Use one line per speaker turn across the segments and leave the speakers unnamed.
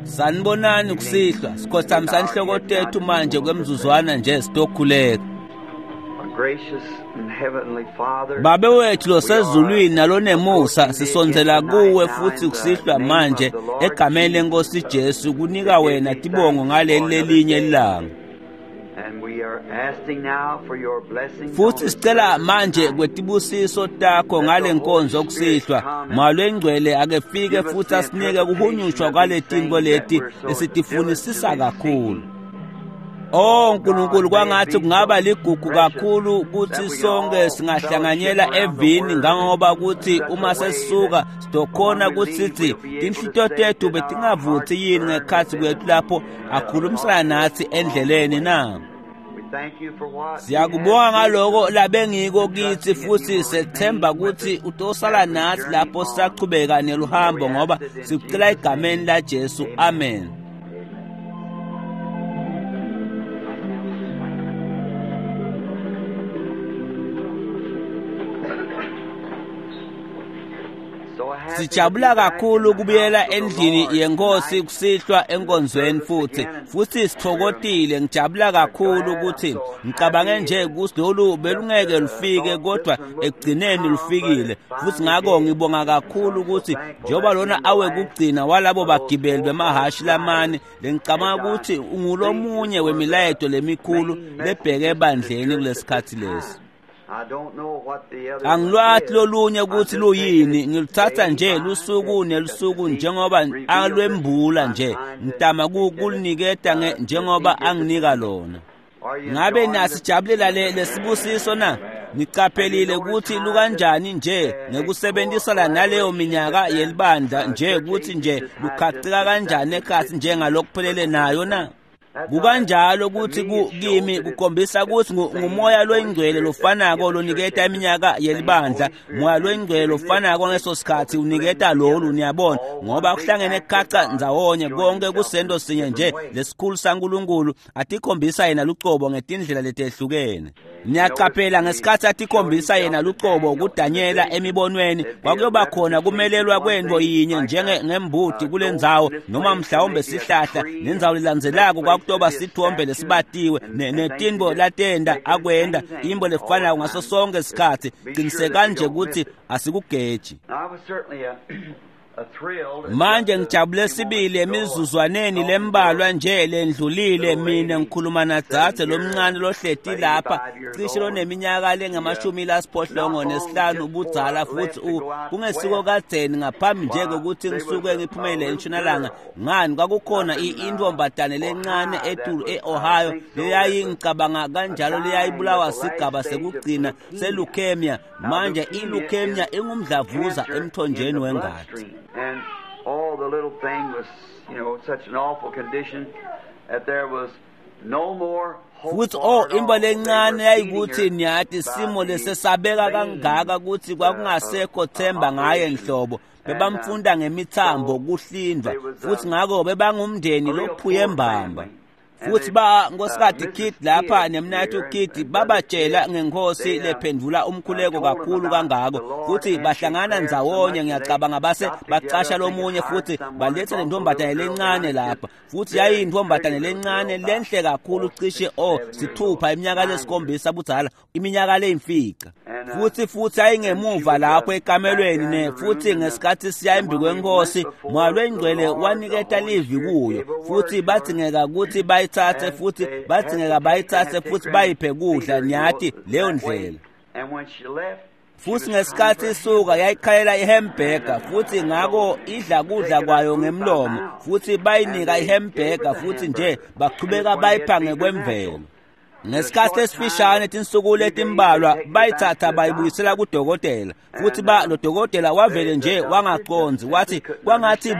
Sanibonani kusihlwa, sikhothamisa inhloko tethu manje kwemzuzwana nje sitokhuleka.
Gracious and heavenly Father,
Babe wethu losezulwini nalonemusa, sisondzela kuwe futhi kusihlwa manje egameni lenkosi Jesu kunika wena tibongo ngaleli lelinye ilanga.
and we are asking now for your blessing.
Futhi sicela manje kwetibusiso takho ngale nkonzo kusihlwa. Moya longcwele ake fike futhi asinike kuhunyushwa kwaletinto leti lesitifunisisa kakhulu. Oh Nkulunkulu, kwangathi kungaba ligugu kakhulu ukuthi sonke singahlanganyela evini ngangoba ukuthi uma sesisuka sizokhona ukuthi sithi tinhlito tethu betingavuthi yini ngekhathi kwethu lapho akhulumisana nathi endleleni na.
We thank you for what
Siyakubonga ngaloko labengiko kithi futhi sethemba ukuthi utosala nathi lapho sisachubeka neluhambo ngoba sikucela egameni la Jesu. Amen.
So happy to
Sijabula
be back
kakhulu
in the
kubuyela
house of the
endlini
Lord
yenkosi
tonight.
kusihlwa enkonzweni futhi sithokotile. Ngijabula kakhulu ukuthi ngicabange nje ukuthi lolu belungeke lufike kodwa ekugcineni lufikile, futhi ngakho ngibonga kakhulu ukuthi njengoba lona awe kugcina walabo bagibeli bemahashi lamane, lengicabanga ukuthi ungulomunye wemilayeto lemikhulu lebheke ebandleni kulesikhathi lesi.
I don't know what the other
Angilwathi
is.
lolunye ukuthi
I'm just
luyini,
taking it
ngiluthatha
day
nje
by
lusuku
day
nelusuku
just to see
njengoba
revealed
alwembula
it.
nje,
I'm trying to
ngitama
get it,
kuliniketa
to
njengoba
see
anginika lona.
Are you
Ngabe
enjoying this?
nasijabulela le lesibusiso na? Niqaphelile ukuthi lukanjani nje ngekusebenzisana naleyo minyaka yelibandla nje ukuthi nje lukhacika kanjani ekhathi njengalokuphelele nayo na? Kukanjalo ukuthi kimi kukhombisa ukuthi ngumoya loyingcwele lofanako loniketa iminyaka yelibandla, moya loyingcwele lofanako ngeso sikhathi uniketa lolu, niyabona, ngoba kuhlangene khaca ndzawonye konke kusento sinye nje lesikhulu saNkulunkulu atikhombisa yena lucobo ngetindlela letehlukene. Niyaqaphela ngesikhathi atikhombisa yena lucobo kuDanyela emibonweni, kwakuyoba khona kumelelwa kwento yinye njenge ngembuti kulendzawo noma mhlawumbe sihlahla, nendzawo lelandzelako kwakutoba sithombe lesibatiwe netinto latenda akwenda imbo lefanako ngaso sonke isikhathi. Qiniseka nje ukuthi asikugeji.
I was certainly a thrilled.
Manje ngijabule sibili emizuzwaneni lembalwa nje lendlulile mina ngikhuluma nadzadze lomncane lohleti lapha cishe loneminyaka lengama-85 ubudzala futhi kungesiko kadzeni ngaphambi nje kokuthi ngisuke ngiphumele entshonalanga. Ngani, kwakukhona intombazane lencane etulu e-Ohio leyayingicabanga kanjalo leyayibulawa sigaba sekugcina seleukemia. Manje i-leukemia ingumdlavuza
Cancer in
emthonjeni
the
wengati.
bloodstream. And all the little thing was, you know, such an awful condition that there was no more hope
Futhi
for
oh
her at
imbo
all. They
lencane
were
yayikuthi
feeding her
niyati
by
simo
the
lesesabeka
vein,
kangaka ukuthi kwakungasekho themba ngaye
operation.
nhlobo.
And,
Bebamfunda ngemithambo
so
kuhlindwa
there was,
futhi ngakho bebangumndeni
a real
lophuye
poor
mbamba.
family. And
Futhi
they,
ba Nkosikazi
Mrs.
Kidd lapha
Kidd
nemnayethu
here
Kidd
and Brother
babatshela
Kidd,
ngenkosi
they,
lephendvula umkhuleko
told them
kakhulu
about
kangako
the Lord
futhi
answered
bahlangana
prayer so
ndzawonye
much that they
ngiyacabanga base
got together,
bacasha
I think, and
lomunye
hired
futhi
someone and
baletha le
brought the
ntombazane
little girl down.
lencane
Just
lapha futhi
very
yayiyintombazane
pretty little
lencane
girl, about
lenhle kakhulu
4, 6,
cishe o
7 years old,
sithupha iminyaka
9 years.
lesikhombisa budzala iminyaka leyimfica.
And,
Futhi
and she
yayingemuva
was
lapho
back there
ekamelweni
in
ne
the room,
futhi
and,
ngesikhathi siya
and
embi
when we went
kwenkosi
before
moya
the
lwengcwele
Lord, the
waniketa
Holy
livi
Spirit
kuyo
gave a word
futhi
to her.
badzingeka ukuthi bayithathe
And
futhi
they had to
badzingeka
take her, had
bayithathe
to take
futhi
her and
bayiphe
feed
kudla
her, you know,
niyati leyo
that way.
ndlela.
And when she left, she
Futhi
was crying
ngesikhathi
for a
isuka
hamburger.
yayikhalela ihamburger
And
futhi
so
ngakho idla kudla
taking her
kwayo
food by
ngemlomo
mouth.
futhi
And
bayinika
they gave her
ihamburger
the
futhi nje
hamburger. And
bachubeka
it's when they had
bayipha
feed her
ngekwemvelo.
natural. In a
Ngesikhathi
short time,
esifishane tinsuku
few days, they
letimbalwa
take her back
bayithatha
to the
bayibuyisela
doctor.
kudokotela futhi
And
ba lo dokotela wavele
the
nje
doctor just
wangaconzi
simply
wathi
couldn't
kwangathi
understand. He said,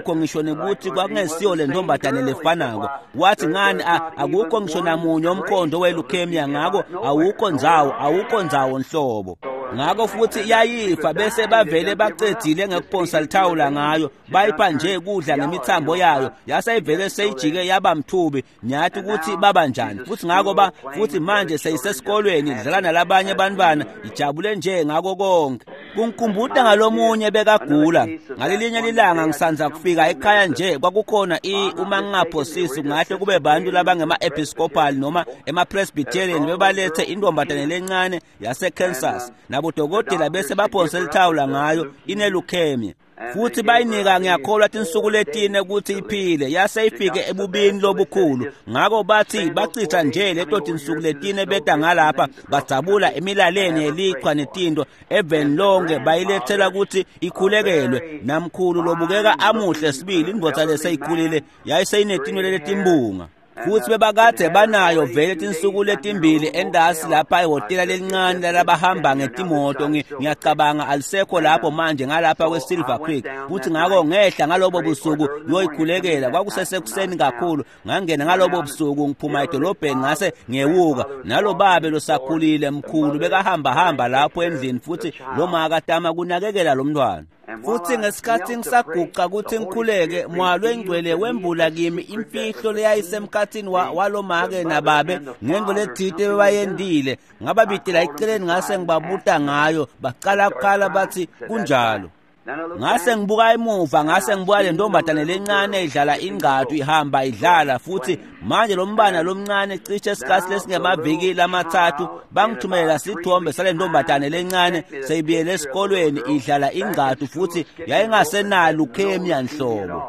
bekungekho ngisho
like
nekuthi
when he
kwakungesiyo
wasn't
le
the same
ntombazane
girl. He said,
lefanako.
why,
Wathi ngani
there's not
akukho
even
ngisho
one
namunye umkhondo
trace of
we-leukemia
leukemia
ngakho
nowhere,
awukho
nowhere
ndzawo
at all.
awukho ndzawo nhlobo.
So
Ngakho futhi yayifa bese bavele bacedzile ngekuphonsa lithawula ngayo, bayipha nje kudla ngemithambo yayo, yaseyivele seyijike yaba mthubi. Niyathi ukuthi baba njani. Futhi ngakho futhi manje seyisesikolweni idlala nalabanye abantwana, ijabule nje ngako konke. Kungikhumbuta ngalomunye bekagula. Ngalelinye lilanga ngisanza kufika ekhaya nje, kwakukhona uma ngingaphosisi kungahle kube bantu labangema-Episcopal noma ema-Presbyterian bebalethe intombazane lencane yase-Kansas. Nabodokotela bese baphonse lithawula ngayo, ine-leukemia. Futhi bayinika ngiyakholwa tinsuku letine ukuthi iphile, yase ifike ebubini lobukhulu. Ngakho bathi bachitha nje leto tinsuku letine beda ngalapha, badzabula emilaleni yelichwa netinto eveni lonke, bayilethela ukuthi ikhulekelwe. Namkhulu lobukeka amuhle sibili, indvodza leseyikhulile yayiseyinetinwele letimbunga. Futhi bebakade banayo vele tinsuku letimbili endasi lapha ehhotela lelincane lalabahamba ngetimoto. Ngiyacabanga alisekho lapho manje ngalapha kwe-Silver Creek. Futhi ngakho ngehla ngalobo busuku ngiyoyikhulekela. Kwakusesekuseni kakhulu. Ngangena ngalobo busuku ngiphuma edolobheni ngase ngewuka. Nalo babe losakhulile mkhulu bekahamba hamba lapho endlini, futhi lo makatama kunakekela lo mntwana. Futhi ngesikhathi ngisaguqa ukuthi ngikhuleke, Moya Lwengcwele wembula kimi imfihlo leyayisemkhathini walomake nababe ngento lethite bebayendile. Ngababidela eceleni ngase ngibabuta ngayo, baqala kukhala bathi kunjalo. Ngase ngibuka emuva, ngase ngibuka le ntombazane lencane idlala ingqathu, ihamba idlala. Futhi manje lo mbana lomncane cishe isikhathi lesingemaviki lamathathu bangithumelela sithombe sale ntombazane lencane seyibuyele esikolweni idlala ingqathu, futhi yayingasenalo leukemia nhlobo.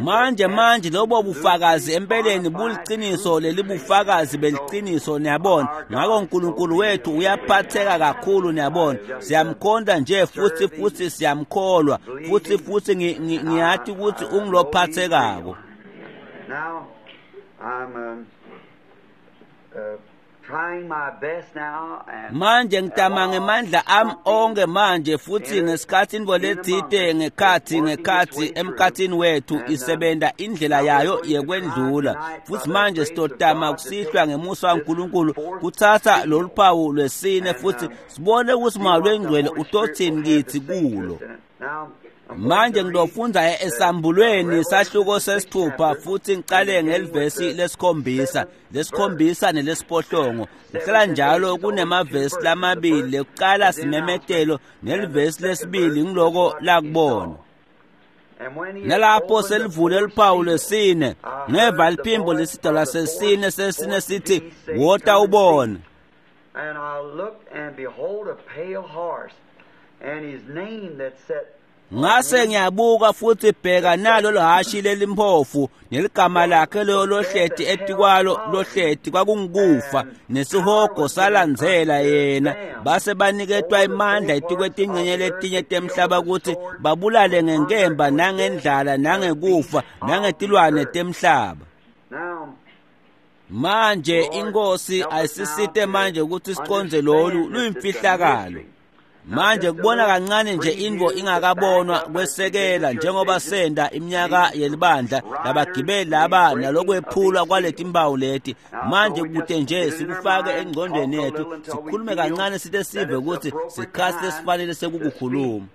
Manje lobo bufakazi empeleni buliciniso, lelibufakazi beliciniso, niyabona. Ngakho uNkulunkulu wethu uyaphatheka kakhulu, niyabona. Siyamkhonda nje futhi siyamkholwa, futhi ngiyathi ukuthi ungilophathekako.
Now I'm trying my best now, and
manje ngitama ngemandla ami onke manje, futhi ngesikhathi intfo letsite ngekhathi emkhathini wethu isebenta indlela yayo yekwendlula. Futhi manje sitotama kusihlwa ngemusa waNkulunkulu kuthatha lolu phawu lwesine futhi sibone ukuthi Moya Lwengcwele utothini kithi kulo. Manje ngidofundza esambulweni sahluko sesithupha, futhi ngiqale ngelivesi lesikhombisa, lesikhombisa nelesiphohlongo. Kuhlala njalo kunemavesi lamabili, lekuqala simemetelo nelivesi lesibili ngiloko lakubona. Nalapho selivule luphawu lwesine, ngeva liphimbo lesidalwa sesine sesine sithi, "Wota ubone."
And I looked, and behold a pale horse, and his name that sat
Ngase ngiyabuka futhi bheka nalo lohashi lelimphofu, neligama lakhe leyo lohleti etikwalo lohleti kwakungukufa, nesihogo salandzela yena. Base baniketwa imandla etikwetingcenye letinye temhlaba ukuthi babulale ngenkemba nangendlala nangekufa nangetilwane temhlaba. Manje inkosi ayisisite manje ukuthi siconze lolu luyimfihlakalo. Manje kubona kancane nje intfo ingakabonwa kwesekela njengoba senda iminyaka yelibandla labagibeli laba nalokwephulwa kwaleti mpawu leti. Manje kute nje sikufake engcondweni yethu, sikhulume kancane site sive ukuthi sikhathi lesifanele sekukukhuluma.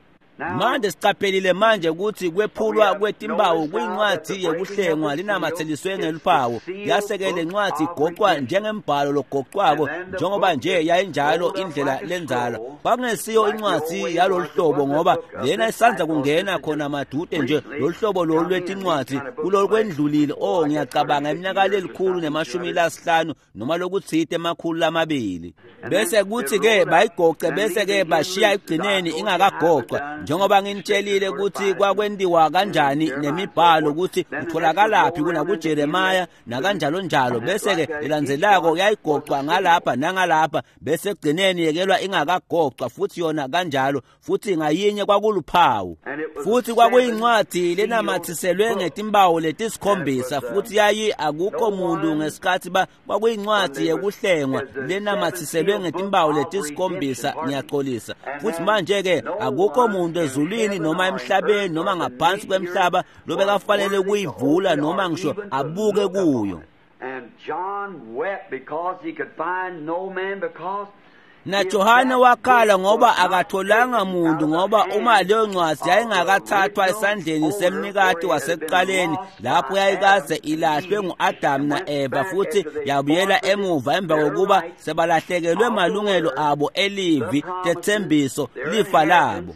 Manje sicaphelile manje ukuthi kwephulwa kwetimpawu kuyincwadi yekuhlengwa linamatheliswe ngeluphawu. Yaseke lencwadi igoqwa njengembhalo logocwako, njengoba nje yayinjalo indlela lenzala. Kwakungesiyo incwadi yalolu hlobo, ngoba lena isandza kungena khona madude nje lolu hlobo lolu lwetincwadi kulolu kwendlulile. Ngiyacabanga iminyaka lelikhulu nemashumi lasihlanu noma lokutsite emakhulu lamabili. Bese kuthi ke bayigoce, bese ke bashiya ekugcineni ingakagocwa, njengoba nginitshelile ukuthi kwakwentiwa kanjani nemibhalo ukuthi utholakalaphi kunakuJeremiah nakanjalo njalo. Bese ke ilandzelako yayigocwa ngalapha nangalapha, bese ekugcineni yekelwa ingakagocwa futhi yona kanjalo. Futhi ngayinye kwakuluphawu, futhi kwakuyincwadi lenamathiselwe ngetimpawu letisikhombisa, futhi yayi akukho muntu ngesikhathi kwakuyincwadi yekuhlengwa lenamathiselwe ngetimpawu letisikhombisa. Ngiyaxolisa. Futhi manje ke akukho muntu ezulwini noma emhlabeni noma ngaphansi kwemhlaba lobekafanele kuyivula noma ngisho abuke kuyo. NaJohane wakhala ngoba akatholanga muntu, ngoba uma leyo ncwadi yayingakathathwa esandleni semnikati wasekuqaleni lapho yayikaze ilahlwe ngu-Adamu na-Eva futhi yabuyela emuva emva kokuba sebalahlekelwe malungelo abo elivi tethembiso lifa labo.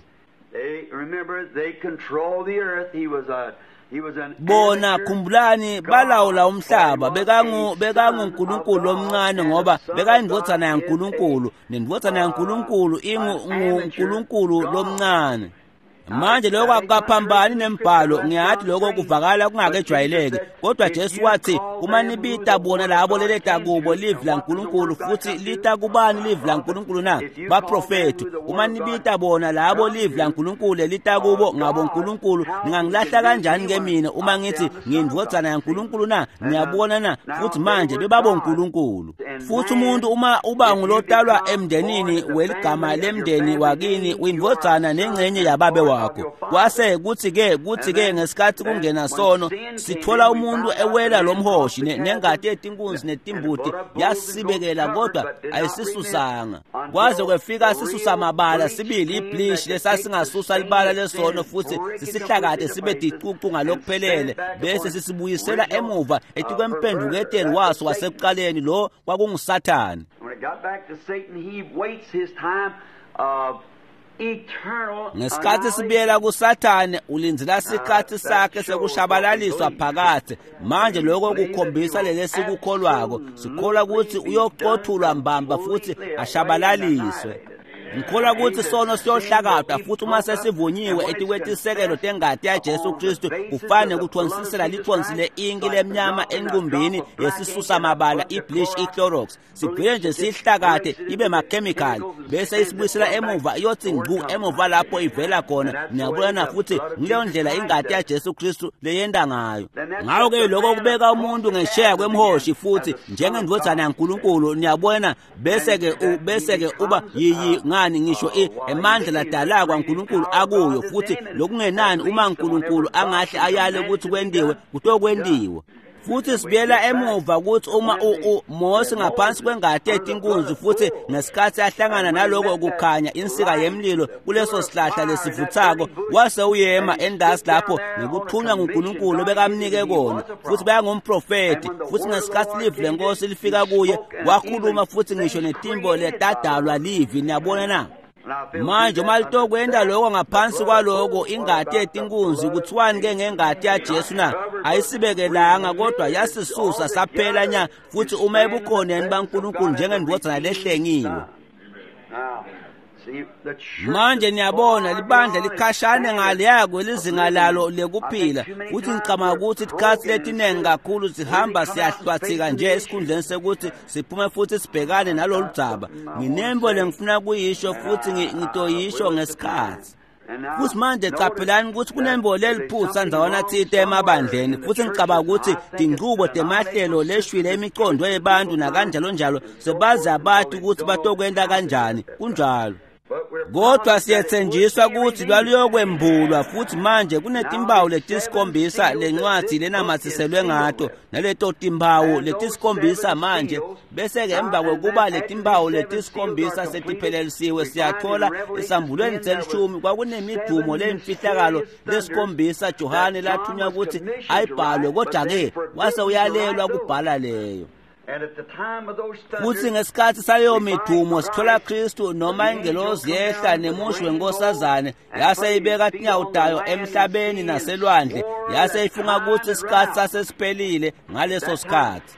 Bona khumbulani balawula umhlaba, bekanguNkulunkulu omncane ngoba bekayindvodzana yaNkulunkulu, nendvodzana yaNkulunkulu inguNkulunkulu lomncane. Manje lokho akukaphambani nembhalo, ngiyathi lokho kuvakala kungakejwayeleki, kodwa Jesu wathi uma nibita bona labo leleta kubo livi laNkulunkulu, futhi lita kubani livi laNkulunkulu na? Baprofethi. Uma nibita bona labo livi laNkulunkulu lelita kubo ngabo Nkulunkulu, ningangilahla kanjani ke mina uma ngithi ngiyindvodzana yaNkulunkulu na? Niyabona na? Futhi manje bebabo Nkulunkulu. Futhi umuntu uma uba ngulotalwa emndenini weligama lemndeni wakini, uyindvodzana nengcenye yababe wakho. Kwase kuthi-ke ngesikhathi kungena sono sithola umuntu ewela lomhoshi nengati yetinkunzi netimbuti yasibekela, kodwa ayisisusanga kwaze kwefika sisusa mabala sibili ibleach lesasingasusa libala lesono futhi sisihlakade sibe dicucu ngalokuphelele, bese sisibuyisela emuva etikwemphenduketeni waso wasekuqaleni, lo kwakunguSathane. Ngesikhathi sibuyela kuSathane ulindzela sikhathi sakhe sekushabalaliswa phakathe. Manje lokho kukhombisa lelesikukholwako, sikholwa ukuthi uyoqothulwa mbamba futhi ashabalaliswe. Ngikholwa ukuthi sono siyohlakadwa futhi uma sesivunyiwe etikwetisekelo tengati yaJesu Kristu, kufane kuthonsisela lithonsi le-inki lemnyama enqumbini yesisusa mabala ibleach iclorox, sigcine nje sihlakade ibe makhemikhali bese isibuyisela emuva iyothi ngqu emuva lapho ivela khona. Niyabona? Futhi ngileyo ndlela ingati yaJesu Kristu leyenda ngayo. Ngakho-ke lokho kubeka umuntu ngesheya kwemhoshi futhi njengendvodzana yaNkulunkulu. Niyabona? Bese-ke uba yiyi ngani ngisho emandla ladala kwaNkulunkulu akuyo, futhi lokungenani uma uNkulunkulu angahle ayale ukuthi kwendiwe kutokwendiwa. Futhi sibuyela emuva ukuthi uma Mose ngaphansi kwengati yetinkunzi futhi ngesikhathi ahlangana naloko kukhanya insika yemlilo kuleso sihlahla lesivuthako, wase uyema endasi lapho ngekuthunywa nguNkulunkulu bekamnike kona, futhi bayangumprofeti. Futhi ngesikhathi livi lenkosi lifika kuye wakhuluma futhi ngisho netimbo letadalwa livi. Niyabona na? Manje uma litokwenda lokho ngaphansi kwaloko ingati yetinkunzi, kuthiwani ke ngengati yaJesu na? Ayisibekelanga kodwa yasisusa saphela nya, futhi uma ebukhoneni baNkulunkulu njengendvodzana lehlengiwe. Manje niyabona libandla likhashane ngaleya kwelizinga lalo lekuphila, futhi ngicabanga ukuthi isikhathi letinengi kakhulu sihamba siyahlwathika nje esikhundleni sekuthi siphume futhi sibhekane nalolu dzaba. Nginembo lengifuna kuyisho futhi ngitoyisho ngesikhathi. Futhi manje caphelani ukuthi kunembo leliphutha ndzawana thite emabandleni, futhi ngicabanga ukuthi tinchubo temahlelo leshwile imicondo yebantu nakanjalo njalo sebaze abati ukuthi batokwenta kanjani. Kunjalo. Kodwa siyethenjiswa ukuthi lwaluyokwembulwa, futhi manje kunetimpawu letisikhombisa lencwadi lenamathiselwe ngato, naleto timpawu letisikhombisa manje bese-ke emva kokuba letimpawu letisikhombisa setiphelelisiwe siyathola esambulweni selishumi kwakunemidumo leyimfihlakalo lesikhombisa Johane lathunywa ukuthi ayibhalwe, kodwa-ke wase uyalelwa kubhala leyo. Futhi ngesikhathi saleyo midumo sithola Kristu noma ingelosi yehla nemushi wenkosazane yase ibeka tinyawo tayo emhlabeni naselwandle, yase ifunga ukuthi isikhathi sasesiphelile ngaleso sikhathi.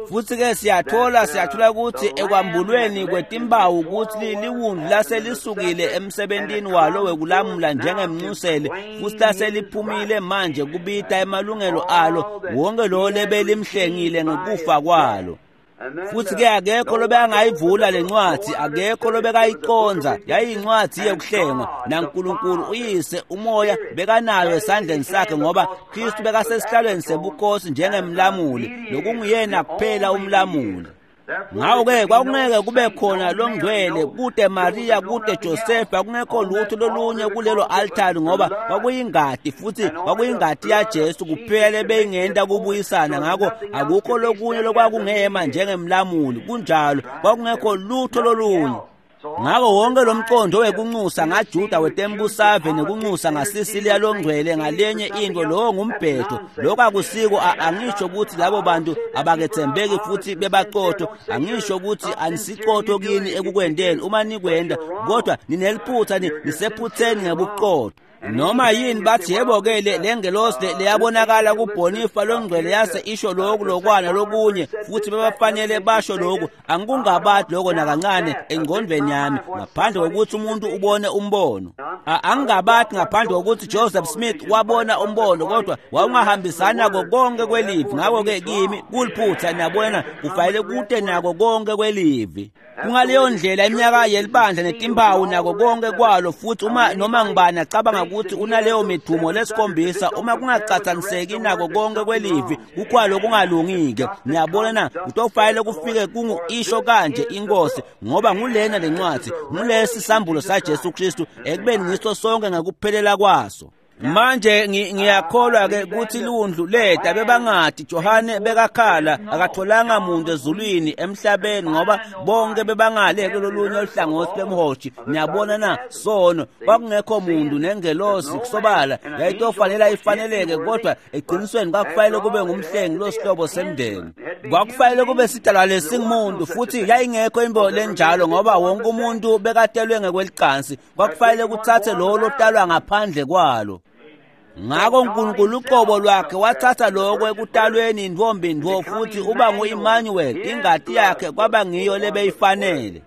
Futhi-ke siyathola ukuthi ekwambulweni kwetimpawu ukuthi liwundlu laselisukile emsebentini walo wekulamula njengemncuseli, futhi laseliphumile manje kubita emalungelo alo wonke lo lebelimhlengile ngekufa kwalo. Futhi-ke akekho lobekangayivula lencwadi, akekho lobekayiconza, yayiyincwadi yekuhlengwa, naNkulunkulu uyise umoya bekanayo esandleni sakhe, ngoba Kristu bekasesihlalweni sebukhosi njengemlamuli, lokunguyena kuphela umlamuli. Ngako-ke kwakungeke kube khona longcwele, kute Maria, kute Josefa, kungekho lutho lolunye kulelo altari, ngoba kwakuyingati, futhi kwakuyingati yaJesu kuphela ebeyingenta kubuyisana. Ngakho akukho lokunye lokwakungema njengemlamuli. Kunjalo, kwakungekho lutho lolunye. Ngako wonke lo mqondo wekunxusa ngaJuda wetembusave nekunxusa ngaSisiliya longcwele ngalenye into, lowo ngumbhedo. Lokho akusiko. Angisho ukuthi labo bantu abakethembeki futhi bebaqotho, angisho ukuthi anisiqotho kini ekukwendeni uma nikwenda, kodwa nineliphutha, nisephutheni ngebuqotho. Noma yini bathi yebo-ke le ngelosi leyabonakala kuBhonifa longcwele yase isho lokhu lokwana lokunye, futhi bebafanele basho lokhu. Angikungabadi lokho nakancane engqondweni yami, ngaphandle kokuthi umuntu ubone umbono. Angingabadi ngaphandle kokuthi Joseph Smith wabona umbono, kodwa wawungahambisani nako konke kwelivi. Ngakho-ke kimi kuliphutha, niyabona, kufanele kude nako konke kwelivi. Kungaleyo ndlela iminyaka yelibandla netimpawu nako konke kwalo. Futhi uma noma ngibani acabanga ukuthi unaleyo midumo lesikhombisa, uma kungacathaniseki nako konke kwelivi, kukhwalo kungalungike. Niyabona na? Kutofanele kufike kungu isho kanje inkosi, ngoba ngulena lencwadi, ngulesi sambulo saJesu Kristu ekubeni ngiso sonke ngekuphelela kwaso. Manje ngiyakholwa-ke ukuthi lundlu leda bebangadi Johane bekakhala, akatholanga muntu ezulwini emhlabeni, ngoba bonke bebangale kulolunye uhlangothi lwemhoshi. Niyabona na? Sono, kwakungekho muntu nengelosi kusobala yayitofanele ifaneleke, kodwa eqinisweni kwakufanele kube ngumhlengi losihlobo semndeni, kwakufanele kube sidalwa lesingumuntu, futhi yayingekho imbo lenjalo, ngoba wonke umuntu bekatelwe ngekwelicansi. Kwakufanele kuthathe lowo lotalwa ngaphandle kwalo. Ngakho uNkulunkulu uqobo lwakhe wathatha lokho ekutalweni intombi ntfo, futhi uba ngu-Emmanuel, ingati yakhe kwaba ngiyo lebeyifanele.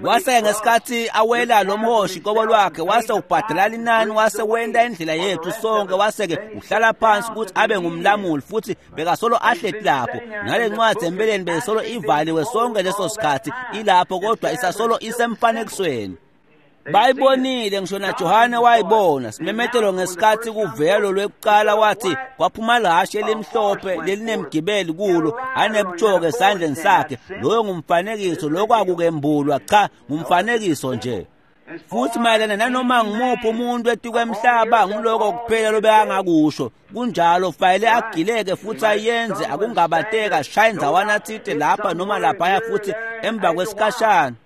Wase ngesikhathi awela lo mhoshi qobo lwakhe, wase ubhadala linani, wase wenta indlela yethu sonke, wase-ke uhlala phansi ukuthi abe ngumlamuli, futhi bekasolo ahleti lapho. Nale ncwadi empeleni beyisolo ivaliwe sonke leso sikhathi ilapho, kodwa isasolo isemfanekisweni. Bayibonile, ngisho naJohane wayibona. Simemetelo ngesikhathi kuvelo lwekuqala, wathi kwaphuma lahashe elimhlophe lelinemgibeli kulo, anebutshoke esandleni sakhe. Loyo ngumfanekiso, lokho akukembulwa, cha, ngumfanekiso nje. Futhi mayelana nanoma ngumuphi umuntu etikwemhlaba, nguloko kuphela lobekangakusho. Kunjalo, fanele agileke futhi ayenze, akungabateka ashaye ndzawana thite lapha noma laphaya, futhi emva kwesikhashana.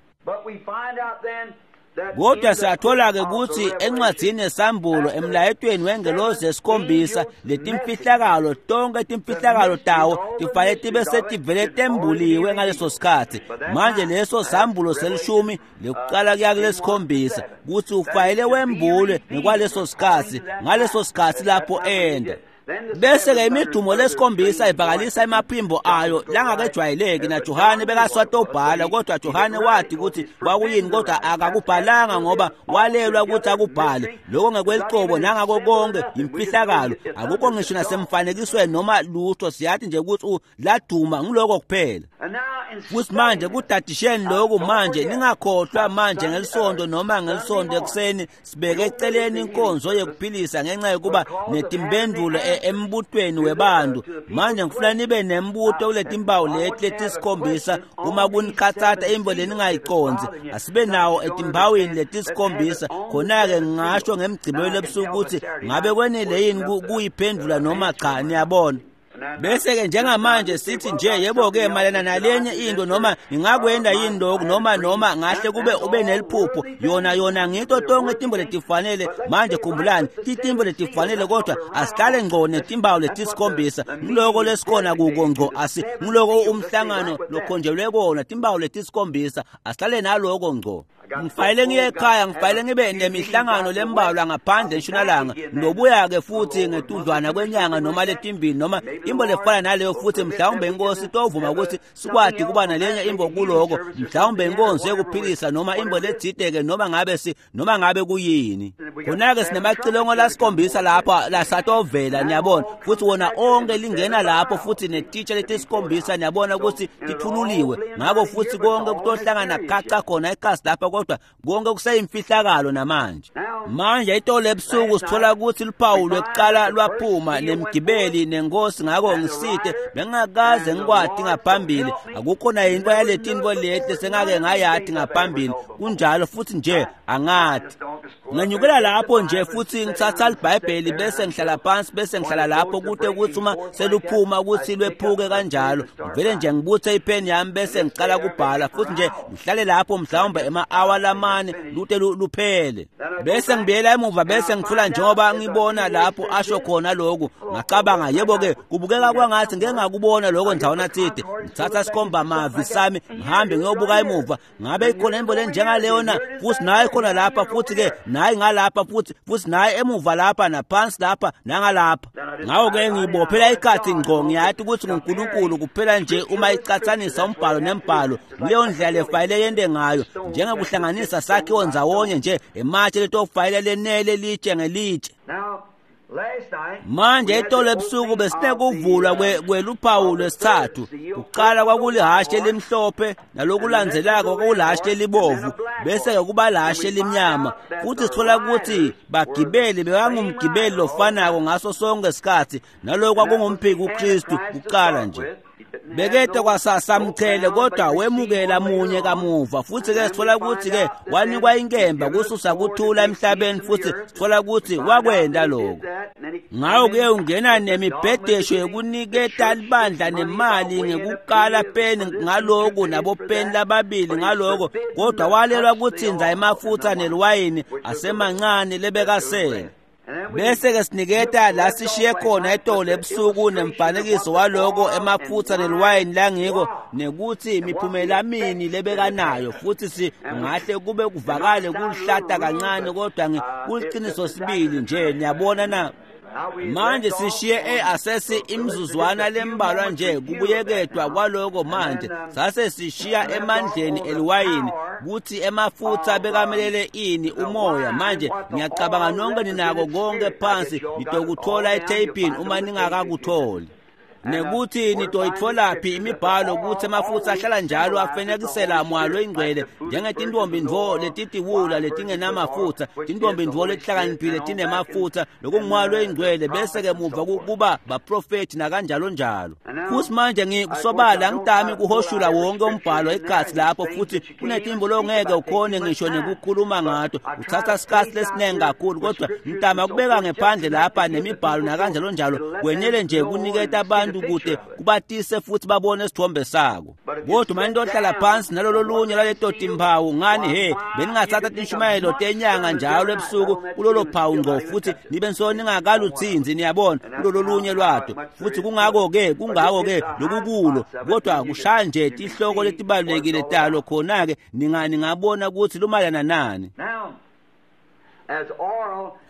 Kodwa siyathola-ke ukuthi encwadzini yesambulo, emlayetweni wengelosi yesikhombisa, letimfihlakalo tonke timfihlakalo tawo tifanele tibe setivele tembuliwe ngaleso sikhathi. Manje leso sambulo selishumi lekuqala kuya kulesikhombisa, kutsi ufanele wembulwe ngekwaleso sikhathi, ngaleso sikhathi lapho enda. Bese-ke imidumo lesikhombisa ivakalisa emaphimbo ayo langakejwayeleki, naJohane bekaswatobhala, kodwa Johane wathi ukuthi kwakuyini, kodwa akakubhalanga ngoba walelwa ukuthi akubhale. Lokho ngekwelicobo nangako konke yimfihlakalo, akukho ngisho nasemfanekisweni noma lutho. Siyathi nje ukuthi laduma, ngiloko kuphela. Futhi manje kudadisheni lokhu manje, ningakhohlwa manje ngelisonto noma ngelisonto ekuseni sibeke eceleni inkonzo yekuphilisa ngenxa yokuba netimpendulo embutweni webantu. Manje ngifuna nibe nembuto kuletimpawu leti letisikhombisa. Uma kunikhatsata imbo leningayiconzi, asibe nawo etimpawini letisikhombisa. Khona-ke ngingasho ngemgcibelo ebusuku ukuthi ngabe kwenele yini kuyiphendula noma cha. Niyabona? Bese-ke njengamanje sithi nje yebo-ke mayelana nalenye into, noma ngingakwenda yini lokhu, noma ngahle kube ube neliphupho, yona ngito tonke timbo letifanele. Manje khumbulani, titimbo letifanele, kodwa asihlale ngco netimbawu letisikhombisa. Ngiloko lesikhona kuko ngco, asi ngiloko umhlangano lokhonjelwe kona, timbawu letisikhombisa, asihlale naloko ngco. Ngifanele ngiye ekhaya, ngifanele ngibe nemihlangano lembalwa ngaphandle entshonalanga. Ngilobuya-ke futhi ngetudlwana kwenyanga noma letimbili noma imbo lefana naleyo, futhi mhlawumbe inkosi itovuma ukuthi sikwati kuba nalenye imbo kuloko, mhlawumbe inkonzo yekuphilisa noma imbo ledzide-ke, noma ngabe si noma ngabe kuyini. Khona-ke sinemacilongo lasikhombisa lapha lasatovela, niyabona, futhi wona onke lingena lapho, futhi netitsha letisikhombisa, niyabona ukuthi tithululiwe. Ngakho futhi konke kutohlangana gaca khona ekhasi lapha, kodwa konke kuseyimfihlakalo namanje. Manje itolo ebusuku sithola ukuthi luphawu lwekuqala lwaphuma nemgibeli nenkosi. Ngako ngisite, bengingakaze ngikwati ngaphambili, akukho nayintfo yaletintfo leti lesengake ngayati ngaphambili. Kunjalo futhi nje angati. Ngenyukela lapho nje futhi ngitsatsa liBhayibheli bese ngihlala phansi bese ngihlala lapho kute kutsi uma seluphuma kutsi lwephuke kanjalo. Ngivele nje ngibutse ipheni yami bese ngicala kubhala futhi nje ngihlale lapho mhlawumbe ema-awa lamane lute luphele. Bese ngibuyela emuva bese ngifula njengoba ngibona lapho asho khona lokhu. Ngacabanga, yebo-ke, kubukeka kwangathi ngeke ngakubona lokho ndzawana tsite. Ngitsatsa sikhomba-mavi sami ngihambe ngiyobuka emuva, ngabe ikhona intfo lenjengaleyo na? Futhi nayi khona lapha, futhi-ke nayi ngalapha, futhi nayi emuva lapha, naphansi lapha, nangalapha. Ngako-ke ngibophela ikhathi ngco, ngiyati ukuthi nguNkulunkulu kuphela nje uma icatsanisa umbhalo nembhalo kuleyo ndlela lefayile yente ngayo, njengekuhlanganisa sakhiwo ndzawonye nje ematshe letofayile lenele litshe ngelitshe. Manje itolo ebusuku besinekuvulwa kweluphawu lwesithathu. Kuqala kwakulihhashi elimhlophe, nalokulandzelako kwakulihhashi elibovu, bese-ke kuba lihhashi elimnyama. Futhi sithola ukuthi bagibeli bekangumgibeli lofanako ngaso sonke isikhathi, naloko kwakungumphiki uKristu kuqala nje. Bekete kwasasamchele kodwa wemukela munye kamuva. Futhi-ke sithola ukuthi-ke wanikwa inkemba kususa kuthula emhlabeni, futhi sithola ukuthi wakwenta lokho. Ngako-ke ungena nemibhedesho yokuniketa libandla nemali ngekukala peni ngaloku nabopeni lababili ngaloko, kodwa walelwa kutsinza emafutha neliwayini asemancane lebekasele. Bese-ke siniketa la sishiye khona itolo ebusuku nemfanekiso waloko emafutha neliwayini langiko, nekuthi imiphumela mini lebekanayo. Futhi singahle kube kuvakale kuluhlata kancane, kodwa kuliciniso sibili nje. Niyabona na? Manje sishiye asesi imizuzwana lembalwa nje kubuyekedwa kwaloko. Manje sase sishiya emandleni eliwayini kuthi emafutha bekamelele ini, umoya. Manje ngiyacabanga nonke ninako konke phansi, nitokuthola etheyipini uma ningakakutholi, nekuthi nitoyitfolaphi imibhalo ukuthi emafutha ahlala njalo afenekisela moya loyingcwele njengetintombi ntfo letitiwula letingenamafutha, tintombi ntfo letihlakaniphile tinemafutha, lokungumoya loyingcwele, bese-ke muva kuba baprofethi nakanjalo njalo. Futhi manje ngikusobala ngitami kuhoshula wonke umbhalo ekhatsi lapho, futhi kunetimbo longeke ukhone ngisho nekukhuluma ngato, uthatha sikhatsi lesiningi kakhulu, kodwa ngitama kubeka ngephandle lapha nemibhalo nakanjalo njalo, kwenele nje kuniketa abantu kude kubatise futhi babone isithombe sako. Kodwa uma nitohlala phansi nalolo lunye lwaleto timphawu, ngani he, beningathatha tinshumayelo tenyanga njalo ebusuku kulolo phawu ngco, futhi nibe nso ningakalutsinzi, niyabona, kulolo lunye lwato. Futhi kungako-ke lokukulo, kodwa kushaya nje tihloko letibalulekile talo, khona-ke ningabona ukuthi lumayelana nani.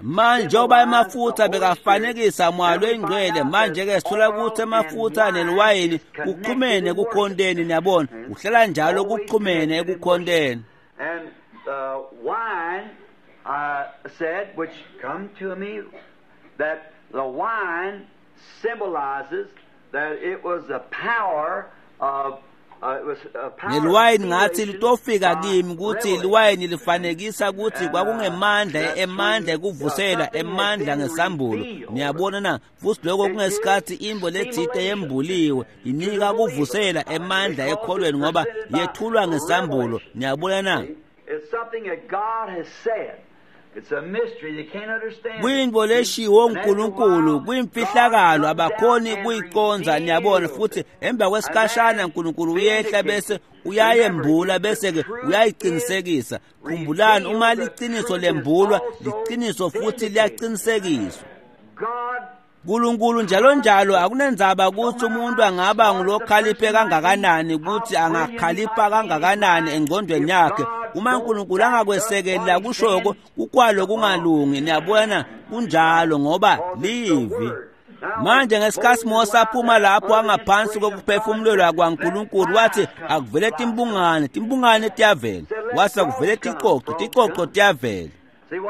Manje njengoba emafutha bekafanekisa moya loyingcwele, manje-ke sithola ukuthi emafutha neliwayini kuxhumene ekukhonteni, niyabona, kuhlala njalo kuxhumene ekukhonteni.
And the wine, I said, which come to me, that the wine symbolizes that it was the power of
Neliwayini ngathi litofika kimi ukuthi liwayini lifanekisa ukuthi kwakungemandla, emandla ekuvusela, emandla ngesambulo. Niyabona na? Futhi lokho kungesikhathi imbo letsite yembuliwe inika kuvusela emandla ekholweni ngoba yethulwa ngesambulo. Niyabona na?
It's something that God has said. It's a mystery they can't understand.
Kuyintfo leshiwo uNkulunkulu, kuyimfihlakalo abakhoni kuyiconza, niyabona. Futhi emva kwesikhashana uNkulunkulu uyehla bese uyayembula bese-ke uyayiqinisekisa. Khumbulani, uma liciniso lembulwa, liciniso futhi liyaqinisekiswa.
God
Nkulunkulu njalo njalo akunendzaba ukuthi umuntu angaba ngulokhaliphe kangakanani, ukuthi angakhalipha kangakanani engqondweni yakhe, uma uNkulunkulu angakwesekeli lakushoko, kukwalo kungalungi. Niyabona, kunjalo ngoba livi. Manje ngesikhathi Mose aphuma lapho angaphansi kokuphefumulelwa kwaNkulunkulu, wathi akuvele timbungane, timbungane tiyavela. Wathi akuvele ticoco, ticoco tiyavela.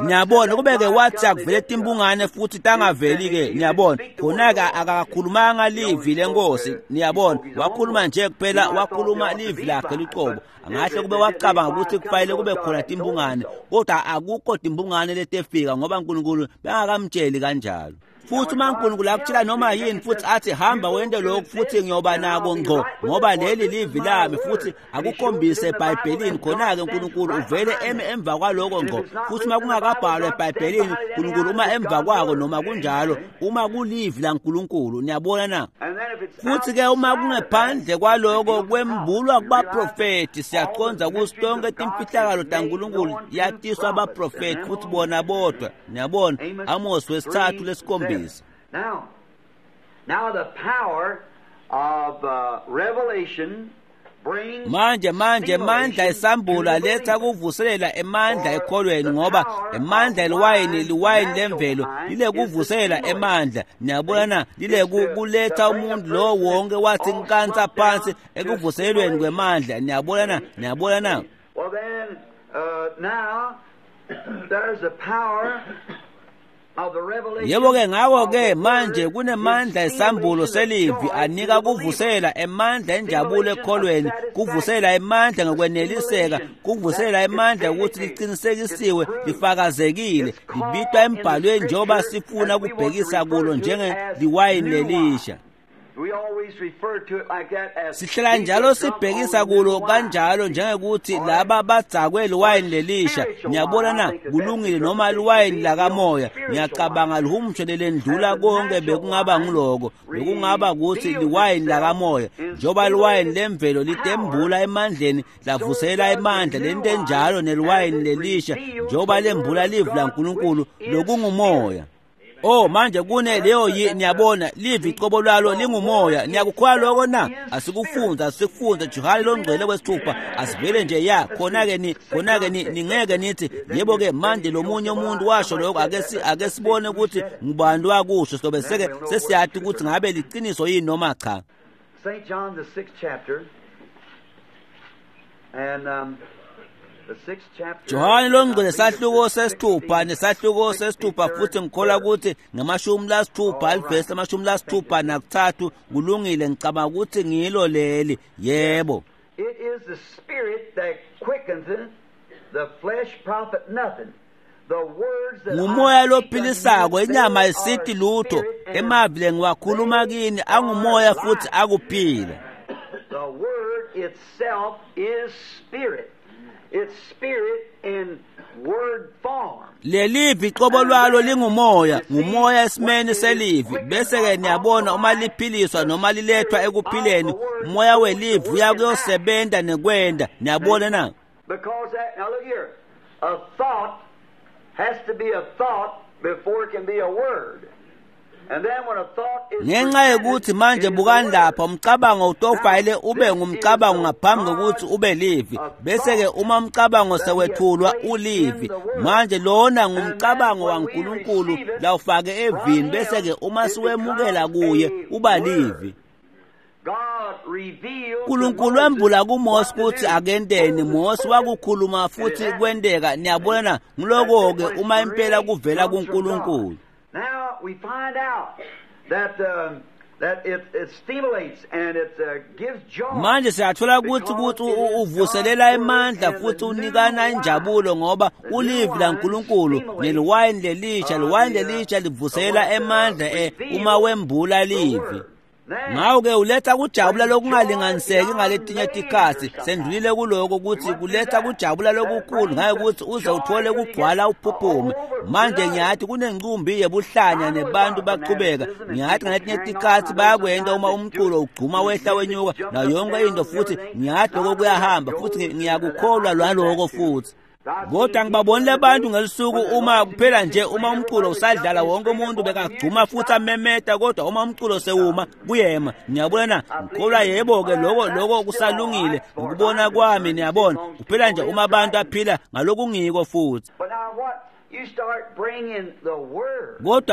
Niyabona, kubeke wathi akuvele timbungane futhi tangaveli-ke, niyabona. Khona-ke akakhulumanga livi lenkosi, niyabona. Wakhuluma nje kuphela, wakhuluma livi lakhe lucobo. Angahle kube wacabanga ukuthi kufanele kube khona timbungane, kodwa akukho timbungane letefika ngoba uNkulunkulu bengakamtsheli kanjalo. Futhi uma uNkulunkulu akutshela noma yini futhi athi hamba wente lokhu futhi ngiyoba nako ngqo, ngoba leli livi lami, futhi akukhombise eBhayibhelini, khona-ke uNkulunkulu uvele eme emva kwaloko ngqo. Futhi uma kungakabhalwa eBhayibhelini, uNkulunkulu uma emva kwako noma kunjalo, uma kulivi laNkulunkulu. Niyabona na? Futhi-ke uma kungephandle kwaloko kwembulwa kubaprofethi, siyaqonda ukuthi tonke timfihlakalo taNkulunkulu yatiswa abaprofethi futhi bona bodwa. Niyabona? Amos 3:7.
Now the power of revelation
Manje mandla esambulo aletha kuvuselela emandla ekholweni, ngoba emandla eliwayini liwayini lemvelo lile kuvuselela emandla. Niyabona na? Lile kuletha umuntu lo wonke wathi nkansa phansi ekuvuselelweni kwemandla. Niyabona na? Niyabona na?
Well then, now there's a power.
Yebo-ke ngakho-ke manje kunemandla esambulo selivi anika kuvusela emandla enjabulo ekholweni, kuvusela emandla ngokweneliseka, kuvusela emandla ukuthi liqinisekisiwe, lifakazekile, libitwa embhalweni njengoba sifuna kubhekisa kulo njengeliwayini lelisha. Sihlala njalo sibhekisa kulo kanjalo njengekuthi laba badzakwe liwayini lelisha. Niyabona na? Kulungile, noma liwayini lakamoya. Ngiyacabanga lihumusho lelendlula konke bekungaba ngiloko, bekungaba ukuthi liwayini lakamoya, njengoba liwayini lemvelo litembula emandleni lavusela emandla, lento enjalo neliwayini lelisha njengoba lembula livi laNkulunkulu lokungumoya. Oh manje kune leyo niyabona livi icobo lwalo lingumoya. Niyakukholwa lokho na? Asikufunza Johane longcwele wesithupha, asivele nje ya khona-ke ningeke nithi yebo-ke manje lo munye umuntu washo lokho, ake sibone ukuthi ngubani wakusho, sobe seke sesiyati ukuthi ngabe liqiniso yini noma cha.
St. John the 6th chapter and
Johane longcwele sahluko sesithupha nesahluko sesithupha, futhi ngikholwa ukuthi ngamashumi lasithupha livesi 63 kulungile, ngicabanga ukuthi ngilo leli. Yebo.
It is the spirit that quickens it, the flesh profit nothing.
Ngumoya lophilisako, inyama ayisithi lutho. Emavi lengiwakhuluma kini angumoya futhi akuphila.
The word itself is spirit. It's spirit in word form.
Lelivi qobo lwalo lingumoya, ngumoya esimeni selivi. Bese-ke niyabona uma liphiliswa noma lilethwa ekuphileni, umoya welivi uyakuyosebenza nekwenda. Niyabona na?
Because that, now look here, a thought has to be a thought before it can be a word.
Ngenxa yokuthi manje bukani lapha, umcabango utofayile ube ngumcabango ngaphambi kokuthi ube livi. Bese-ke uma umcabango sewethulwa ulivi, manje lona ngumcabango waNkulunkulu lawufake evini. Bese-ke uma siwemukela kuye uba livi. uNkulunkulu wembula kuMose ukuthi akenteni. Mose wakukhuluma futhi kwenteka. Niyabona, ngiloko-ke uma impela kuvela kuNkulunkulu.
Now we find out that it stimulates and it gives joy.
Manje siyathola ukuthi uvuselela emandla futhi unikana injabulo, ngoba ulivi laNkulunkulu neliwayini lelisha, liwayini lelisha livuselela emandla uma wembula livi. Ngakho-ke uletha kujabula lokungalinganiseki ngaletinye tikhatsi. Sendlulile kuloko ukuthi kuletha kujabula lokukhulu ngaye ukuthi uze uthole kugcwala uphuphume. Manje ngiyathi kunencumbi yebuhlanya nebantu baqhubeka. Ngiyathi ngaletinye tikhatsi bayakwenta uma umculo ugcuma wehla wenyuka nayo yonke into, futhi ngiyathi lokho kuyahamba futhi ngiyakukholwa lwaloko futhi. Kodwa ngibabonile abantu ngelisuku uma kuphela nje uma umculo usadlala wonke umuntu bekagcuma futhi amemeta, kodwa uma umculo sewuma kuyema. Niyabona na? Ngikholwa yebo-ke lokho kusalungile ngokubona kwami. Niyabona, kuphela nje uma abantu aphila ngalokungiko futhi. Kodwa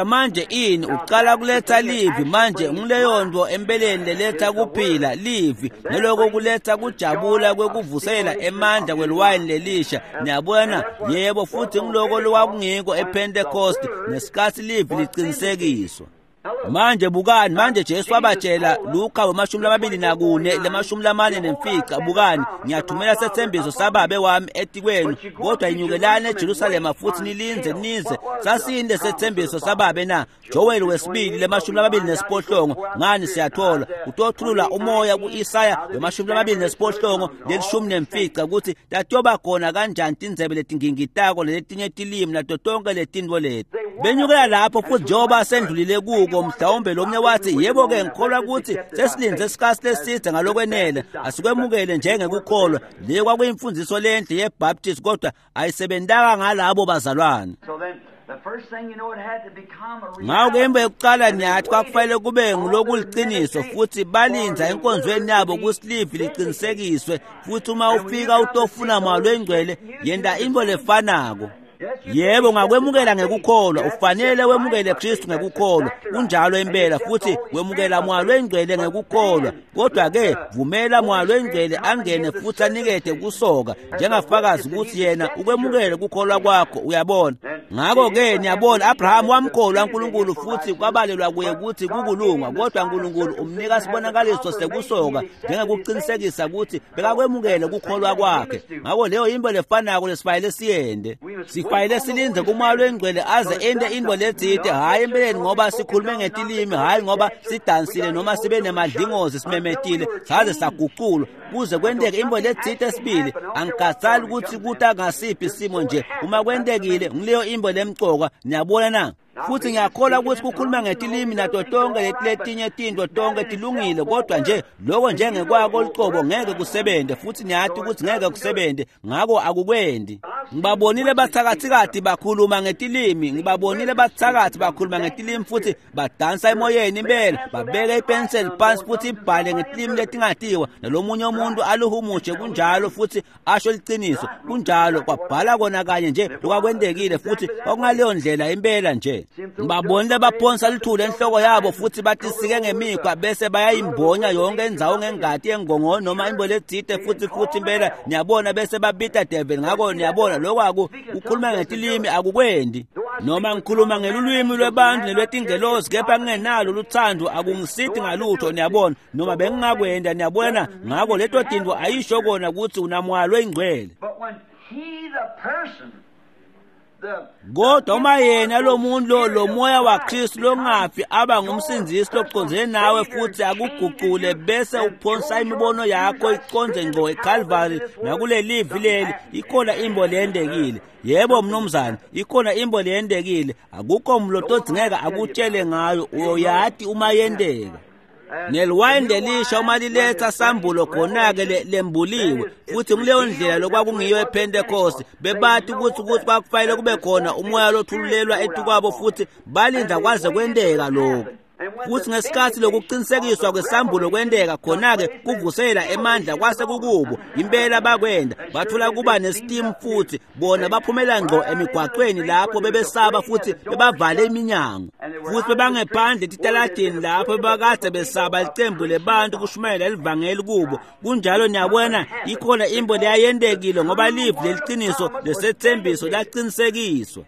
manje ini uqala kuletha livi. Manje ngileyo nto empeleni leletha kuphila livi, neloko kuletha kujabula kwekuvusela emandla kweliwayini lelisha. Niyabona? Yebo, futhi ngiloko lokwakungiko ePentecost ngesikhathi livi liqinisekiswa. Manje bukani, manje Jesu wabatshela Luka 24 45, bukani, ngiyathumela sethembiso sababe wami etikwenu, kodwa inyukelani eJerusalema futhi nilinze nize. Sasini lesethembiso sababe na? Joel wesibili 28, ngani siyathola utothulula umoya ku-Isaya 28 15 ukuthi tatiyoba khona kanjani tindzebe letingingitako letinye tilimi nato tonke letintfo leti. Benyukela lapho futhi njengoba sendlulile kuko, mhlawumbe lomnye wathi, yebo-ke ngikholwa ukuthi sesilindze isikhathi leside ngalokwenele, asikwemukele njengekukholwa. Leyo kwakuyimfundiso lenhle yeBaptist, kodwa ayisebentanga ngalabo bazalwane. Ngako-ke into yokuqala niyathi kwakufanele kube ngulokuliciniso, futhi balindza enkonzweni yabo kusilivi liqinisekiswe, futhi uma ufika utofuna Moya loyiNgcwele, yenta into lefanako. Yebo, ngakwemukela ngekukholwa, ufanele wemukele Kristu ngekukholwa, kunjalo impela, futhi wemukela Moya loyiNgcwele ngekukholwa. Kodwa-ke vumela Moya loyiNgcwele angene futhi anikete kusoka njengafakazi ukuthi yena ukwemukele kukholwa kwakho, uyabona. Ngakho-ke niyabona, Abraham wamkholwa uNkulunkulu futhi kwabalelwa kuye ukuthi kukulunga, kodwa uNkulunkulu umnika sibonakaliso sekusoka njengekuqinisekisa ukuthi bekakwemukele kukholwa kwakhe. Ngakho leyo into lefanako lesifanele siyende. Sifanele silinze kuMoya loyiNgcwele aze ente into letsite, hhayi empeleni ngoba sikhulume ngetilimi, hhayi ngoba sidansile noma sibe nemadlingozi simemetile saze saguculwa, kuze kwenteke into letsite sibili. Angikhathali ukuthi kuta ngasiphi isimo nje, uma kwentekile ngileyo into lemcoka, niyabona na? Futhi ngiyakholwa ukuthi kukhuluma ngetilimi nato tonke letinye tintfo tonke tilungile, kodwa nje lokho njengekwako lucobo ngeke kusebente, futhi niyathi ukuthi ngeke kusebente, ngako akukwendi. Ngibabonile bathakathikati bakhuluma ngetilimi, ngibabonile bathakathi bakhuluma ngetilimi futhi badansa emoyeni impela, babeke ipenseli phansi futhi ibhale ngetilimi letingatiwa, nalomunye umuntu aluhumushe kunjalo futhi asho liciniso, kunjalo, kwabhala kona kanye nje lokwakwentekile, futhi kwakungaleyo ndlela impela nje. Ngibabonile baphonsa lithule enhloko yabo futhi batisike ngemikhwa bese bayayimbonya yonke indzawo ngengati yengongo noma imbo letsite futhi impela niyabona, bese babita devil. Ngako niyabona lokho akukhuluma ngetilimi akukwendi. Noma ngikhuluma ngelulwimi lwebantu nelwetingelosi kepha ngingenalo luthando akungisiti ngalutho, niyabona, noma bengingakwenda, niyabona. Ngako leto tintfo ayisho kona ukuthi unaMoya loyiNgcwele. Kodwa uma yena lo muntu lo moya waKristu longafi aba ngumsindzisi locondzene nawe futhi akuguqule bese uphonsa imibono yakho iconze ngqo eCalvary nakulelivi leli, ikhona imbo leyendekile. Yebo mnumzane, ikhona imbo leyendekile, akukho mloto odzingeka akutshele ngayo, uyoyati uma yendeka. Neliwayini lelisha uma liletha sambulo khona-ke lembuliwe, futhi kuleyo ndlela lokwakungiyo ePhentekoste. Bebati ukuthi kwakufanele kube khona umoya lothululelwa etukwabo, futhi balinda kwaze kwenteka lokho. Futhi ngesikhathi lokuqinisekiswa kwesambulo kwenteka khona-ke kuvusela emandla kwase kukubo impela bakwenda, bathola kuba nesitimu futhi bona baphumela ngqo emigwaqweni lapho bebesaba futhi bebavale iminyango, futhi bebangephandle etitaladini lapho bebakade besaba licembu lebantu kushumayela livangeli kubo. Kunjalo niyabona, ikhona imbo leyayentekile ngoba livi leliciniso lesethembiso laqinisekiswa.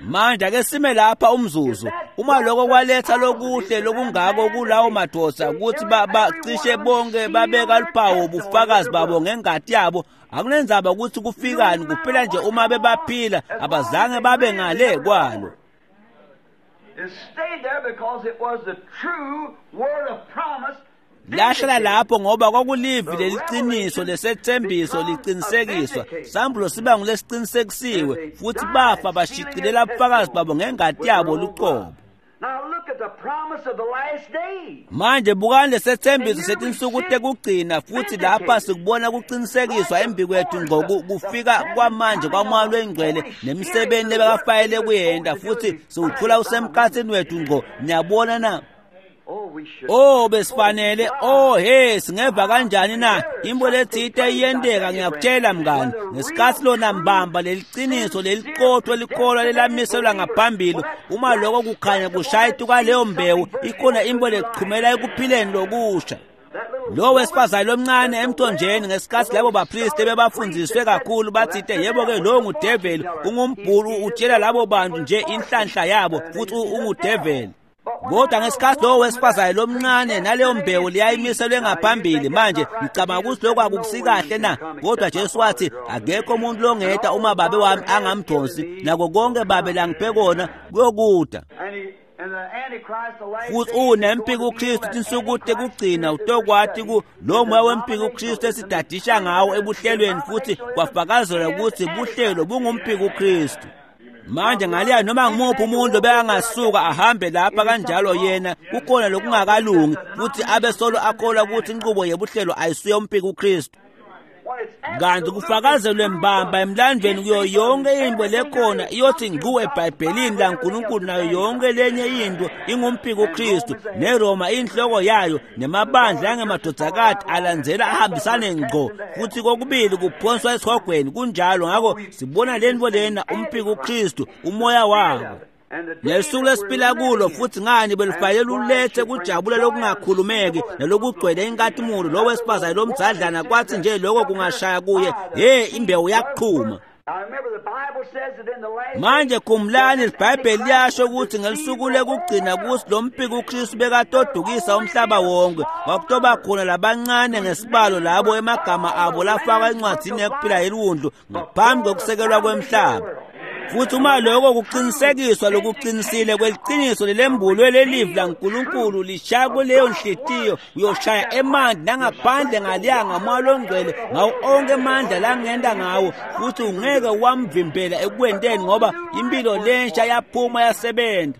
Manje ake sime lapha umzuzu. Uma lokho kwaletha lokuhle lokungako kulawo madoda ukuthi bacishe bonke babeka luphawu ubufakazi babo ngengati yabo, akunenzaba ukuthi kufikani, kuphela nje uma bebaphila abazange babe ngale kwalo. Lahlala lapho ngoba kwakulivi leliciniso lesethembiso liqinisekiswa. Sambulo siba ngulesiqinisekisiwe, futhi bafa bashicilela ubufakazi babo ngengati yabo luqobo. Manje bukani lesethembiso setinsuku tekugcina, futhi lapha sikubona kuqinisekiswa embi kwethu ngqo kufika kwamanje kwaMoya loyiNgcwele nemisebenzi lebekafayele kuyenta, futhi siwuthola usemkhathini wethu ngqo. Niyabona na? Oh besifanele, oh he, singeva kanjani na? Imbo letsite iyenteka, ngiyakutshela mngani. Ngesikhathi lona mbamba leliciniso leliqotho likholwa lelamiselwa ngaphambili, uma lokho kukhanya kushaya kwaleyo mbewu, ikhona imbo lechumela ekuphileni lokusha. Lo wesifazane lomncane emthonjeni ngesikhathi labo bapristi bebafundiswe kakhulu bathite, yebo-ke lo ngudeveli, ungumbhulu, utshela labo bantu nje inhlanhla yabo, futhi ungudeveli. Kodwa ngesikhathi lowo wesifazane lomncane naleyo mbewu liyayimiselwe ngaphambili, manje ngicabanga ukuthi lokho akukusikahle na? Kodwa Jesu wathi akekho umuntu longeta uma babe wami angamdonsi, nako konke babe langiphe kona kuyokuda. Futhi unempiko uKristu tinsuku tekugcina utokwati ku lo moya wempiko uKristu esidadisha ngawo ebuhlelweni, futhi kwafakazelwa ukuthi buhlelo bungumphiko uKristu. Manje ngaliya noma ngimuphi umuntu bekangasuka ahambe lapha kanjalo, yena kukhona lokungakalungi, futhi abe solo akholwa ukuthi inqubo yebuhlelo ayisuye umphiko uKristu. Kanti kufakazelwe mbamba emlandweni kuyo yonke into lekhona iyothi ngqu eBhayibhelini laNkulunkulu, nayo yonke lenye into ingumphiko uKristu, neRoma inhloko yayo, nemabandla angemadodakati alandzela ahambisane ngqo, futhi kokubili kuphonswa esihogweni. Kunjalo. Ngakho sibona lento lena umphiko uKristu, umoya wabo nesuku lesiphila kulo, futhi ngani belufanele lulethe kujabula lokungakhulumeki nalokugcwele inkatimulo. Lo wesifazane lomdzadlana kwathi nje lokho kungashaya kuye, he, imbewu yaqhuma. Manje khumbulani, iBhayibheli liyasho ukuthi ngelisuku lekugcina kuthi lo mpiko uKristu bekatodukisa umhlaba wonke, kwakutoba khona labancane ngesibalo labo emagama abo lafakwa encwadzini yekuphila yeliwundlu ngaphambi kokusekelwa kwemhlaba. Futhi uma lokho kuqinisekiswa lokuqinisile kweliqiniso lelembulwe lelivi laNkulunkulu lishaya kuleyo nhlitiyo, uyoshaya emanti nangaphandle ngaliya ngamoya longcwele ngawo onke amandla langenda ngawo, futhi ungeke wamvimbela ekuwenteni, ngoba impilo lensha yaphuma yasebenza.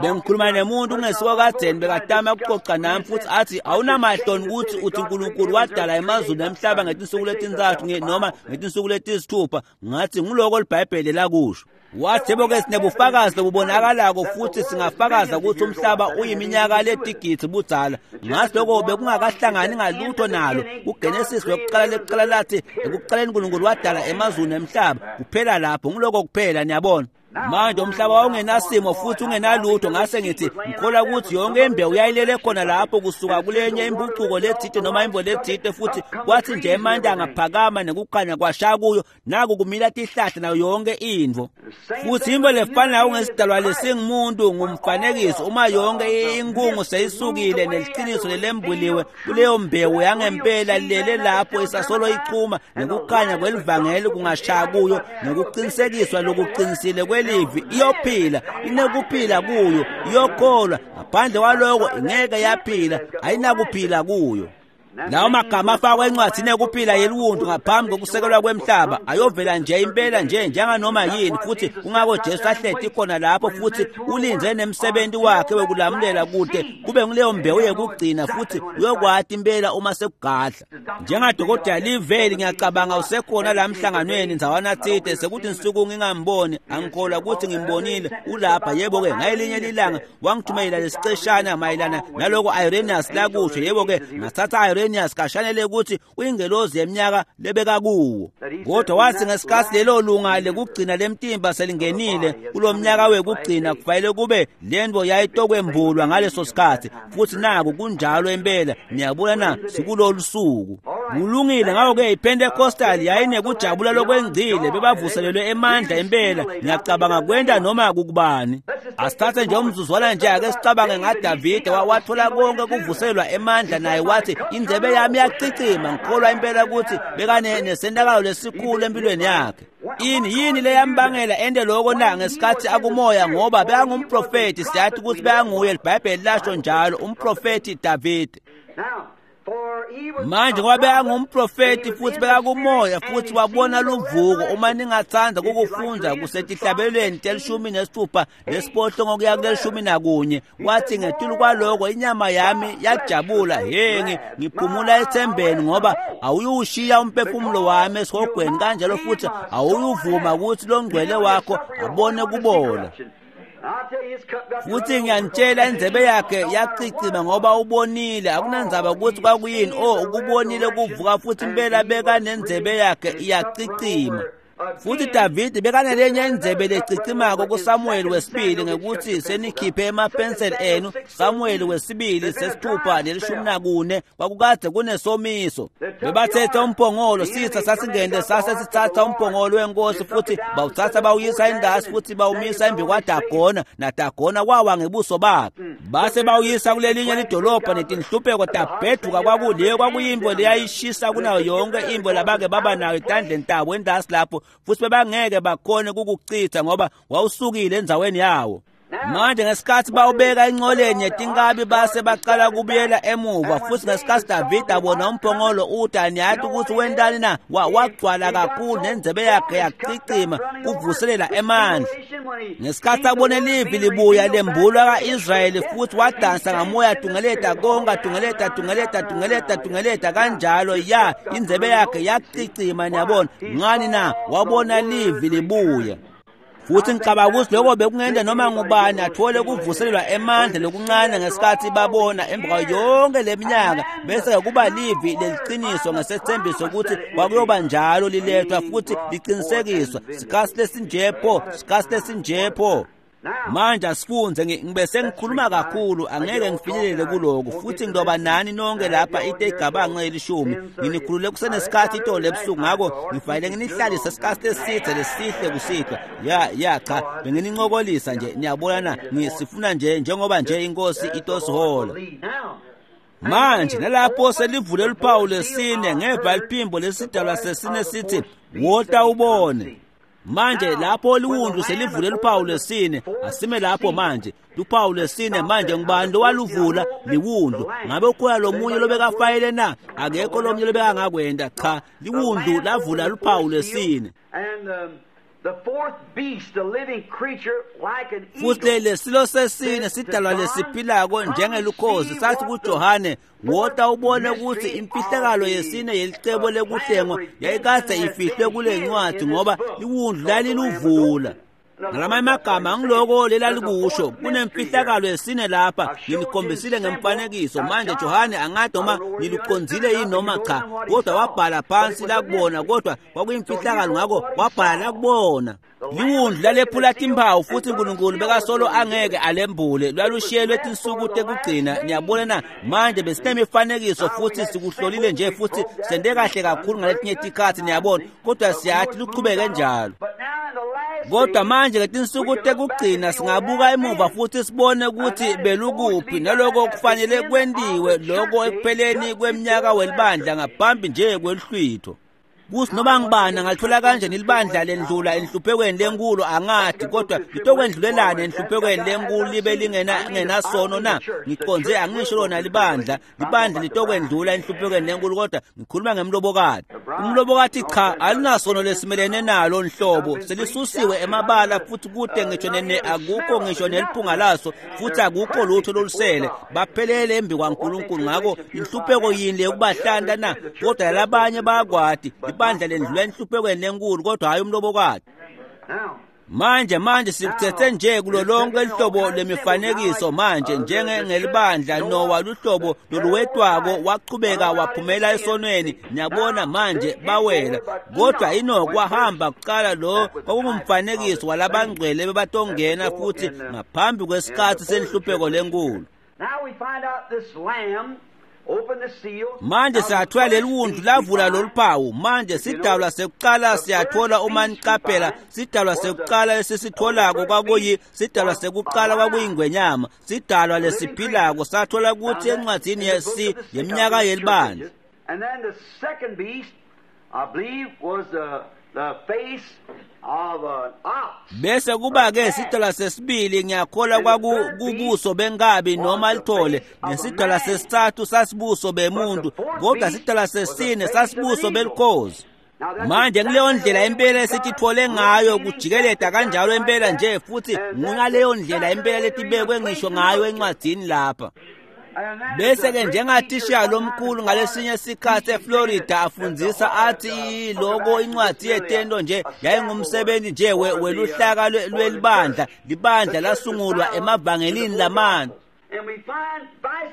Bengikhuluma nemuntu kungesuka kadzeni bekatama ukuxoxa nami, futhi athi awunamahloni ukuthi uthi uNkulunkulu wadala emazulu nemhlaba ngetinsuku letintsatfu noma ngetinsuku letisithupha. Ngathi nguloko liBhayibheli lakusho. Wathi yebo-ke sinebufakazi lobubonakalako futhi singafakaza ukuthi umhlaba uyiminyaka letigidzi budzala. Ngathi lokho bekungakahlangani ngalutho nalo. KuGenesis wekuqala lekuqala lathi ekuqaleni uNkulunkulu wadala emazulu nemhlaba, kuphela lapho, nguloko kuphela, niyabona. Manje umhlaba wawungenasimo futhi ungenalutho. Ngase ngithi ngikholwa ukuthi yonke imbewu yayilele khona lapho kusuka kulenye impucuko lethite noma imbo lethite, futhi kwathi nje emanti angaphakama nekukhanya kwashaya kuyo, naku kumila tihlahla nayo yonke intfo. Futhi imbo lefanayo ngesidalwa lesingumuntu ngumfanekiso, uma yonke inkungu seyisukile neliqiniso lelembuliwe kuleyo mbewu yangempela lele lapho isasolo ichuma, nekukhanya kwelivangeli kungashaya kuyo nekuqinisekiswa lokuqinisile kwelivi, iyophila, inekuphila kuyo, iyokholwa. Ngaphandle kwaloko ingeke yaphila, ayinakuphila kuyo. Lawo magama afakwa encwadzini yekuphila yeliwundlu ngaphambi kokusekelwa kwemhlaba ayovela nje impela nje njenganoma yini, futhi kungako Jesu ahleti khona lapho futhi ulindze nemsebenzi wakhe wekulamulela kude kube nguleyo mbewu yekugcina, futhi uyokwati impela uma sekugadla. Njengadokotela Liveli, ngiyacabanga usekhona la emhlanganweni ndzawana tsite, sekuthi nsuku ngingamboni, angikholwa ukuthi ngimbonile, ulapha. Yebo-ke, ngayelinye lilanga wangithumela lesiceshana mayelana naloko Irenaeus lakusho. Yebo-ke, ngathatha Irenaeus kashanele ukuthi uyingelozi yeminyaka lebeka kuwo, kodwa wathi ngesikhathi lelo lunga lekugcina lemtimba selingenile kulo mnyaka wekugcina, kufanele kube lento yayitokwembulwa ngaleso sikhathi, futhi naku kunjalo impela. Niyabona na, sikulolu suku. Kulungile. Ngakho-ke iPentecostal yayinekujabula lokwengcile, bebavuselelwe emandla impela. Ngiyacabanga kwenta noma kukubani. Asithathe nje umzuzwana nje, ake sicabange ngaDavide, wathola konke kuvuselwa emandla naye, wathi indzebe yami iyacicima. Ngikholwa impela ukuthi bekane nesentakalo lesikhulu empilweni yakhe. Ini yini leyambangela ente lokho na ngesikhathi akumoya? Ngoba bekangumprofethi, siyathi ukuthi bekanguye, liBhayibheli lasho njalo, umprofethi Davide. Manje ngoba bekangumprofethi futhi bekakumoya futhi wabona luvuko, uma ningathanda kukufunda kusetihlabelweni 16 nesiphohlongo kuya kule-11, wathi ngetulu kwaloko inyama yami yajabula, he, ngiphumula ethembeni, ngoba awuyushiya umphefumulo wami esihogweni, kanjalo futhi awuyuvuma ukuthi longcwele wakho abone kubola. Futhi ngiyanitshela, indzebe yakhe yacicima ngoba ubonile, akunandzaba ukuthi kwakuyini, oh, ukubonile kuvuka, futhi impela beka nendzebe yakhe iyacicima. Futhi Davide bekanelenye indzebe lecicimako kuSamuel wesibili ngekuthi senikhiphe emapenseli enu. Samuel wesibili 6:14 kwakukade kunesomiso. Bebathethe umphongolo, sitha sasingene sase sithatha umphongolo wenkosi futhi bawuthatha bawuyisa endasi futhi bawumisa embi kwaDagona, naDagona wawa ngebuso bakhe. Base bawuyisa kulelinye lidolobha netinhlupheko tabheduka. Kwakuleyo kwakuyimbo leyayishisa kunayo yonke imbo labake baba nayo etandleni tabo endasi lapho, futhi bebangeke bakhone kukuchitha ngoba wawusukile endzaweni yawo. Manje ngesikhathi bawubeka enqoleni yetinkabi base baqala kubuyela emuva, futhi ngesikhathi Davide abona umphongolo uthi niyathi ukuthi wentani na, wagcwala kakhulu nendzebe yakhe yacicima kuvuselela emandla. Ngesikhathi abone livi libuya lembulwa ka-Israyeli futhi wadansa ngamoya tungeleta konke tungeleta tungeleta tungeleta tungeleta kanjalo, ya indzebe yakhe yacicima. Niyabona ngani na? Wabona livi libuya. Futhi ngicabanga ukuthi lokho bekungenta noma ngubani athole kuvuselelwa emandla lokuncane ngesikhathi babona emva kwayo yonke leminyaka, bese kuba livi leliqiniso ngesethembiso ukuthi kwakuyoba njalo lilethwa futhi liqinisekiswa. Sikhathi lesinjepho, sikhathi lesinjepho. Manje asifunze, ngibe sengikhuluma kakhulu, angeke ngifinyelele kuloko, futhi ngiloba nani nonke lapha into egabanxe elishumi. Nginikhulule kusenesikhathi itolo ebusuku, ngakho ngifanele nginihlalise isikhathi eside lesihle kusihlwa. Ya cha, benginincokolisa nje, niyabona na, ngisifuna nje njengoba nje inkosi itosihola. Manje nalapho selivule luphawu lesine, ngeva liphimbo lesidalwa sesine sithi, wota ubone. Manje lapho liwundlu selivule luphawu lwesine, asime lapho manje. Luphawu lwesine manje ngubani lowaluvula? Liwundlu. Ngabe ukhona lomunye lobekafayele na? Akekho lomunye lobekangakwenta. Cha, liwundlu lavula luphawu lwesine. Futhi lesilo sesine sidalwa lesiphilako njengelukhozi sathi kuJohane, wota ubone ukuthi imfihlakalo yesine yelicebo lekuhlengwa yayikade ifihlwe kule ncwadi, ngoba liwundlu laliluvula. Ngalamanye amagama ngiloko lelalikusho, kunemfihlakalo yesine lapha, nginikhombisile ngemfanekiso. Manje Johane angathi noma niluqondzile yini noma cha, kodwa wabhala phansi lakubona, kodwa kwakuyimfihlakalo, ngakho wabhala lakubona. Liwundlu lalephula timphawu futhi uNkulunkulu bekasolo angeke alembule, lwalushiyelwe tinsuku tekugcina. Niyabona na? Manje besinemifanekiso futhi sikuhlolile nje futhi sente kahle kakhulu ngaletinye tikhathi, niyabona, kodwa siyathi luchubeke njalo. Kodwa manje ngetinsuku tekugcina singabuka emuva futhi sibone ukuthi belukuphi naloko kufanele kwentiwe loko ekupheleni kweminyaka welibandla ngaphambi nje kweluhlwitho. Kuthi noma ngibani angathola kanjani libandla lendlula enhluphekweni lenkulu angathi, kodwa litokwendlulelana enhluphekweni lenkulu libe lingenasono na? Ngiqonze angisho lona libandla, libandla litokwendlula enhluphekweni lenkulu, kodwa ngikhuluma ngemlobokati. Umlobokati cha, alinasono lesimelene nalo nhlobo, selisusiwe emabala futhi kude ngisho nene akukho ngisho neliphunga laso, futhi akukho lutho lolusele, baphelele embi kwaNkulunkulu. Ngakho inhlupheko yini lekubahlanta na? Kodwa labanye bayakwati ibandla lendlula enhluphekweni lenkulu, kodwa hayi umlobokati. Manje sikuthethe nje kulo lonke ihlobo lemifanekiso manje, njengelibandla Nowa luhlobo loluwetwako wachubeka waphumela esonweni. Niyabona manje bawela, kodwa Enoch wahamba kuqala. Lo kwakungumfanekiso walabangcwele bebatongena futhi ngaphambi kwesikhathi senhlupheko lenkulu. Manje siyathola leli wundlu lavula loluphawu. Manje sidalwa sekuqala siyathola, uma niqaphela, sidalwa sekuqala esisitholako kwakuyi sidalwa sekuqala kwakuyingwenyama, sidalwa lesiphilako. Sathola ukuthi encwadini yesi yeminyaka yelibandla.
And then the second beast, I believe, was the face of an ox.
Bese kuba ke sidalwa sesibili, ngiyakholwa kwakubuso benkabi noma lithole, nesidalwa sesithathu sasibuso bemuntu, kodwa sidalwa sesine sasibuso belikhozi. Manje kuleyo ndlela impela esithithole ngayo kujikeleda kanjalo impela nje, futhi ngaleyo ndlela impela letibekwe ngisho ngayo encwadini lapha. Bese-ke njengathisha lomkhulu ngalesinye sikhathi eFlorida afundzisa athi loko incwadi yetento nje yayingumsebenzi nje weluhlaka lwelibandla, libandla lasungulwa emavangelini lamane.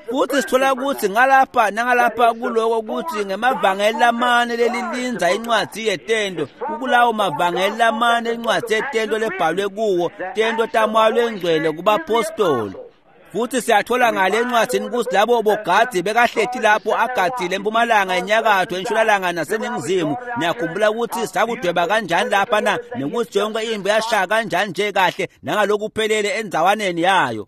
Futhi sithola ukuthi ngalapha nangalapha kuloko ukuthi ngemavangeli lamane lelilindza incwadi yetento, kukulawo mavangeli lamane incwadi yetento lebhalwe kuwo, tento taMoya lweNgcwele kubapostoli. Futhi siyathola ngale encwadini ukuthi labo bogadi bekahleti lapho agadile empumalanga, enyakatho, entshonalanga naseningizimu. Niyakhumbula ukuthi sakudweba kanjani lapha na, nekuthi yonke impi yashaya kanjani nje kahle nangalokuphelele endzawaneni yayo.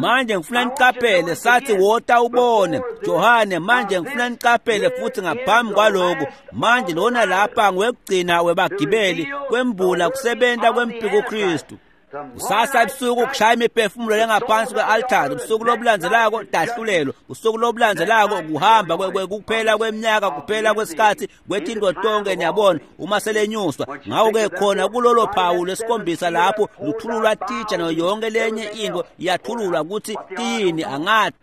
Manje ngifuna niqaphele, sathi wota ubone Johane. Manje ngifuna niqaphele futhi ngaphambi kwaloko, manje lona lapha ngwekugcina webagibeli kwembula kusebenta kwempiko Kristu. Kusasa ebusuku kushaya imiphefumulo lengaphansi kwe-altari, ubusuku lobulandzelako tahlulelo, usuku lobulandzelako kuhamba kuphela kweminyaka, kuphela kwesikhathi kwetinto tonke, niyabona uma selenyuswa. Ngakho-ke khona kulolo phawu lwesikhombisa lapho luthululwa titsha nayo yonke lenye into iyathululwa ukuthi tiyini angathi.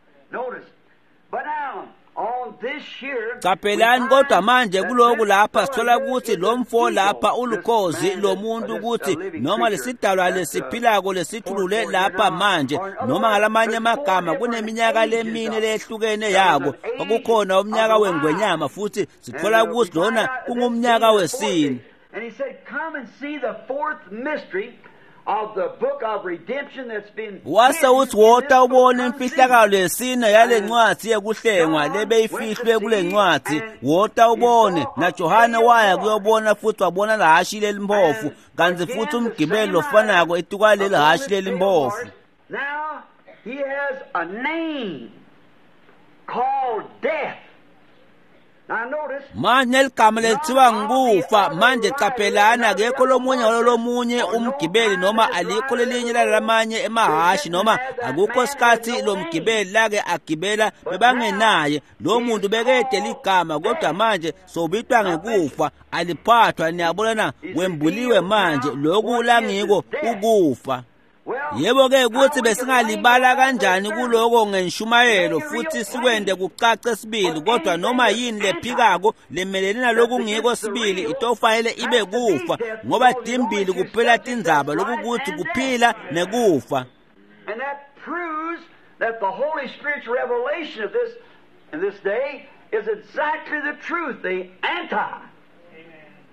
Caphelani kodwa manje kuloku lapha sithola ukuthi lo mfo lapha ulukhozi lo muntu ukuthi noma lesidalwa lesiphilako lesithulule lapha manje, noma ngalamanye amagama kuneminyaka lemine lehlukene yako. Kwakukhona umnyaka wengwenyama futhi sithola ukuthi lona kungumnyaka wesine.
And he said, "Come and see the fourth mystery of the book of redemption that's been
Wase uthi wota ubone imfihlakalo yesine yale ncwadi yekuhlengwa lebeyifihlwe kule ncwadi. Wota ubone. NaJohane waya kuyobona futhi wabona lahashi lelimpofu, kanti futhi umgibeli lofanako etukwaleli hashi lelimpofu.
Now he has a name called death. Now notice,
Manje ligama lethiwa ngikufa. Manje caphelani, akekho lomunye walolomunye umgibeli noma alikho lelinye lalamanye emahashi noma akukho sikhathi lo mgibeli lake agibela bebangenaye lo muntu bekede ligama, kodwa manje sobitwa ngekufa, aliphathwa. Niyabona na, wembuliwe manje lokhu langiko ukufa. Yebo-ke ukuthi besingalibala kanjani kuloko ngenshumayelo futhi sikwende kucace sibili, kodwa noma yini lephikako lemelene nalokungiko sibili itofanele ibe kufa, ngoba timbili kuphela tindzaba, lokukuthi kuphila nekufa.
And that proves that the Holy Spirit's revelation of this in this day is exactly the truth, the anti.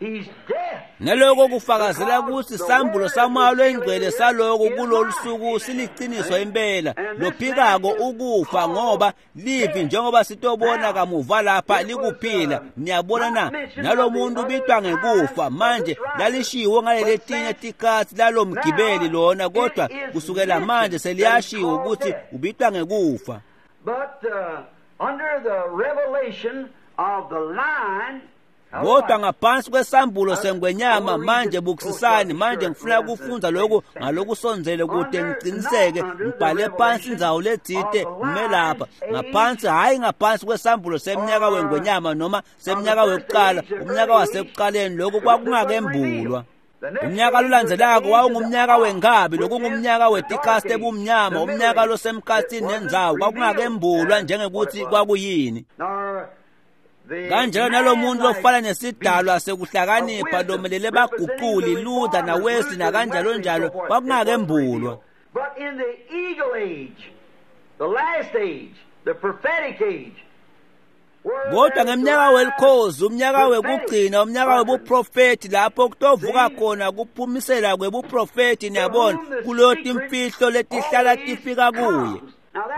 He's death.
Naloko kufakazela ukuthi sambulo saMoya lweNgcwele saloko kulolu suku siliqiniso impela. Lophikako ukufa, ngoba livi njengoba sitobona kamuva lapha likuphila. Niyabona na, nalo muntu ubitwa ngekufa. Manje lalishiwo ngaleletinye tikhatsi lalo mgibeli lona, kodwa kusukela manje seliyashiwo ukuthi ubitwa ngekufa.
But under the revelation of the line,
Kodwa ngaphansi kwesambulo sengwenyama, manje bukisisani, manje ngifuna kufundza lokhu ngalokusondzele kude ngiciniseke, ngibhale phansi indzawo letsite ngime lapha ngaphansi, hhayi ngaphansi kwesambulo semnyaka wengwenyama noma semnyaka wekuqala, umnyaka wasekuqaleni, lokhu kwakungakembulwa. Umnyaka lolandzelako wawungumnyaka wenkabi, lokungumnyaka wetikasti ebumnyama, umnyaka losemkhathini nendzawo, kwakungakembulwa njengekuthi kwakuyini. Kanjalo nalo muntu lofana nesidalwa sekuhlakanipha lomelele baguquli Luther naWesley nakanjalo njalo, kwakungakembulwa.
But in the eagle age, the last age, the prophetic age,
Kodwa ngemnyaka welikhozi, umnyaka wekugcina, umnyaka webuprofethi, lapho kutovuka khona kuphumisela kwebuprofethi, niyabona, kuleyo timfihlo letihlala tifika kuye.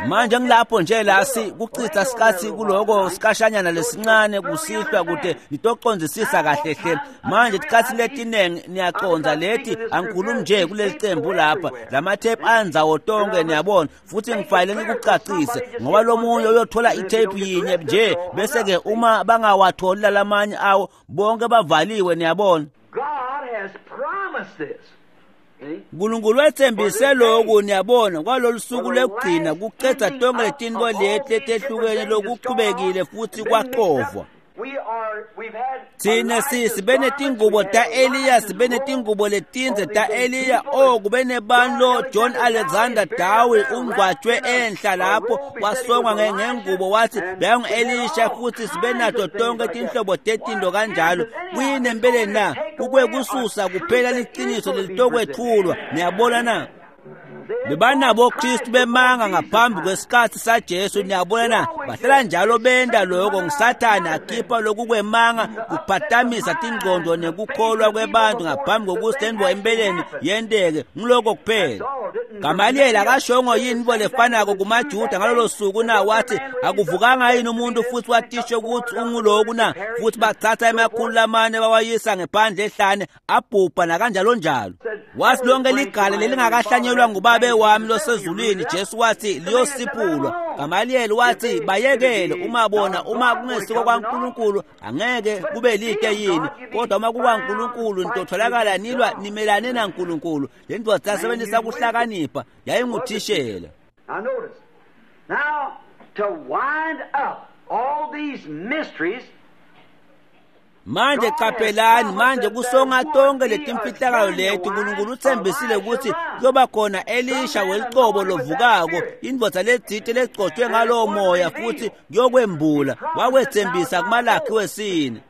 Manje ngilapho nje la kuchitha sikhathi kuloko sikashanyana lesincane kusihlwa kude nitocondzisisa kahle hle. Manje tikhathi letinengi niyacondza leti angikhulumi nje kuleli cembu lapha, lamathephu andzawo tonke, niyabona, futhi ngifanele ngikucacise ngoba lo munye uyothola ithephu yinye nje bese-ke uma bangawatholi lalamanye awo bonke bavaliwe, niyabona.
God has promised this.
Nkulunkulu wethembise lokhu, niyabona, kwalolu suku lokugcina kucedza tonke letinto leti letehlukene lokuchubekile futhi kwaxovwa. Thina sibe netingubo ta-Eliya, sibe netingubo letindze ta-Eliya. Oh, kube nebani lo John Alexander Dowie ungcwatshwe enhla lapho wasongwa ngengubo, wathi beyangu-Elisha, futhi sibe nato tonke tinhlobo tetinto kanjalo. Kuyini empeleni na? Kukwekususa kuphela liciniso lelitokwethulwa. Niyabona na? Bebanabo Kristu bemanga ngaphambi kwesikhathi saJesu. Niyabona na? Bahlala njalo benda lokho nguSathane akhipha lokhu kwemanga kuphatamisa tingqondo nekukholwa kwebantu ngaphambi kokuthi lento empeleni yenteke. Ngiloko kuphela. Gamaliel akashongo yini into lefanako kumaJuda ngalolo suku na? Wathi akuvukanga yini umuntu futhi watisho ukuthi unguloku na? Futhi bathatha 400 bawayisa ngephandle ehlane abhubha nakanjalo njalo. Wathi lonke ligala lelingakahlanyelwa ngubabe wami losezulwini, Jesu wathi liyosiphulwa. Gamaliel wathi bayekele, uma bona uma kungesiko kwaNkulunkulu angeke kube lide yini, kodwa uma kukaNkulunkulu nitotholakala nilwa nimelane naNkulunkulu. Le ndoda yasebenzisa kuhlakanipha, yayinguthishela.
Now notice. Now to wind up all these mysteries.
Manje qaphelani, manje kusonga tonke letimfihlakalo leti, uNkulunkulu uthembisile ukuthi kuyoba khona Elisha welicobo lovukako, indvodza letsite legcotshwe ngalowo moya, futhi kuyokwembula. Wakwethembisa kuMalakhi wesine.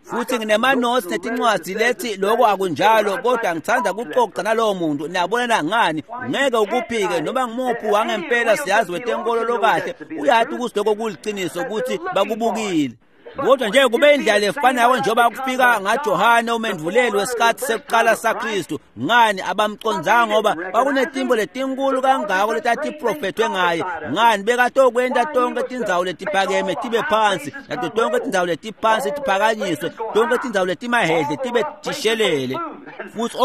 Futhi nginemanothi netincwadi lethi lokho akunjalo, kodwa ngithanda kuxoxa nalowo muntu. Niyabona ngani? Ngeke ukuphike noma ngimuphi wangempela siyazi wetenkolo lokahle uyathi ukuthi lokho kuliqiniso, ukuthi bakubukile. Kodwa nje kube indlela efanayo njengoba kufika ngaJohane umendvuleli wesikhathi sekuqala saKristu. Ngani abamcondzanga? Ngoba kwakunetimbo letinkulu kangako letatiprofethwe ngaye. Ngani bekatokwenta tonke tindzawo letiphakeme tibe phansi, nato tonke tindzawo letiphansi tiphakanyiswe, tonke tindzawo letimahedle tibe tishelele. Futhi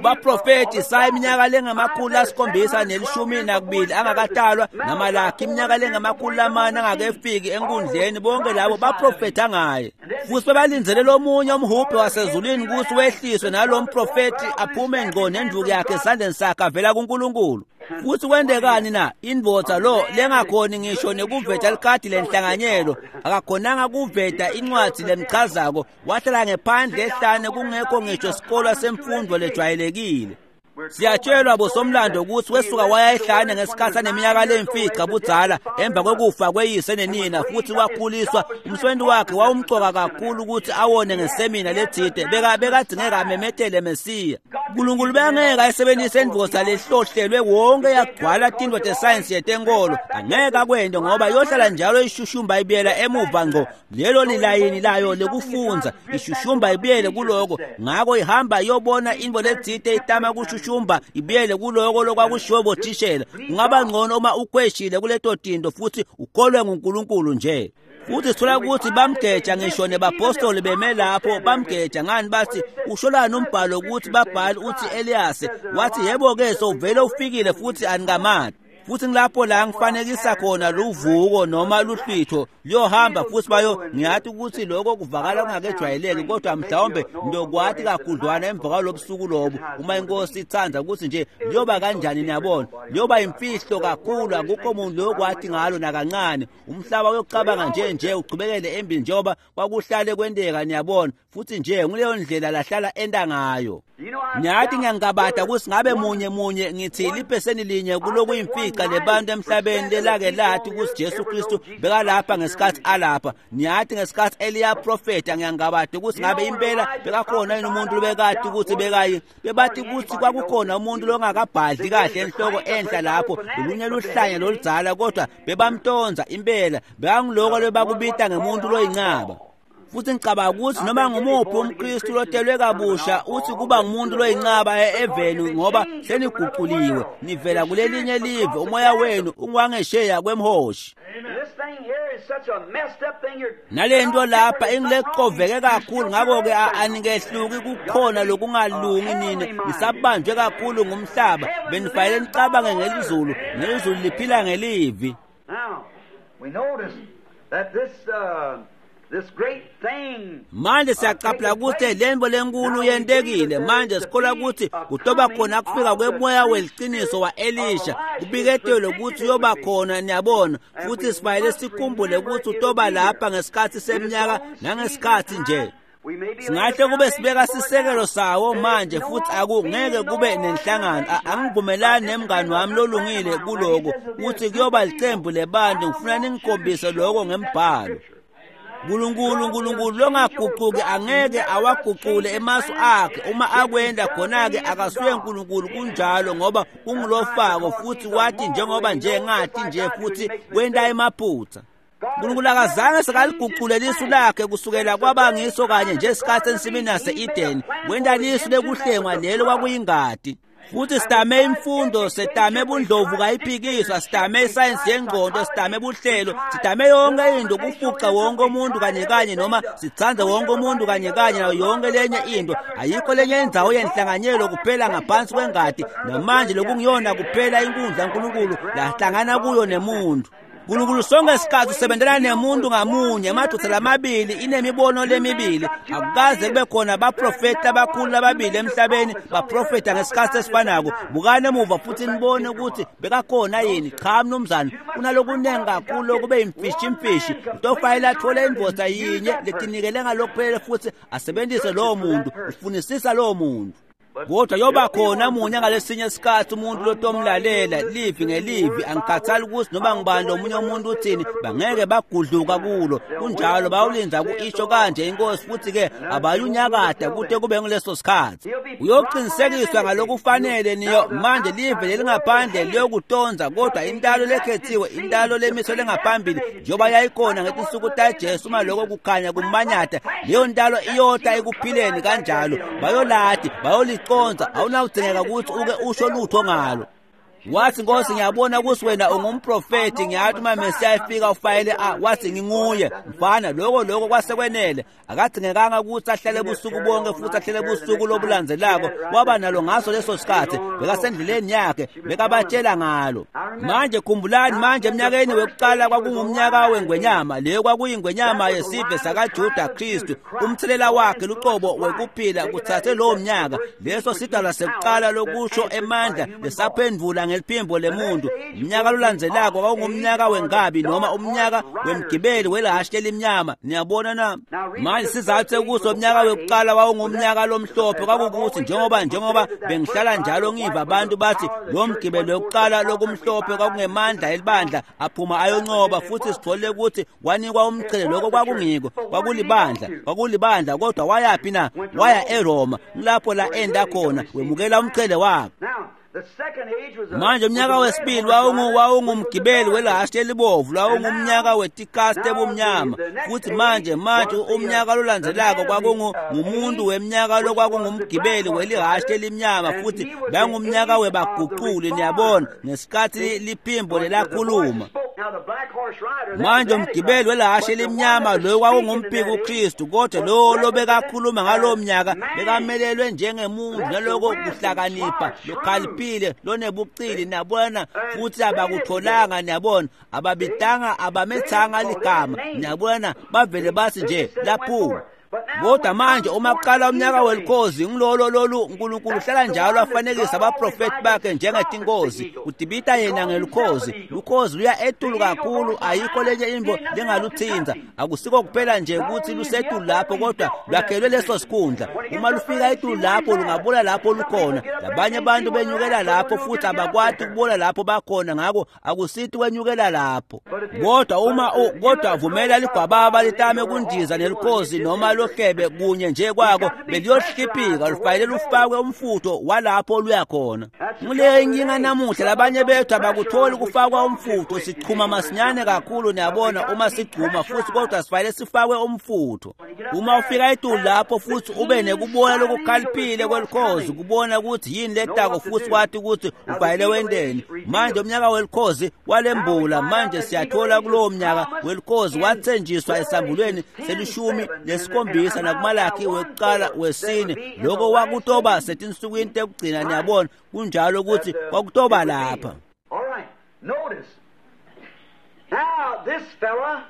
baprofethi saya iminyaka lengama-712 angakatalwa, naMalakhi iminyaka lengama-400 angakefiki enkundleni. Bonke labo baprofetha ngaye. Futhi bebalindzele lomunye umhubhe wasezulwini ukuthi wehliswe nalo mprofethi aphume ngqo nenduku yakhe esandleni sakhe avela kuNkulunkulu. Futhi kwentekani na? Indvodza lo lengakhoni ngisho nekuveta likhadi lenhlanganyelo, akakhonanga kuveta incwadi lemchazako, wahlala ngephandle ehlane kungekho ngisho isikolo semfundo lejwayelekile. Siyatshelwa bosomlando ukuthi wesuka waya ehlane ngesikhathi aneminyaka lemfica budzala emva kokufa kweyise nenina, futhi wakhuliswa. Umsebenzi wakhe wawumcoka kakhulu ukuthi awone ngesemina letsite, bekadingeka amemetele Mesiya. uNkulunkulu bengeke ayisebenzise indvodza lehlohlelwe wonke yagcwala tintfo tesayensi yetenkolo, angeke akwente ngoba yohlala njalo ishushumba ibuyela emuva ngqo. Lelo lilayini layo lekufundza, ishushumba ibuyele kuloko. Ngako ihamba iyobona intfo letsite itama kushushumba ibuyele kuloko lokwakushiwo bothishela. Kungaba ngcono uma ukhweshile kuleto tinto futhi ukholwe nguNkulunkulu nje. Futhi sithola ukuthi bamgeja ngisho nebapostoli beme lapho bamgeja. Ngani bathi usholani umbhalo ukuthi babhali uthi Elias? Wathi yebo ke sowuvele ufikile futhi anikamati. Futhi ngilapho la ngifanekisa khona luvuko noma luhlwitho liyohamba futhi bayo. Ngiyathi ukuthi lokho kuvakala kungakejwayeleki, kodwa mhlawumbe ngiyokwathi kakhudlwana emva kwalobusuku lobu uma inkosi ithanda ukuthi nje liyoba kanjani. Niyabona, liyoba imfihlo kakhulu, akukho muntu loyokwathi ngalo nakancane. Umhlaba uyokucabanga nje uchubekele embili njengoba kwakuhlale kwenteka. Niyabona, futhi nje nguleyo ndlela lahlala enta ngayo. Ngiyathi ngiyangabada ukuthi ngabe munye munye ngithi lipheseni linye kulokuyimfica lebantu emhlabeni lelake lathi ukuthi Jesu Kristu bekalapha ngesikhathi alapha. Ngiyathi ngesikhathi Eliya profeta, ngiyangabada ukuthi ngabe impela bekakhona yini umuntu lobekade ukuthi bekayi. Bebathi ukuthi kwakukhona umuntu longakabhadli kahle enhloko enhla lapho, lolunye luhlanya loludzala, kodwa bebamtonza impela, bekangiloko lebakubita ngemuntu loyincaba. Futhi ngicabanga ukuthi noma ngumuphi umKristu lotelwe kabusha uthi kuba ngumuntu loyincaba eveni, ngoba seniguquliwe nivela kulelinye live, umoya wenu unguwangesheya kwemhoshi. Nalento lapha ingilecoveke kakhulu, ngakho-ke anikehluki kukhona lokungalungi nini, nisabanjwe kakhulu ngumhlaba. Benifanele nicabange ngelizulu, nelizulu liphila ngelivi.
Now we notice that this
Manje siyacaphela ukuthi lento lenkulu yentekile. Manje sikholwa ukuthi kutoba khona kufika kwemoya weliciniso wa-Elisha, kubiketelwe ukuthi uyoba khona, niyabona, futhi sifanele sikhumbule ukuthi utoba lapha ngesikhathi seminyaka nangesikhathi nje. Singahle kube sibeka sisekelo sawo manje, futhi akungeke kube nenhlangano. Angivumelani nemngani wami lolungile kuloko ukuthi kuyoba licembu lebantu. Ngifuna ningikhombise lokho ngembhalo. Nkulunkulu, Nkulunkulu longaguquki angeke awaguqule emasu akhe. Uma akwenda khona-ke akasuye Nkulunkulu, kunjalo, ngoba ungulofako futhi wathi njengoba nje ngathi nje futhi wenda emaphutha. Nkulunkulu akazange sekaliguqule lisu lakhe kusukela kwaba ngiso kanye nje isikhathi ensimini yase-Edeni. Wenda lisu lekuhlengwa lelo kwakuyingadi. Futhi sitame imfundo, sitame bundlovu kayiphikiswa, sitame isayensi yengqondo, sitame buhlelo, sitame yonke into kufuqa wonke umuntu kanye kanye, noma sithande wonke umuntu kanye kanye nayo yonke lenye into. Ayikho lenye indzawo yenhlanganyelo kuphela ngaphansi kwengadi, namanje lokungiyona kuphela inkundla uNkulunkulu lahlangana kuyo nemuntu. Nkulunkulu sonke isikhathi usebenzela nemuntu ngamunye, emadvodza lamabili inemibono lemibili. Akukaze kube khona abaprofeti abakhulu ababili emhlabeni baprofeta ngesikhathi esifanako. Bukani emuva futhi nibone ukuthi bekakhona yini. Cha mnumzane, kunalokunengi kakhulu okube imfishi. Utofanele athole indvodza yinye letinikele ngalokuphelele futhi asebenzise lowo muntu, ufunisisa lowo muntu. Kodwa yoba khona munye ngalesinye isikhathi umuntu lotomlalela livi ngelivi, angikhathali ukuthi noma ngibani lomunye umuntu uthini, bangeke bagudluka kulo. Kunjalo, bawulinza ku-isho kanje inkosi, futhi-ke abayunyakada kude kube nguleso sikhathi. Uyoqinisekiswa ngalokufanele niyo. Manje live lelingaphandle liyokutonza, kodwa intalo lekhethiwe, intalo lemiso lengaphambili njengoba yayikhona ngetinsuku taJesu, uma lokho kukhanya kumanyata, leyo ntalo iyota ekuphileni kanjalo. Bayoladi, bayoliconza, awunawudingeka ukuthi uke usho lutho ngalo. Wathi, Nkosi, ngiyabona ukuthi wena ungumprofeti, ngiyathi uma Mesiya efika ufayele wathi nginguye. Mfana, lokho kwasekwenele. Akadingekanga ukuthi ahlale busuku bonke futhi ahlale busuku lobulandzelako. Waba nalo ngaso leso sikhathi, bekasendleleni yakhe, bekabatshela ngalo. Manje khumbulani, manje eminyakeni wekuqala kwakungumnyaka wengwenyama, leyo kwakuyingwenyama yesive sakaJuda Kristu. Umthelela wakhe luqobo wekuphila kuthathe lowo mnyaka. Leso sidalwa sekuqala lokusho emandla lesaphendvula ngeliphimbo lemuntu. Umnyaka lolandzelako kwakungumnyaka wenkabi noma umnyaka wemgibeli welahhashi lelimnyama. Niyabona na? Manje sizathu sekuso umnyaka wekuqala wawungumnyaka lomhlophe kwakukuthi njengoba bengihlala njalo ngiva abantu bathi lo mgibelo wekuqala lokumhlophe kwakungemandla elibandla aphuma ayoncoba, futhi sithole ukuthi wanikwa umqhele. Lokho kwakungiko, kwakulibandla, kodwa wayaphi na? Waya eRoma, ngilapho la enda khona wemukela umqhele wakhe. Manje umnyaka wesibili wawungumgibeli welahhashi elibovu, lwawungumnyaka wetikasti ebumnyama. Futhi manje umnyaka lolandzelako kwakungumuntu weminyaka lokwakungumgibeli welihhashi elimnyama, futhi bangumnyaka webaguquli. Niyabona, ngesikhathi liphimbo lelakhuluma. Manje umgibeli welahhashi elimnyama loyo kwakungumphiki uKristu, kodwa lowo lobekakhuluma ngalowo mnyaka bekamelelwe njengemuntu naloko kuhlakanipha lokhaliphile lonebucili, niyabona, futhi abakutholanga, niyabona, ababitanga, abamethanga ligama, niyabona, bavele bathi nje laphuma. Kodwa manje uma kuqala umnyaka welikhozi, ngilolo lolu uNkulunkulu uhlala njalo afanekisa abaprofeti bakhe njengetinkozi. Udibita yena ngelikhozi, lukhozi luya etulu kakhulu, ayikho lenye into lengaluthinza. Akusiko kuphela nje ukuthi lusetulu lapho, kodwa lwakhelwe leso sikhundla. Uma lufika etulu lapho lungabula lapho lukhona, labanye abantu benyukela lapho futhi abakwati ukubona lapho bakhona, ngakho akusithi wenyukela lapho. Kodwa uma kodwa vumela ligwababa litame kundiza nelikhozi noma lohlebe kunye nje kwako, beliyohliphika, lufanele lufakwe umfutho walapho luya khona. Nguleyo inkinga namuhla, labanye bethu abakutholi kufakwa umfutho, sichuma masinyane kakhulu, niyabona, uma sigcuma futhi, kodwa sifanele sifakwe umfutho. Uma ufika etulu lapho futhi ube nekubona lokukhaliphile kwelikhozi, kubona ukuthi yini letako futhi kwathi ukuthi ufanele wendeni. Manje umnyaka welikhozi walembula. Manje siyathola kulowo mnyaka welikhozi wathenjiswa esambulweni selishumi nesikhombisa nakuMalaki wekuqala wesine. Lokho kwakutoba setinsukwini tekugcina, niyabona, kunjalo ukuthi kwakutoba lapha.
All right, notice. Now this fella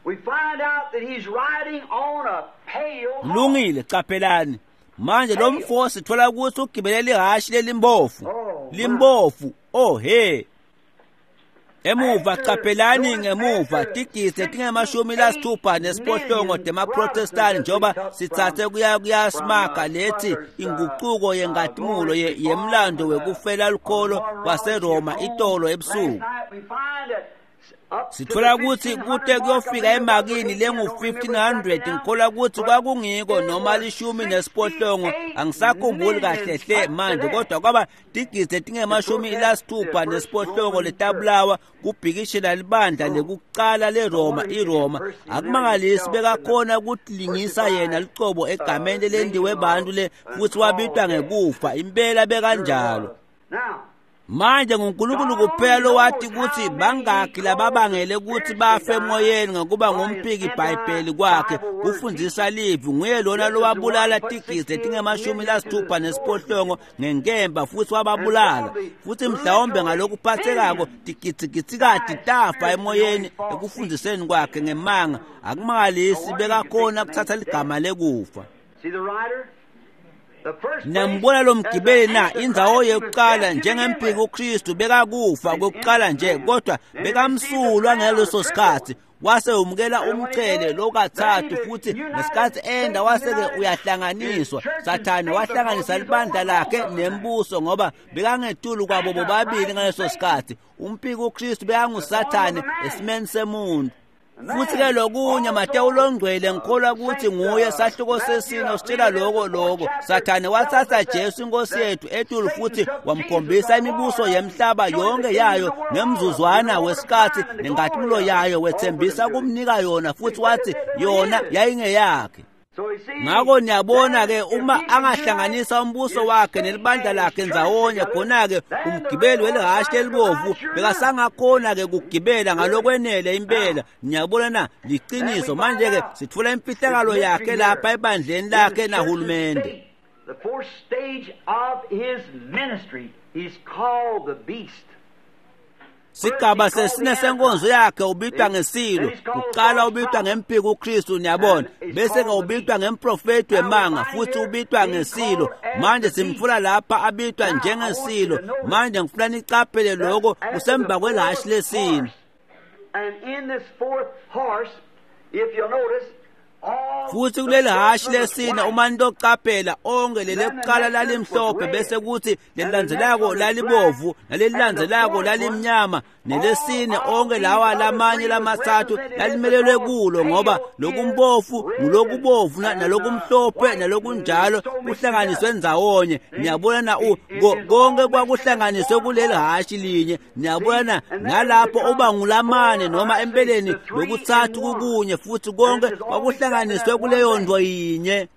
We find out that he's riding on a pale horse.
Kulungile, caphelani. Manje lo mfo sithola ukuthi ugibele lihhashi lelimbofu. Limbofu. Oh he. Emuva caphelani ngemuva tigidzi 68 temaProtestani njengoba sitsatse kuya kuyasimaka lethi inguquko yengatimulo yemlando wekufela lukholo kwaseRoma itolo ebusuku. Sithola ukuthi kute kuyofika emakini lengu-1500 ngikholwa ukuthi kwakungiko noma 18, angisakhumbuli kahle hle manje, kodwa kwaba tigidzi 68 letabulawa kubhikishela libandla lekucala leRoma iRoma. Akumangalisi bekakhona ukutilingisa yena lucobo egameni lendiwe bantu le futhi wabitwa ngekufa impela bekanjalo. Manje nguNkulunkulu kuphela lowati ukuthi bangaki lababangele ukuthi bafe emoyeni ngokuba ngumphiki iBhayibheli kwakhe kufundzisa livi. Nguye lona lowabulala tigidzi 68 ngenkemba futhi wababulala, futhi mhlawumbe ngalokuphathekako tigidzigitsikati tafa emoyeni ekufundziseni kwakhe ngemanga. Akumangalisi bekakhona kuthatha ligama lekufa. Nambona lo mgibeli na indzawo yokuqala njengempiki uKristu bekakufa kokuqala nje, kodwa bekamsulwa ngaleso sikhathi wase umukela umchele lokathathu, futhi ngesikhathi enda wase-ke uyahlanganiswa. Sathane wahlanganisa libandla lakhe nembuso ngoba bekangetulu kwabo bobabili ngaleso sikhathi. Umpiki uKristu bekanguSathane esimeni semuntu. Futhi ke lokunye Matewu longcwele ngikholwa ukuthi nguye sahluko sesine sitshela lokho Sathane wathatha Jesu inkosi yethu etulu futhi wamkhombisa imibuso yemhlaba yonke yayo ngemzuzwana wesikhathi nengatimulo yayo, wethembisa kumnika yona futhi wathi yona yayingeyakhe. Ngakho niyabona ke uma angahlanganisa umbuso wakhe nelibandla lakhe ndzawonye, khona-ke umgibeli welihhashi lelibovu bekasangakhona ke kugibela ngalokwenele impela. Niyabona na liqiniso. Manje-ke sitfola imfihlakalo yakhe lapha ebandleni lakhe nahulumende.
The fourth stage of his ministry is called the beast.
Sigaba sesine senkonzo yakhe ubitwa ngesilo. Kuqala ubitwa ngempiki uKristu, niyabona, bese ke ubitwa ngemprofeti wemanga futhi ubitwa ngesilo. Manje simfuna lapha abitwa njengesilo. Manje ngifuna nicaphele lokho kusemva kwelhashi lesine.
And in this fourth horse, if you'll notice,
Futhi kuleli hashi lesine uma nitocaphela onke lelekuqala lalimhlophe bese kuthi lelilandzelako lalibovu nalelilandzelako lalimnyama nelesine onke lawa lamanye lamathathu lalimelelwe kulo, ngoba lokumbofu ngulokubovu nalokumhlophe nalokunjalo kuhlanganiswe ndzawonye. Niyabona na konke kwakuhlanganiswe kuleli hashi linye. Niyabona na nalapho uba ngulamane noma empeleni lokuthathu kukunye futhi konke kwakuhlanganiswe kuleyo nto yinye.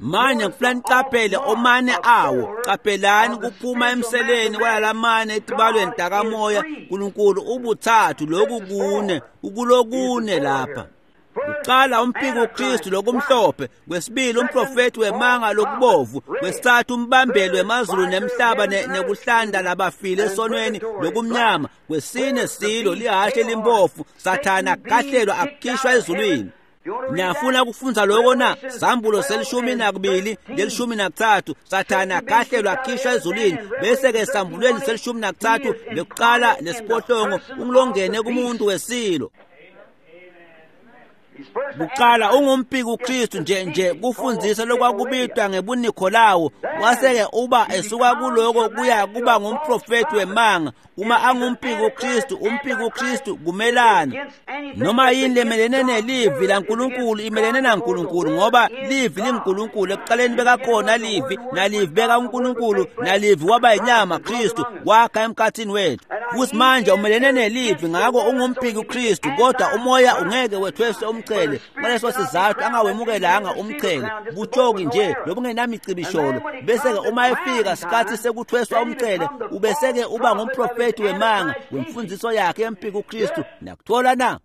Manje ngifuna nicaphele omane awo. Caphelani kuphuma emseleni kwalalamane etibalweni takamoya. Nkulunkulu ubuthathu lokhu kune ukulokune lapha. Kuqala umpiki uKristu lokumhlophe, kwesibili umprofeti wemanga lokubovu, kwesithathu umbambeli wemazulu nemhlaba nekuhlanda labafile esonweni lokumnyama, kwesine silo lihhashi elimpofu. Sathane akahlelwa akukhishwa ezulwini. Niyafuna kufunza lokho na? Sambulo 12 13. Sathane akahlelwa akukhishwa ezulwini. Bese ke sambulweni 13 lekuqala nesiphohlongo ungilongene kumuntu wesilo. Kuqala ungumpiki uKristu nje kufundzisa lokwakubitwa ngebuNikolawo, wase-ke uba esuka kuloko kuya kuba ngumprofeti wemanga. Uma angumpiki uKristu, umpiki uKristu kumelana noma yini lemelene nelivi laNkulunkulu imelene naNkulunkulu, ngoba livi linguNkulunkulu. Ekuqaleni bekakhona livi, nalivi beka uNkulunkulu, nalivi waba yinyama Kristu wakha emkhathini wethu. Futhi manje umelene nelivi, ngakho ungumpiki uKristu, kodwa umoya ungeke wethweswe umchele. Ngaleso sizathu angawemukelanga umchele, butshoki nje lobungenamicibisholo. Bese-ke uma efika sikhathi sekuthweswa umchele, ubese-ke uba ngumprofeti wemanga wemfundiso yakhe yempiki uKristu. Nakuthola na?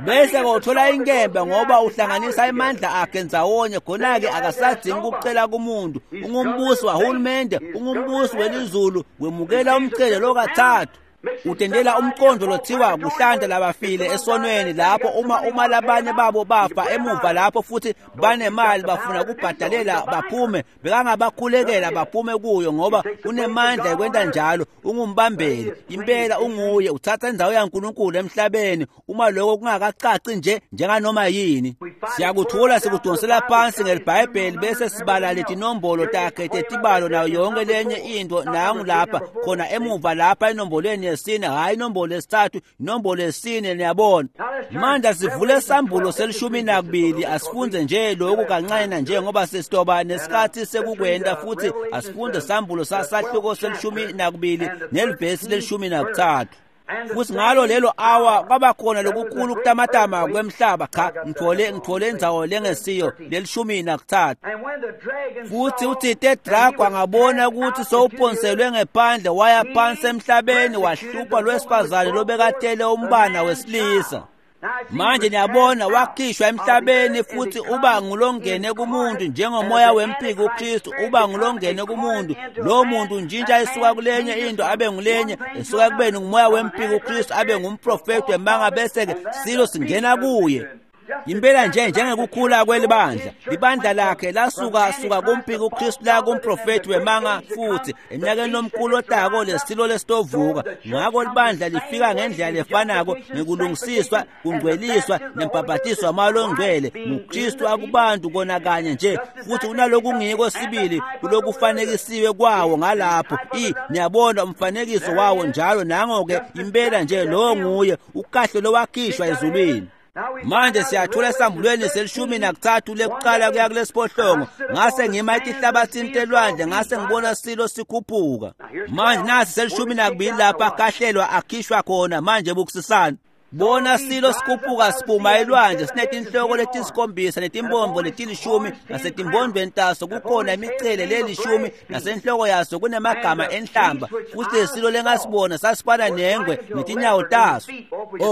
Bese ke uthola inkemba ngoba uhlanganisa amandla akhe ndzawonye. Khona-ke akasadingi ukucela kumuntu. Ungumbusi wahulumende, ungumbusi welizulu, wemukela umchele lokathathu. Utendela umqondo lothiwa kuhlanda labafile esonweni lapho uma labanye babo bafa emuva lapho futhi banemali bafuna kubhadalela baphume, bekangabakhulekela baphume kuyo ngoba unemandla ekwenta njalo. Ungumbambeli impela, unguye uthatha indzawo yaNkulunkulu emhlabeni. Uma lokho kungakacaci nje njenganoma yini, siyakuthola sikudonsela phansi ngelibhayibheli bese sibala letinombolo takhe tetibalo nayo yonke lenye into. Nangu lapha khona emuva lapha enombolweni yesine, hayi inombolo yesithathu, inombolo yesine. Niyabona manje sivule sambulo se-12. Asifunde nje lokhu kancane nje ngoba sesitoba nesikhathi sekukwenda, futhi asifunde sambulo sasahluko se-12 nelivesi le-13. Futhi ngalo lelo awa kwabakhona lokukhulu kutamatama kwemhlaba. Cha, ngithole indzawo lengesiyo le-13. Futhi uthite Drago angabona ukuthi sowuphonselwe ngephandle waya phansi emhlabeni, wahlupha lwesifazane lobekatele umbana wesilisa. Manje niyabona wakhishwa emhlabeni futhi uba ngulongene kumuntu njengomoya wempiko uKristu uba ngulongene kumuntu. Lo muntu untshintsha esuka kulenye into abe ngulenye, esuka kubeni ngumoya wempiko uKristu abe ngumprofeti wemanga, bese-ke silo singena kuye. Impela nje njengekukhula kwelibandla, libandla lakhe lasuka suka kumpiko uKristu la kumprofeti wemanga, futhi eminyakeni lomkhulu otako lesilo lesitovuka. Ngakho libandla lifika ngendlela lefanako ngekulungisiswa, kungcweliswa nembhabhatiso wamoya ongcwele nguKristu akubantu kona kanye nje, futhi unalokungiko sibili kulokufanekisiwe kwawo ngalapho. Niyabona umfanekiso wawo njalo. Nango-ke impela nje lowo nguye ukahle lowakhishwa ezulwini. Manje siyathola esambulweni se-13 lekuqala kuya kulesiphohlongo. Ngase ngima etihlabathini telwandle, ngase ngibona silo sikhuphuka. Manje nasi se-12 lapha akahlelwa akhishwa khona. Manje bukusisana, bona silo sikhuphuka siphuma elwandle, sinetinhloko letisikhombisa netimbombo leti-10, nasetimbondweni taso kukhona imicele lelishumi, nasenhloko yaso kunemagama enhlamba. Futhi lesilo lengasibona sasifana nengwe netinyawo taso.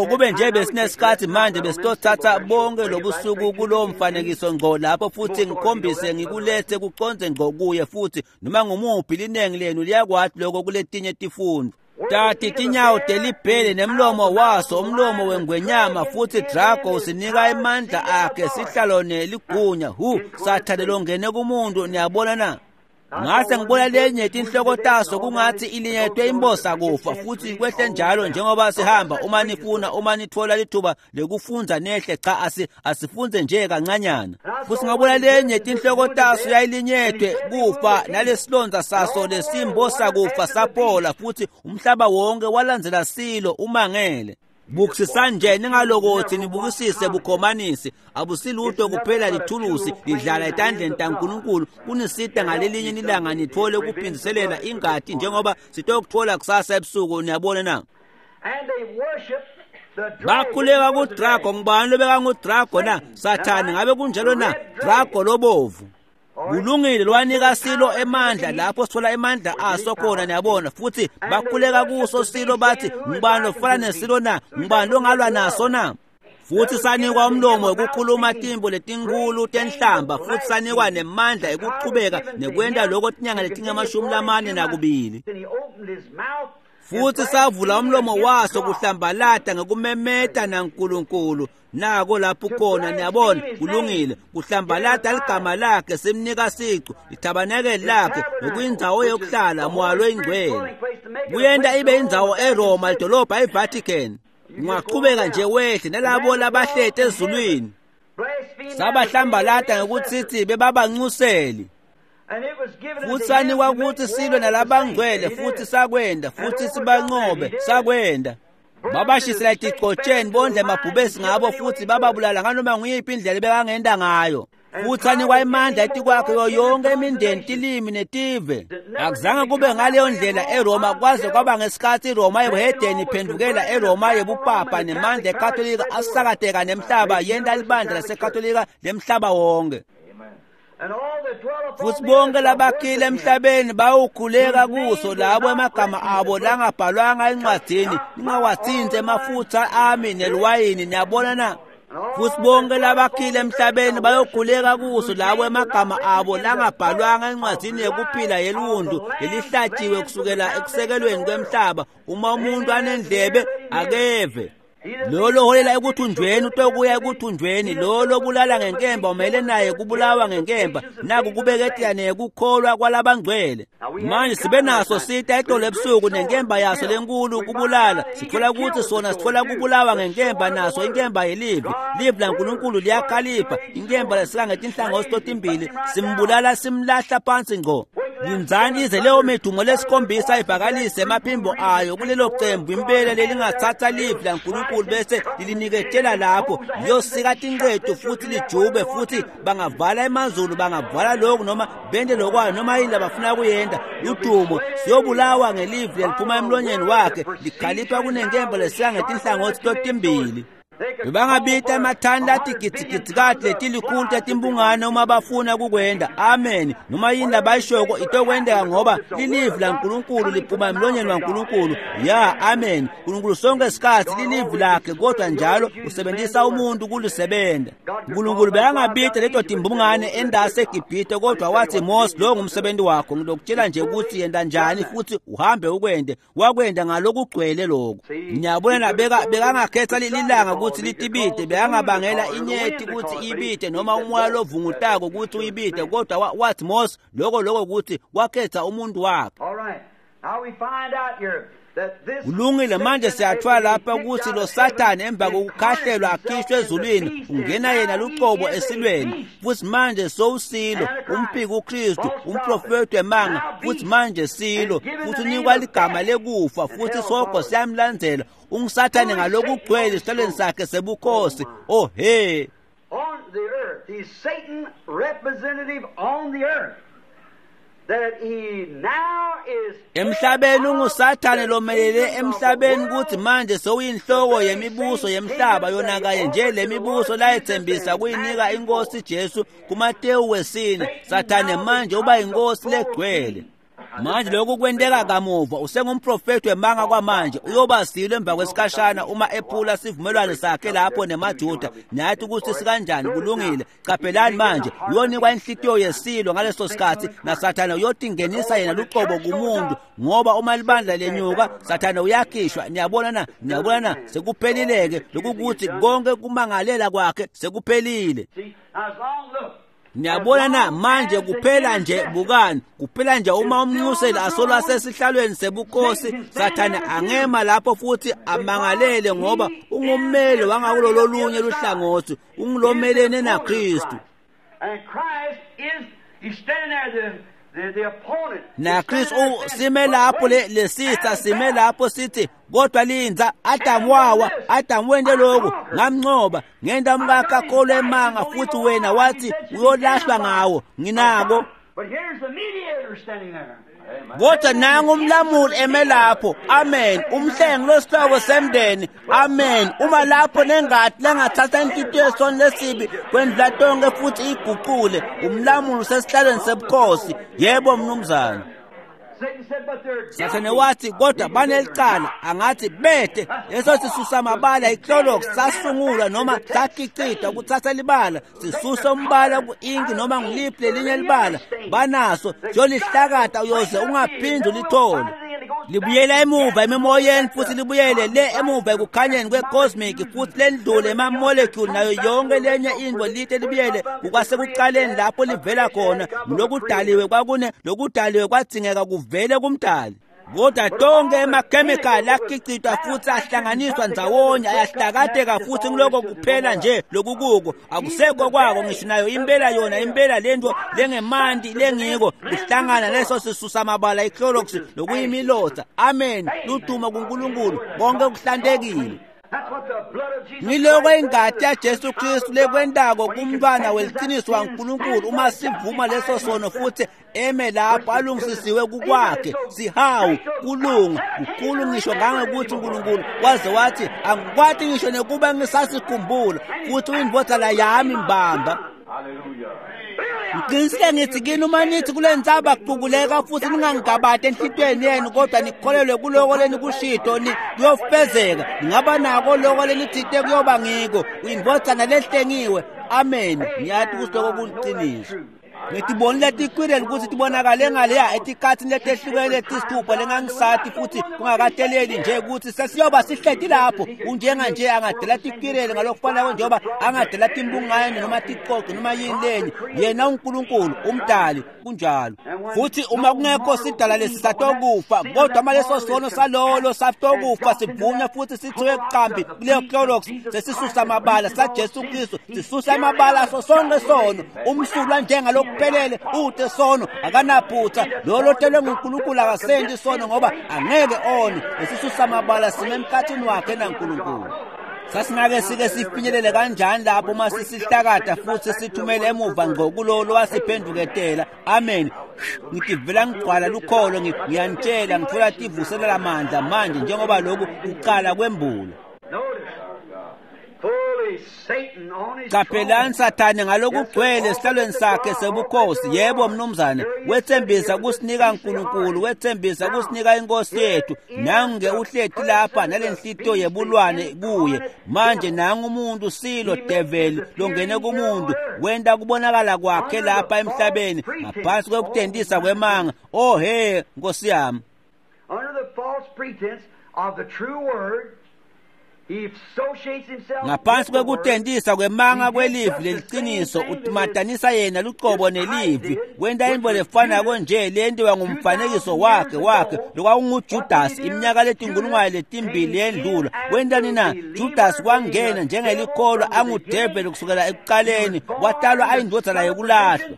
Kube nje besinesikhathi manje besitothatha bonke lobusuku kulowo mfanekiso ngqo lapho futhi ngikhombise ngikulethe kuconze ngqo kuye. Futhi noma ngumuphi linengi lenu liyakwati lokho kuletinye tifundo. Tati tinyawo telibhele nemlomo waso umlomo wengwenyama, futhi Drago usinika emandla akhe sihlalo neligunya. Hu sathane longene kumuntu. Niyabona na? Ngase ngibona lenye tinhloko taso kungathi ilinyetwe imbosa kufa, futhi kwehle njalo njengoba sihamba. Uma nifuna, uma nithola lithuba lekufundza nehle, cha asifunze nje kancanyana. Futhi ngabona lenye tinhloko taso yayilinyetwe kufa, nalesilonza saso lesimbosa kufa saphola, futhi umhlaba wonke walandzela silo umangele. Bukisisani nje, ningalokothi nibukisise bukhomanisi. Abusilutho kuphela lithulusi lidlala etandleni taNkulunkulu kunisita ngalelinye ilanga nithole ukuphindiselela ingati njengoba sitokuthola kusasa ebusuku. Niyabona na? Bakhuleka kuDrago. Ngubani lobekanguDrago na? Sathane. Ngabe kunjalo na? Drago lobovu. Kulungile, lwanika silo emandla lapho sithola emandla aso khona. Niyabona? Futhi bakhuleka kuso silo bathi, ngubani lofana nesilo na? Ngubani longalwa naso na? Futhi sanikwa umlomo wekukhuluma timbo letinkulu tenhlamba, futhi sanikwa nemandla ekuchubeka nekwenta lokho tinyanga letingama-42. Futhi savula umlomo waso kuhlambalata ngekumemeta naNkulunkulu. Nako lapho khona. Niyabona? Kulungile, kuhlambalata ligama lakhe, simnika sicu lithabanekeli lakhe nokuyindzawo yokuhlala moya loyingcwele. Kuyenta ibe indzawo eRoma, lidolobha iVatican. Ungaqhubeka nje wehle nalabo labahleti ezulwini. Sabahlambalata ngekuthi bebabancuseli. Futhi sanikwa ukuthi silwe nalabangcwele, futhi sakwenda, futhi sibanqobe, sakwenda. Babashisela etigcotsheni bondle amabhubesi ngabo, futhi bababulala nganoma nguyiphi indlela ebekangenda ngayo. Futhi sanikwa imandla etikwakhe yonke imindeni, tilimi netive. Akuzange kube ngaleyo ndlela eRoma kwaze kwaba ngesikhathi iRoma yebuhedeni iphendukela eRoma yebupapa, nemandla eKatolika asakateka nemhlaba, yenta libandla laseKatolika lemhlaba wonke. Futhi bonke labakhile emhlabeni bawukhuleka kuso, labo emagama abo langabhalwanga encwadini, ningawathinti emafutha ami neliwayini. Niyabona na? Futhi bonke labakhile emhlabeni bayokhuleka kuso labo emagama abo langabhalwanga encwadzini yekuphila yeluntu lelihlatshiwe kusukela ekusekelweni kwemhlaba. Uma umuntu anendlebe akeve. Lo loholela ekuthunjweni utokuya ekuthunjweni, lo lobulala ngenkemba umele naye kubulawa ngenkemba. Naku kubeketela nekukholwa kwalabangcwele. Manje sibe naso sita itolo ebusuku nenkemba yaso lenkulu kubulala. Sithola ukuthi sona sithola kubulawa ngenkemba naso inkemba yelivi. Livi laNkulunkulu liyakhalipha, inkemba lesika ngetinhlangothi totimbili, simbulala simlahla phansi ngco. Lindzani ize leyo midumo lesikhombisa ivakalise emaphimbo ayo kulelo cembu impela lelingatsatsa livi laNkulunkulu bese liliniketela lapho liyosika tinqedu futhi lijube, futhi bangavala emazulu, bangavala lokhu noma bente lokwayo noma yini labafuna kuyenta. Ludumo siyobulawa ngelivi leliphuma emlonyeni wakhe, likhalipha kunenkemba lesika ngetinhlangothi totimbili. Bebangabita emathani latigidzigidzi letilikhulu tetimbungane uma bafuna kukwenda. Amen. Noma yini labayishoko itokwendeka ngoba lilivi laNkulunkulu liphuma emlonyeni waNkulunkulu. Ya, amen. Nkulunkulu sonke isikhathi lilivi lakhe, kodwa njalo usebenzisa umuntu kulisebenta. Nkulunkulu bekangabita leto timbungane endase eGibhithe, kodwa wathi Mose, lo ngumsebenzi wakho, ngilokutshela nje ukuthi yenda njani futhi uhambe ukwende. Wakwenda ngalokugcwele lokho. Ngiyabona bekangakhetha lilanga ukuthi litibite, bekangabangela inyeti ukuthi ibite noma umoya lovungutako ukuthi uyibite, kodwa wathi Mose lokho ukuthi wakhetha umuntu wakhe. Kulungile, manje siyathola lapha ukuthi lo Sathane emva kokukhahlelwa akhishwe ezulwini ungena yena lucobo esilweni, futhi manje sowusilo umphiki uKristu, umprofeti wemanga, futhi manje silo, futhi unikwa ligama lekufa, futhi sogo siyamlandzela. UnguSathane ngalokugcwele esihlalweni sakhe sebukhosi. Oh he.
On the earth, he's Satan representative on the earth.
Emhlabeni unguSathane lomelele emhlabeni ukuthi manje sewuyinhloko yemibuso yemhlaba, yona kanye nje lemibuso layethembisa kuyinika inkosi Jesu kuMatewu 4. Sathane manje uba inkosi legcwele. Manje lokhu kwenteka kamuva, usengumprofeti wemanga kwamanje, uyoba silo emva kwesikhashana uma ephula sivumelwano sakhe lapho nemaJuda. Niyathi ukuthi sikanjani? Kulungile. Qaphelani manje, uyonikwa inhlitiyo yesilo ngaleso sikhathi, naSathane uyotingenisa yena lucobo kumuntu, ngoba uma libandla lenyuka Sathane uyakhishwa. Niyabona na? Niyabona na? Sekuphelile-ke lokukuthi konke kumangalela kwakhe sekuphelile. Niyabona na? Manje kuphela nje, bukani, kuphela nje uma umnxuseli asolwa sesihlalweni sebukhosi, Sathane angema lapho futhi amangalele, ngoba ungummeli wangakulololunye luhlangothi, ungulomelene naKristu. NaKristu sime lapho, lesitha sime lapho sithi, kodwa linza, Adamu wawa, Adamu wente lokhu, ngamncoba, ngenta umkakhe akholwe emanga, futhi wena wathi uyolahlwa ngawo, nginako. Kodwa nangu umlamuli eme lapho. Amen. Umhlengi losihloko semndeni. Amen. Uma lapho nengati lengathatha inhlitiyo yesoni lesibi kwendlula tonke futhi iguqule, umlamuli usesihlalweni sebukhosi. Yebo mnumzane. Sathane wathi kodwa banelicala, angathi bete leso sisusa mabala iClorox sasungulwa noma sakhicitwa kuthatha libala sisusa umbala ku-inki noma ngiliphi lelinye libala banaso, siyolihlakata uyoze ungaphindi ulithole. Libuyela emuva emimoyeni futhi libuyele le emuva ekukhanyeni kwe-cosmic futhi lendlule ema-molecule nayo yonke lenye into, lite libuyele kukwasekuqaleni lapho livela khona. Lokudaliwe kwakune lokudaliwe kwadzingeka kuvele kumdali. Kodwa tonke emakhemikhali akhicitwa futhi ahlanganiswa ndzawonye ayahlakateka futhi ngiloko kuphela nje lokukuko akusekho kwako ngisho nayo impela yona impela lento lengemanti lengiko kuhlangana leso sisusa mabala iClorox lokuyimilotha. Amen. Luduma kuNkulunkulu, konke kuhlantekile. Ngiloko ingati yaJesu Kristu lekwentako kumntwana weliciniso waNkulunkulu uma sivuma leso sono futhi eme lapho alungisisiwe kukwakhe sihawu kulunga kukhulu ngisho ngangokuthi uNkulunkulu waze wathi angikwati ngisho nekuba ngisasikhumbula futhi uyindvodzana yami mbamba. Ngiqinisile ngithi kini uma nithi kule ntsaba kuqukuleka futhi ningangigabadi enhlitiyweni yenu kodwa nikholelwe kuloko lenikushito kuyofezeka. Ningaba nako loko lenithite kuyoba ngiko. Uyindvodzana lehlengiwe. Amen. Ngiyati ukuthi lokho kuliciniso. Ngitibonile tikwireli ukuthi tibonakale ngaleya etikhathini letehlukene letisithupha lengangisati futhi kungakateleli nje ukuthi sesiyoba sihleti lapho unjenga nje angadela tikwireli ngalokufanako njengoba angadela timbungane noma ticoco noma yini lenye. Yena uNkulunkulu umdali kunjalo. Futhi uma kungekho sidala lesisatokufa kodwa uma leso sono salolo satokufa sivunywa futhi sithiwe qambi kuleyo Clorox sesisusa amabala saJesu Kristu sisusa amabala aso sonke sono umsulwa njengalokuphelele ute sono akanaphutha lo lotelwe nguNkulunkulu akasendi sono ngoba angeke one lesisusa amabala sime emkhathini wakhe naNkulunkulu. Sasingake sike sifinyelele kanjani lapho uma sisihlakada futhi sithumele emuva ngqo kulo lowasiphenduketela. Amen. Ngitivela ngigcwala lukholo ngiyanitshela ngithola tivuselela mandla manje njengoba lokhu kuqala kwembulo. Qaphelani Sathane ngalokugcwele esihlalweni sakhe sebukhosi. Yebo mnumzane, wethembisa kusinika uNkulunkulu, wethembisa kusinika inkosi yethu. Nange uhleti lapha nalenhlitiyo yebulwane kuye. Manje nangu umuntu silo devil longene kumuntu wenta kubonakala kwakhe lapha emhlabeni ngaphansi kwekutendisa kwemanga. Oh he Nkosi yami.
Under the false pretense of the true word,
ngaphansi kwekutendisa kwemanga kwelivi leliqiniso utimatanisa yena luqobo nelivi wenta intfo lefanako nje leyentiwa ngumfanekiso wakhe lokwakunguJudas iminyaka letinkulungwane letimbili yendlula. Wentani na? Judas wangena njengelikholwa angudeveli kusukela ekuqaleni, watalwa ayindvodzana yekulahlwa.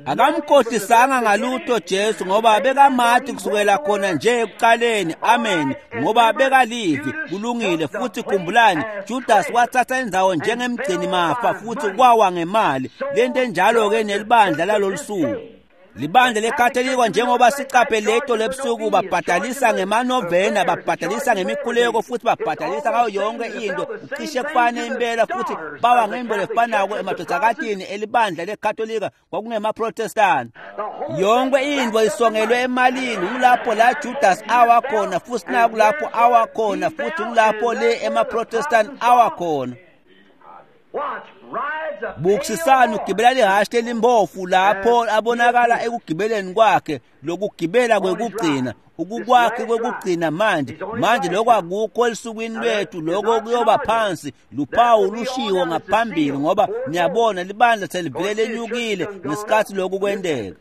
Akamkhohlisanga ngalutho Jesu ngoba bekamati kusukela khona nje ekuqaleni. Amen. Ngoba bekalivi kulungile. Futhi khumbulani, Judas wathatha indzawo njengemgcini mafa futhi kwawa ngemali. Lento enjalo-ke nelibandla lalolusuku. Libandla lekatolika njengoba siqaphe leto lebusuku babhadalisa ngemanovena, babhadalisa ngemikhuleko futhi babhadalisa ngayo yonke into cishe kufane impela futhi bawa ngento lefanako emadodakatini elibandla lekatolika kwakungemaprotestani. Yonke into isongelwe emalini. Ngulapho la Judas awakhona futhi nakulapho awakhona futhi ngulapho le emaprotestani awakhona. Bukisisani ugibela lihhashi lelimbofu lapho abonakala ekugibeleni kwakhe lokugibela kwekugcina ukukwakhe kwekugcina manje. Manje lokho akukho elusukwini lwethu, lokho kuyoba phansi luphawu lushiwo ngaphambili ngoba niyabona libandla selivele lenyukile ngesikhathi lokhu kwenteka.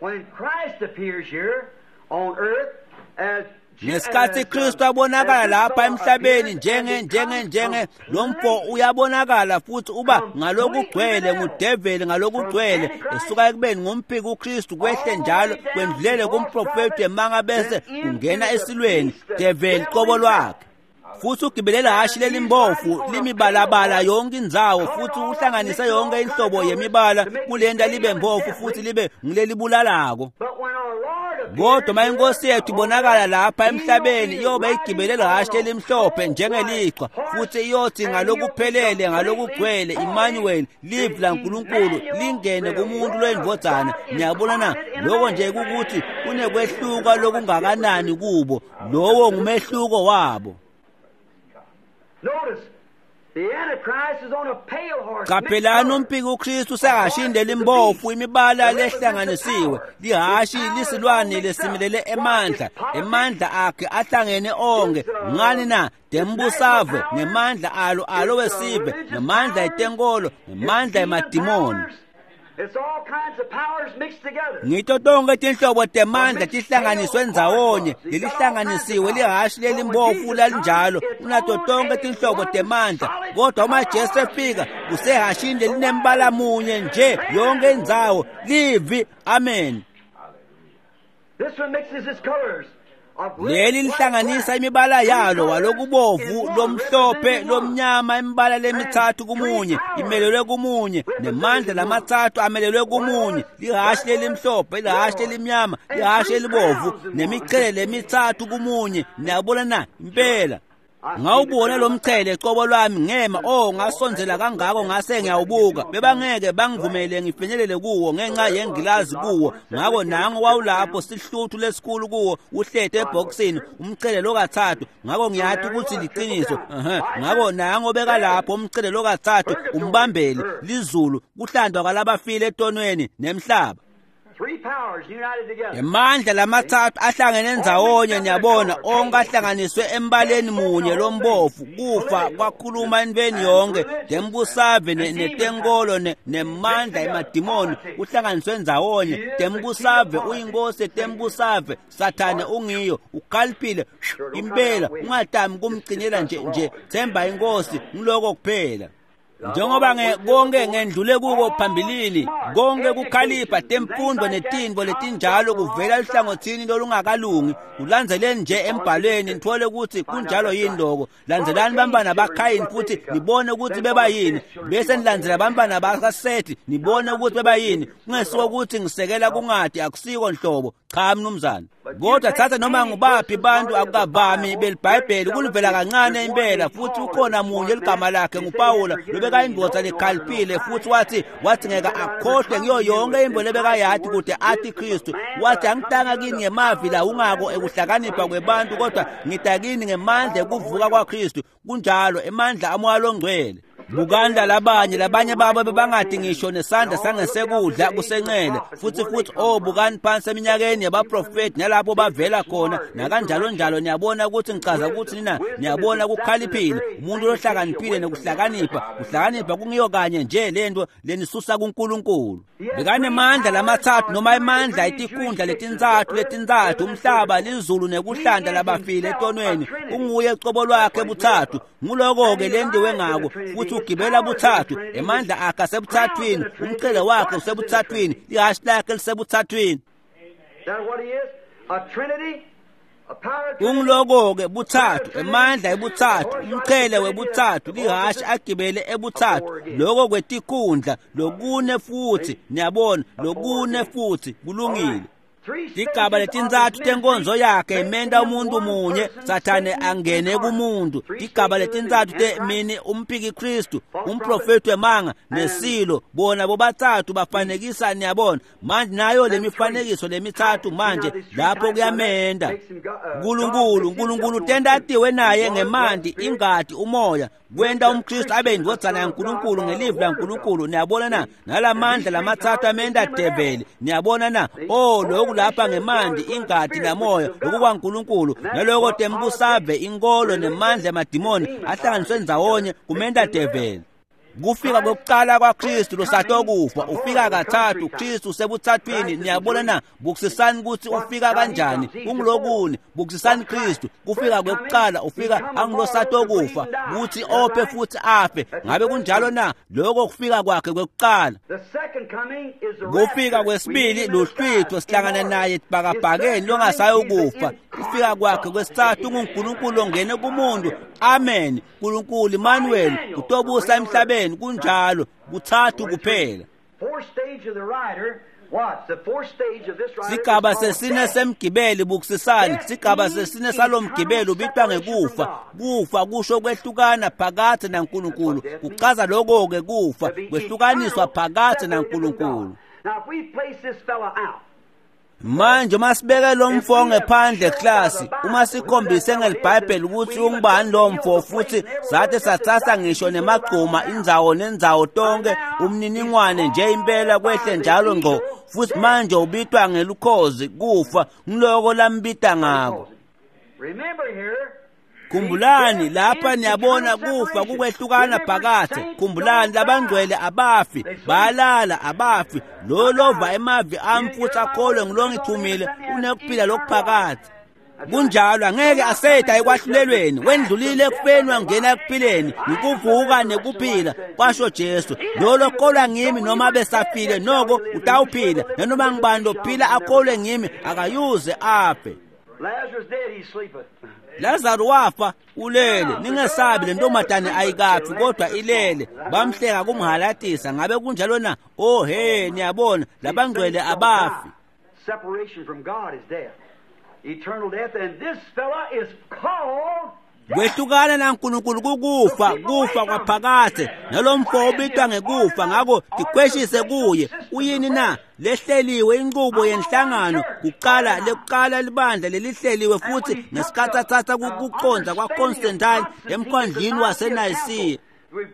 When Christ appears here on earth as
Ngesikhathi Kristu abonakala lapha emhlabeni njenge lomfo uyabonakala futhi uba ngalokugcwele ngudeveli ngalokugcwele esuka ekubeni ngumphiki uKristu kwehle njalo kwendlulele kumprofeti emanga bese kungena esilweni develi qobo lwakhe. Futhi ugibelela hhashi lelimbofu limibalabala yonke indzawo futhi uhlanganise yonke inhlobo yemibala kulenta libe mbofu futhi libe ngilelibulalako. Kodwa uma inkosi yethu ibonakala lapha emhlabeni iyobe igibele lihhashi elimhlophe njengelichwa futhi iyothi ngalokuphelele ngalokugcwele Emmanuel livi laNkulunkulu lingene kumuntu lwendvodzana. Niyabona na? Lokho nje kukuthi kunekwehluka lokungakanani kubo. Lowo ngumehluko wabo. Qaphelani umpiki uKristu sekashinde limbofu imibala lehlanganisiwe. Lihhashi lisilwane lesimelele emandla, emandla akhe ahlangene onke. Ngani na? Dembusave ngemandla alo wesive, ngemandla etenkolo, ngemandla emadimoni. Ngito tonke tinhlobo temandla tihlanganiswe ndzawonye. Lelihlanganisiwe lihhashi lelimbofu lalinjalo unato tonke tinhlobo temandla. Kodwa uma Jesu efika kusehhashini lelinembala munye nje yonke indzawo livi. Amen. Leli lihlanganisa imibala yalo walokubovu lomhlophe lomnyama imibala lemithathu kumunye imelelwe kumunye nemandla lamathathu amelelwe kumunye. Lihhashi lelimhlophe, lihhashi lelimnyama, lihhashi elibovu nemichele lemithathu kumunye. Niyabona na? Impela. Ngawubona lo mchele cobo lwami ngema, oh ngasondzela kangako ngase ngiyawubuka. Bebangeke bangivumele ngifinyelele kuwo ngenxa yengilazi kuwo. Ngako nango wawulapho sihluthu lesikhulu kuwo uhlete ebhokisini umchele lokathathu. Ngako ngiyati ukuthi liqiniso. Ngako nango bekalapho umchele lokathathu umbambeli lizulu kuhlandwa kwalabafile etonweni nemhlaba. Emandla lamathathu ahlangene ndzawonye niyabona onke ahlanganiswe embaleni munye lombovu. Kufa kwakhuluma entweni yonke tembusave netenkolo nemandla emadimoni kuhlanganiswe ndzawonye. Tembusave uyinkosi tembusave, Sathane ungiyo ukhaliphile impela. Ungatami kumcinela nje themba inkosi ngiloko kuphela. Njengoba konke ngendlule kuko phambilini, konke kukhalipha temfundo netinto letinjalo kuvela eluhlangothini lolungakalungi. Kulandzeleni nje embhalweni nithole ukuthi kunjalo yini lokho. Landzelani bantwana baKhayini futhi nibone ukuthi bebayini, bese nilandzela bantwana bakaSethi nibone ukuthi bebayini. Kungesiko ukuthi ngisekela kungadi, akusiko nhlobo, cha mnumzane. Kodwa thatha noma ngubaphi bantu akukavami beliBhayibheli kulivela kancane impela. Futhi ukhona munye ligama lakhe nguPawula lobekayindvodza lekhaliphile, futhi wathi ngeke akhohlwe ngiyo yonke into lebekayati kude athi Kristu. Wathi angitanga kini ngemavi la ungako ekuhlakanipha kwebantu, kodwa ngita kini ngemandla ekuvuka kwaKristu. Kunjalo, emandla amoya longcwele. Bukanda labanye babo bebangadi ngisho nesandla sangesekudla kusencele. Futhi oh bukani phansi eminyakeni yabaprofeti nalapho bavela khona nakanjalo njalo. Niyabona ukuthi ngichaza ukuthi nina niyabona kukhaliphile umuntu lohlakaniphile nekuhlakanipha. Kuhlakanipha kungiyo kanye nje lento lenisusa kuNkulunkulu. Bekanemandla lamathathu noma emandla etikhundla letintsathu umhlaba, lizulu nekuhlanda labafile etonweni. Unguye cobo lwakhe buthathu. Nguloko-ke lendiwe ngako. Futhi ugibela buthathu, emandla akhe asebuthathwini, umchele wakhe usebuthathwini, ihhashi lakhe lisebuthathwini. Ungiloko-ke buthathu, emandla ebuthathu, umchele webuthathu, lihhashi agibele ebuthathu. Loko kwetikhundla, lokune futhi, niyabona, lokune futhi, kulungile. Tigaba letintsatfu tenkonzo yakhe imenta umuntu munye, Sathane angene kumuntu. Tigaba letintsatfu temini umphiki Kristu, umprofeti wemanga nesilo, bona bobathathu bafanekisa niyabona. Manje nayo lemifanekiso lemithathu manje lapho kuyamenda Nkulunkulu. Nkulunkulu tenta atiwe naye ngemanti, ingati, umoya, kwenta umKristu abe indvodzana yaNkulunkulu ngelivi laNkulunkulu. Niyabona na? Nalamandla lamathathu amenta develi. Niyabona na? Oh, lokhu lapha ngemanti, ingati namoya lokukwaNkulunkulu, naloko tembusave, inkolo nemandla emadimoni ahlanganiswe ndzawonye kumenta develi. Kufika kokuqala kwaKristu losatokufa, ufika kathathu. Kristu usebuthathwini. Niyabona na? Bukisisani ukuthi ufika kanjani. Ungilokuni, bukisisani Kristu. Kufika kokuqala ufika angilosatokufa, kuthi ophe futhi afe. Ngabe kunjalo na? Lokho kufika kwakhe kwekuqala. Kufika kwesibili luhlwitho, sihlangana naye ebhakabhakeni longasayokufa. Kufika kwakhe kwesithathu unguNkulunkulu ongene kumuntu. Amen. Nkulunkulu Emmanuel utobusa emhlabeni. Kunjalo, kuthathu kuphela. Sigaba sesine semgibeli, bukisisani. Sigaba sesine salomgibeli ubitwa ngekufa. Kufa kusho kwehlukana phakathi naNkulunkulu. Kuchaza lokho-ke kufa, kwehlukaniswa phakathi naNkulunkulu. Manje uma sibeke lo mfo ngephandle klasi, uma sikhombise ngeliBhayibheli ukuthi ungubani lo mfo, futhi sathi sathatha ngisho nemagcuma indzawo nendzawo tonke umniningwane nje impela kwehle njalo ngqo. Futhi manje ubitwa ngelukhozi, kufa, ngiloko lambita ngako. Khumbulani lapha niyabona kufa kukwehlukana phakathi. Khumbulani labangcwele abafi, bayalala abafi. Lo lova emavi ami futhi akholwe ngilongithumile unekuphila lokuphakathi. Kunjalo, angeke aseda ekwahlulelweni, wendlulile ekufeni wangena ekuphileni. Ngikuvuka nekuphila, kwasho Jesu. Lo lokholwa ngimi noma besafile noko utawuphila, nanoma ngibani lophila akholwe ngimi akayuze afe. Lazaro wafa ulele, ningesabi le ntombazane ayikafi kodwa ilele. Bamhleka kumhalatisa. Ngabe kunjalo na? Oh he, niyabona labangcwele abafi.
Separation from God is death, eternal death, and this fella is called
Kwehlukana naNkulunkulu kukufa, kufa kwaphakathe. Nalomfo ubitwa ngekufa, ngakho tikhweshise kuye. Uyini na? Lehleliwe inqubo yenhlangano kuqala, lekuqala libandla lelihleliwe futhi ngesikhathi athatha kuqonda kwaConstantine emkhondlini waseNayisiya.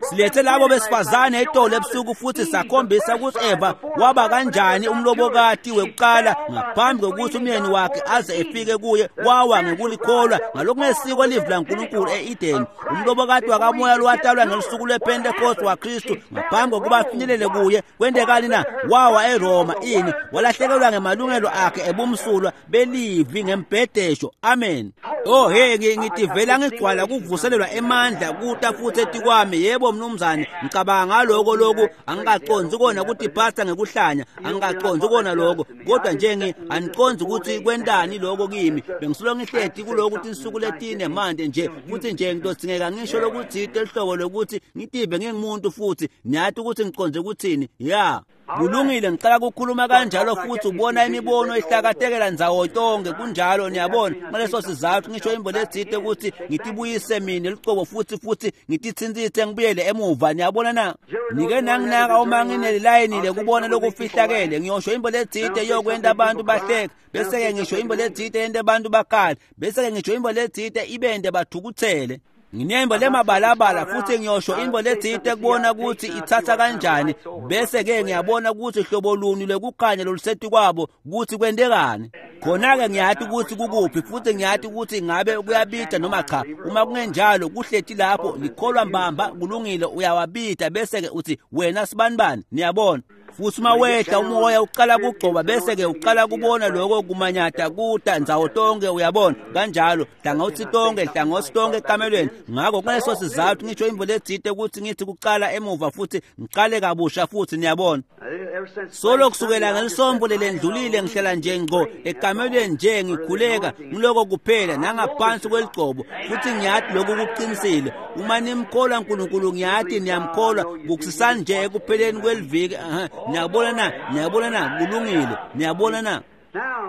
Silethe labo besifazane etolo ebusuku futhi sakhombisa ukuthi Eva waba kanjani umlobokati wekuqala ngaphambi kokuthi umyeni wakhe aze efike kuye. Wawa ngekulikholwa ngalokungesiko livi laNkulunkulu e-Edeni. Umlobokati wakamoya lowatalwa ngelusuku lwePentecost waKristu ngaphambi kokuba afinyelele kuye. Kwentekani na? Wawa eRoma. Ini? Walahlekelwa ngemalungelo akhe ebumsulwa belivi ngembhedesho. Amen. Oh hey, ngitivela ngigcwala kuvuselelwa emandla kuta futhi etikwami. Yebo mnumzane, ngicabanga ngaloko lokhu angikaqondzi kona ukuthi pastor ngekuhlanya, angikaqondzi kona lokho, kodwa nje angiqondzi ukuthi kwentani lokho kimi. Bengisulo ngihleti kuloko ukuthi insuku letine manje nje futhi nje ngidozingeka ngisho lokuthi lehlobo lokuthi ngitive ngingumuntu futhi niyathi ukuthi ngiqondze ukuthini. Ya, kulungile, ngicela ukukhuluma kanjalo futhi ubona imibono ihlakatekela ndzawo tonke kunjalo. Niyabona, ngaleso sizathu ngisho imbo letsite ukuthi ngitibuyise mina lucobo futhi ngitithintsithe ngibuyele emuva. Niyabona na? Nike nanginaka uma nginelilayini lekubona lokufihlakele, ngiyosho imbo letsite yokwenta abantu bahleke, bese-ke ngisho imbo letsite yente abantu bakhale, bese-ke ngisho imbo letsite ibente bathukuthele. Nginembo lemabalabala futhi ngiyosho imbo letsite kubona ukuthi ithatha kanjani, bese-ke ngiyabona ukuthi hlobo luni lwekukhanya loluseti kwabo ukuthi kwentekani. Khona-ke ngiyati ukuthi kukuphi futhi ngiyati ukuthi ngabe kuyabida noma cha. Uma kungenjalo kuhleti lapho likholwa mbamba, kulungile, uyawabida bese-ke uthi wena sibanibani. Niyabona? Futhi uma wehla umoya uqala kugcoba bese-ke uqala kubona lokho kumanyata kuta ndzawo tonke, uyabona kanjalo, hlangothi tonke ekamelweni. Ngakho kuleso sizathu ngisho imvo letsite ukuthi ngithi kuqala emuva futhi ngiqale kabusha futhi. Niyabona, solo kusukela ngelisombo lelendlulile ngihlala nje ngqo ekamelweni nje ngikhuleka ngiloko kuphela nangaphansi kweligcobo, futhi ngiyathi lokhu kuqinisile. Uma nimkholwa uNkulunkulu, ngiyathi niyamkholwa, bukusisani nje ekupheleni kweliviki. Niyabona na? Niyabona na? Kulungile. Niyabona na?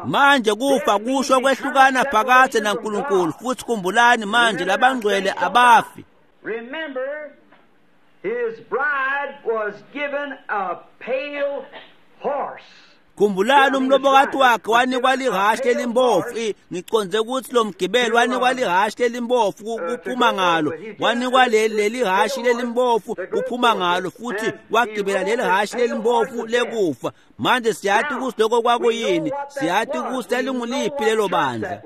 Manje kufa kusho kwehlukana phakathe naNkulunkulu, futhi khumbulani manje labangcwele abafi.
Remember, his bride was given a pale horse.
Khumbulani umlobokati wakhe wanikwa lihhashi lelimbofu. Ngiconze ukuthi lo mgibeli wanikwa lihhashi lelimbofu kuphuma ngalo, wanikwa leli hhashi lelimbofu kuphuma ngalo, futhi wagibela leli hhashi lelimbofu lekufa. Manje siyathi ukuthi lokho kwakuyini, siyathi ukuthi lalinguliphi lelo bandla.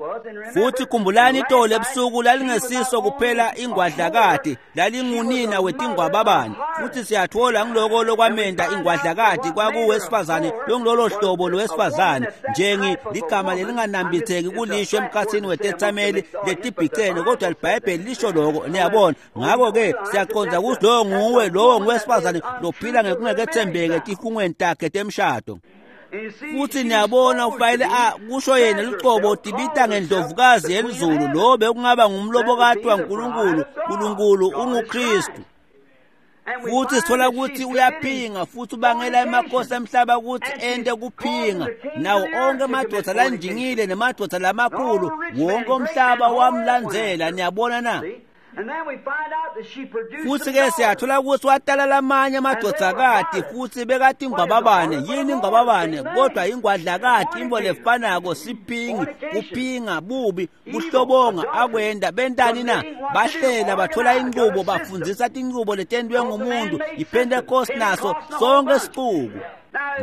Futhi khumbulani itolo ebusuku lalingesiso kuphela ingwadlakati, lalingunina wetingwababane. Futhi siyathola ngiloko lokwamenda ingwadlakati kwakuwesifazane longilolo hlobo lowesifazane, njengi ligama lelinganambitheki kulisho emkhathini wetethameli letibhicene, kodwa iBhayibheli lisho lokho. Niyabona? Ngakho-ke siyaqonda ukuthi lowo nguwe, lowo nguwesifazane lophila ngekungekethembeke etifungweni takhe temshado. Futhi niyabona ufanele kusho yena lucobo tibita ngendlovukazi yelizulu, lo bekungaba ngumlobokati waNkulunkulu. Nkulunkulu unguKristu. Futhi sithola ukuthi uyaphinga futhi ubangela emakhosi emhlaba ukuthi ente kuphinga. Nawo onke amadoda lanjingile nemadoda lamakhulu, wonke umhlaba wamlandzela. Niyabona na? Futhi-ke siyathola ukuthi watala lamanye amadodakati futhi bekati ingwababane. Yini ingwababane? Kodwa ingwadlakati, imbo lefanako, siphingi, kuphinga, bubi, kuhlobonga, akwenda. Bentani na? Bahlela, bathola inqubo, bafundzisa tinqubo letentiwe ngumuntu. IPentecost naso sonke sicuku.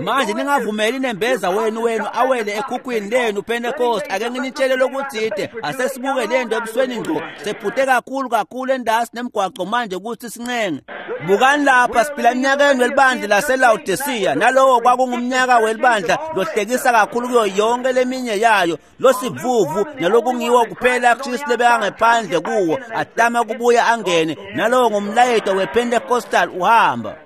Manje ningavumeli nembeza wenu awele ekhukhwini lenu Pentecost. Ake nginitshele lokuthide, asesibuke lento ebusweni ngqo. Sephute kakhulu kakhulu endasi nemgwaqo manje ukuthi sincenge. Bukani lapha, siphila eminyakeni welibandla laseLaodicea, nalowo kwakungumnyaka welibandla lohlekisa kakhulu kuyo yonke leminye yayo, losivuvu nalokungiwo kuphela Kristu lebekangephandle kuwo, atama kubuya angene. Nalowo ngumlayeto wePentecostal uhamba.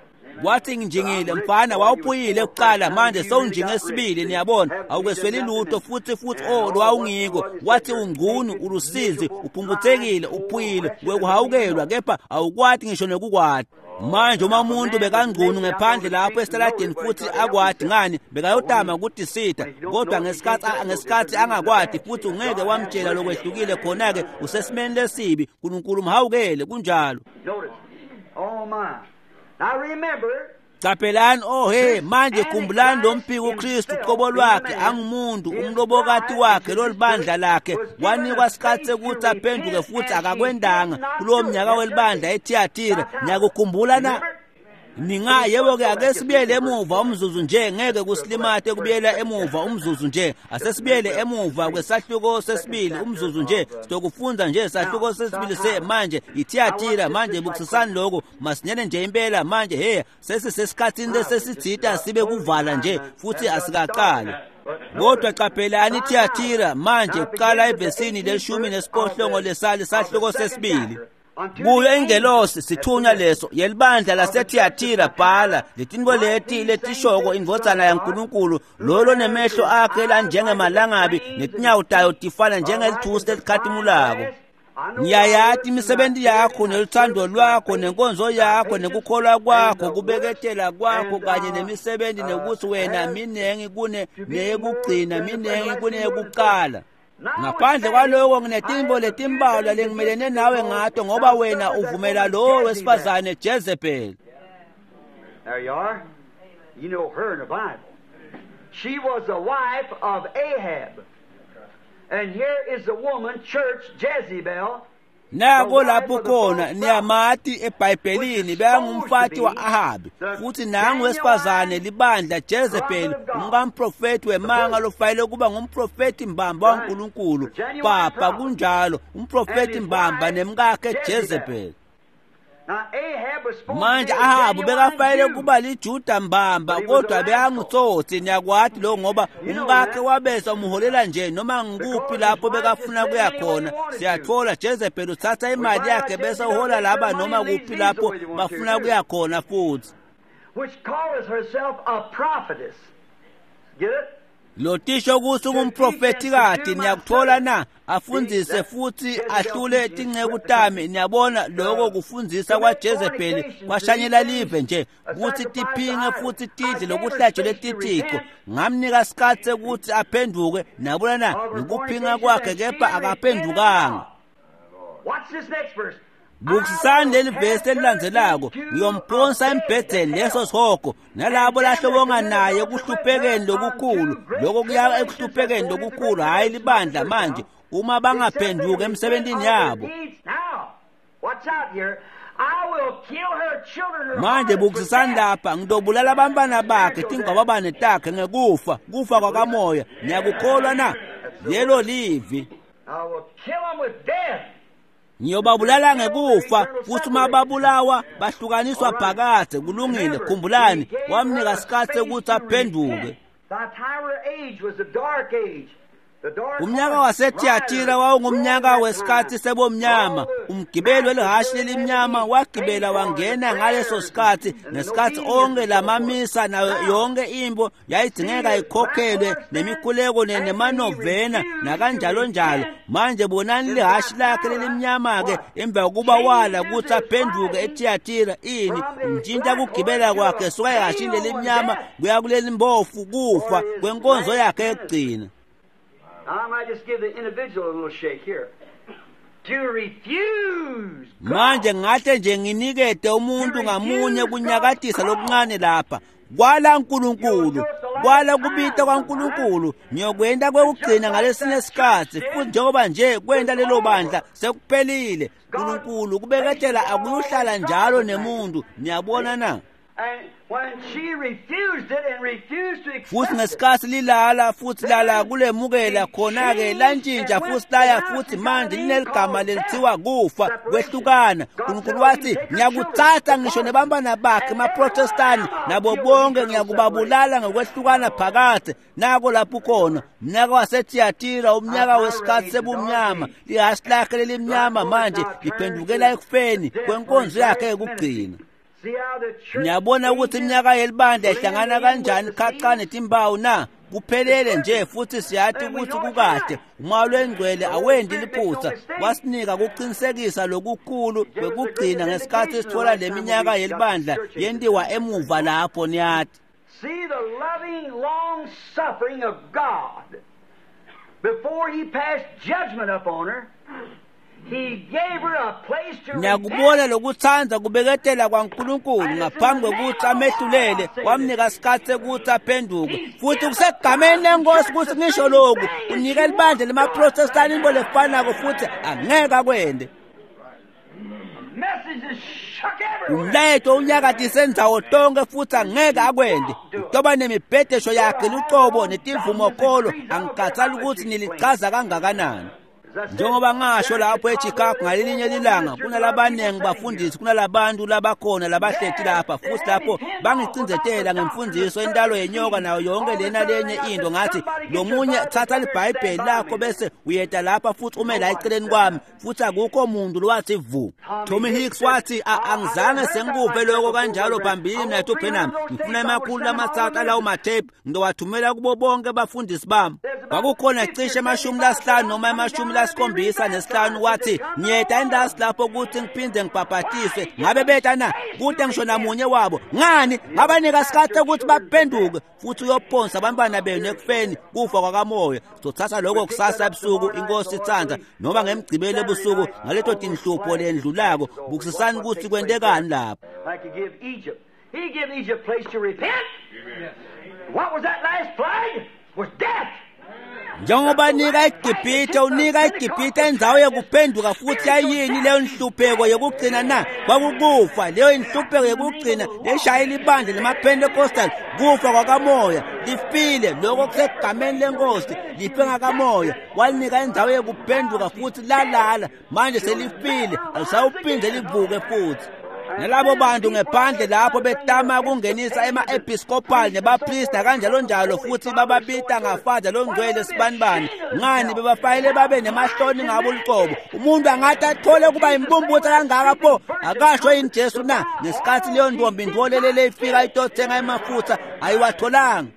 Wathi nginjingile mfana, wawuphuyile kuqala, manje sewunjinge esibili, niyabona, awukwesweli lutho futhi oh lwawungiko. Wathi ungcunu, ulusizi, uphumputhekile, uphuyile, wekuhawukelwa, kepha awukwati ngisho nekukwati. Manje uma umuntu bekangcunu ngephandle lapho esitaladini futhi akwati ngani, bekayotama ukutisita, kodwa ngesikhathi angakwati futhi ungeke wamtshela lokwehlukile, khona-ke usesimeni lesibi. Nkulunkulu mhawukele. Kunjalo. Caphelani, oh he, manje khumbulani lo mphiko uKristu uqobo lwakhe angumuntu, umlobokati wakhe lolibandla lakhe wanikwa isikhathi sekuthi aphenduke futhi akakwendanga kulowo mnyaka welibandla eThiatira. Niyakukhumbula na? Ninga yebo-ke, ake sibuyele emuva umzuzu nje, ngeke kusilimate kubuyela emuva umzuzu nje. Asesibuyele emuva kwesahluko sesibili umzuzu nje, sitokufunda nje sahluko sesibili manje iThiatira. Manje bukisisani lokho masinyane nje impela manje. He, sesisesikhathini lesesitsita sibe kuvala nje futhi asikaqali. Kodwa qaphelani iThiatira manje, kuqala evesini le-18 lesali sahluko sesibili. Kuyo ingelosi sithunywa leso yelibandla laseThiatira bhala letinto leti letishoko indvodzana yaNkulunkulu, lolo nemehlo akhe lanjengemalangabi netinyawo tayo tifana njengelithusi lelikhatimulako. Ngiyayati imisebenti yakho neluthando lwakho nenkonzo yakho nekukholwa kwakho, kubeketela kwakho kanye nemisebenti, nekuthi wena minengi kune neyekugcina, minengi kuneyekuqala. Ngaphandle kwaloko nginetimbo letimbalwa lengimelene nawe ngato, ngoba wena uvumela lowo wesifazane Jezebel.
There you are. You know her in the Bible. She was the wife of Ahab. And here is the woman, church, Jezebel.
Nako lapho khona niyamati eBhayibhelini, bekangumfati wa-Ahabi, futhi nangu wesifazane libandla Jezebel, umkamprofethi wemanga lofanele kuba ngumprofethi mbamba waNkulunkulu. Papa, kunjalo, umprofethi mbamba nemkakhe Jezebel. Manje Ahabu bekafanele kuba liJuda mbamba, kodwa bekangutsotsi, niyakwati lo, ngoba umkakhe wabese umholela nje noma ngikuphi lapho bekafuna kuya khona. Siyathola Jezebel uthatha imali yakhe bese uhola laba noma kuphi lapho bafuna kuya khona futhi.
Which calls herself a prophetess. Get it?
Lotisho kuthi ungumprofethi, niyakuthola na? Afundzise futhi ahlule tinceku tami. Niyabona lokho kufundzisa kwaJezebeli kwashanyela live nje kuthi tiphinge futhi tidle lokuhlatshelwe tithixo. Ngamnika isikhathi sekuthi aphenduke, niyabona na, ngikuphinga kwakhe, kepha akaphendukanga. Bukisisani leli vesi elilandzelako. Ngiyomphonsa embhedeni leso sihogo nalabo lahlobonga naye ekuhluphekeni lokukhulu. Lokho kuya ekuhluphekeni lokukhulu, hhayi libandla manje, uma bangaphenduki emsebentini yabo. Manje bukisisani lapha, ngitobulala abantwana bakhe tingwababane takhe ngekufa, kufa kwakamoya. Niyakukholwa na? Lelo livi. Ngiyobabulala ngekufa, futhi uma babulawa bahlukaniswa phakadze. Kulungile, khumbulani, wamnika isikhathi sekuthi aphenduke. Umnyaka waseThiatira wawungumnyaka wesikhathi sebomnyama. Umgibeli welihhashi lelimnyama wagibela wangena ngaleso sikhathi, ngesikhathi onke lamamisa nayo yonke imbo yayidingeka ikhokhelwe nemikhuleko nemanovena nakanjalo njalo. Manje bonani lihhashi lakhe lelimnyama-ke emva kokuba wala ukuthi aphenduke eThiatira, ini ntshintsha kugibela kwakhe suka ehhashini lelimnyama kuya kuleli mbofu, kufa kwenkonzo yakhe yokugcina.
I might just give the individual a little shake here. To refuse God.
Manje ngahle nje nginikete umuntu ngamunye kunyakatisa lokuncane lapha. Kwala uNkulunkulu, kwala kubita kwaNkulunkulu, ngiyokwenda kwekugcina ngalesinye isikhathi, futhi njengoba nje kwenda lelo bandla sekuphelile. uNkulunkulu kubeketela akuyuhlala njalo nemuntu, niyabona na? Futhi ngesikhathi lilala futhi lala kulemukela khona-ke lantshintsha futhi laya futhi manje lineligama lelithiwa kufa, kwehlukana. uNkulunkulu wathi ngiyakuthatha ngisho nebantwana bakhe emaprotestani nabo bonke ngiyakubabulala ngokwehlukana phakathe. Nako lapho khona umnyaka waseThiatira, umnyaka wesikhathi sebumnyama, lihhashi lakhe lelimnyama manje liphendukela ekufeni kwenkonzo yakhe yokugcina. Niyabona ukuthi iminyaka yelibandla ihlangana kanjani khaca netimbawu na? Kuphelele nje futhi siyathi ukuthi kukahle. Umoya lwengcwele awendi liphutha, wasinika kuqinisekisa lokukhulu kwekugcina ngesikhathi sithola leminyaka yelibandla yentiwa emuva lapho niyathi.
See the loving long suffering of God before he passed judgment upon her.
Ngiyakubona lokuthanda kubeketela kwaNkulunkulu ngaphambi kokuthi amehlulele, wamnika isikhathi sekuthi aphenduke. Futhi kusegameni lenkosi ukuthi ngisho lokhu, unika libandla lemaProtestani into lefanako futhi angeke akwende. Umlayeto unyakatise ndzawo tonke futhi angeke akwende. Utoba nemibhedesho yakhe lucobo netivumokolo, angikhathali ukuthi nilichaza kangakanani. Njengoba ngasho lapho eChicago ngalelinye ilanga, kunalabaningi bafundisi kunalabantu labakhona labahleti lapha futhi lapho bangicindzetela ngemfundiso intalo yenyoka nayo yonke lena lenye into. Ngathi lo munye thatha libhayibheli lakho bese uyeta lapha futhi ume la eceleni kwami, futhi akukho muntu lowathi vu. Tommy Hicks wathi angizange sengikuve lokho kanjalo phambilini nathi uBrenham, ngifuna 300 alawo matepe ngizowathumela kubo bonke abafundisi bami. Kwakukhona cishe 50 noma 75, wathi ngiyeta endasi lapho ukuthi ngiphinde ngibhabhatiswe. Ngabe beta na? Kude ngisho namunye wabo. Ngani? Ngabanika isikhathi ukuthi baphenduke futhi uyophonsa abantwana benu ekufeni, kufa kwakamoya. Sizothatha lokho kusasa ebusuku inkosi ithanda, noma ngemgcibelo ebusuku ngaleto tinhlupho lendlulako. Bukisisani ukuthi kwentekani lapho.
He gave Egypt place to repent. What was that last plague? Was death.
Njengoba nika iGibhithe, unika iGibhithe indzawo yekuphenduka futhi yayini leyo nhlupheko yekugcina na? Kwakukufa. Leyo inhlupheko yekugcina leshayela ibandla lemaPentecostal, kufa kwakamoya. Lifile lokho kusegameni lenkosi, life ngakamoya. Walinika indzawo yekuphenduka futhi lalala. Manje selifile, alisawuphinde livuke futhi. Nalabo bantu ngephandle lapho betama kungenisa ema-episcopal nebapristi kanjalo njalo, futhi bababita ngafada longcwele sibanibani. Ngani bebafayele babe nemahloni ngabo luqobo. Umuntu angathi athole kuba imbumbutha kangaka pho, akasho yini Jesu na? Ngesikhathi leyo ntombi ntolelele ifika itothenga emafutha ayiwatholanga.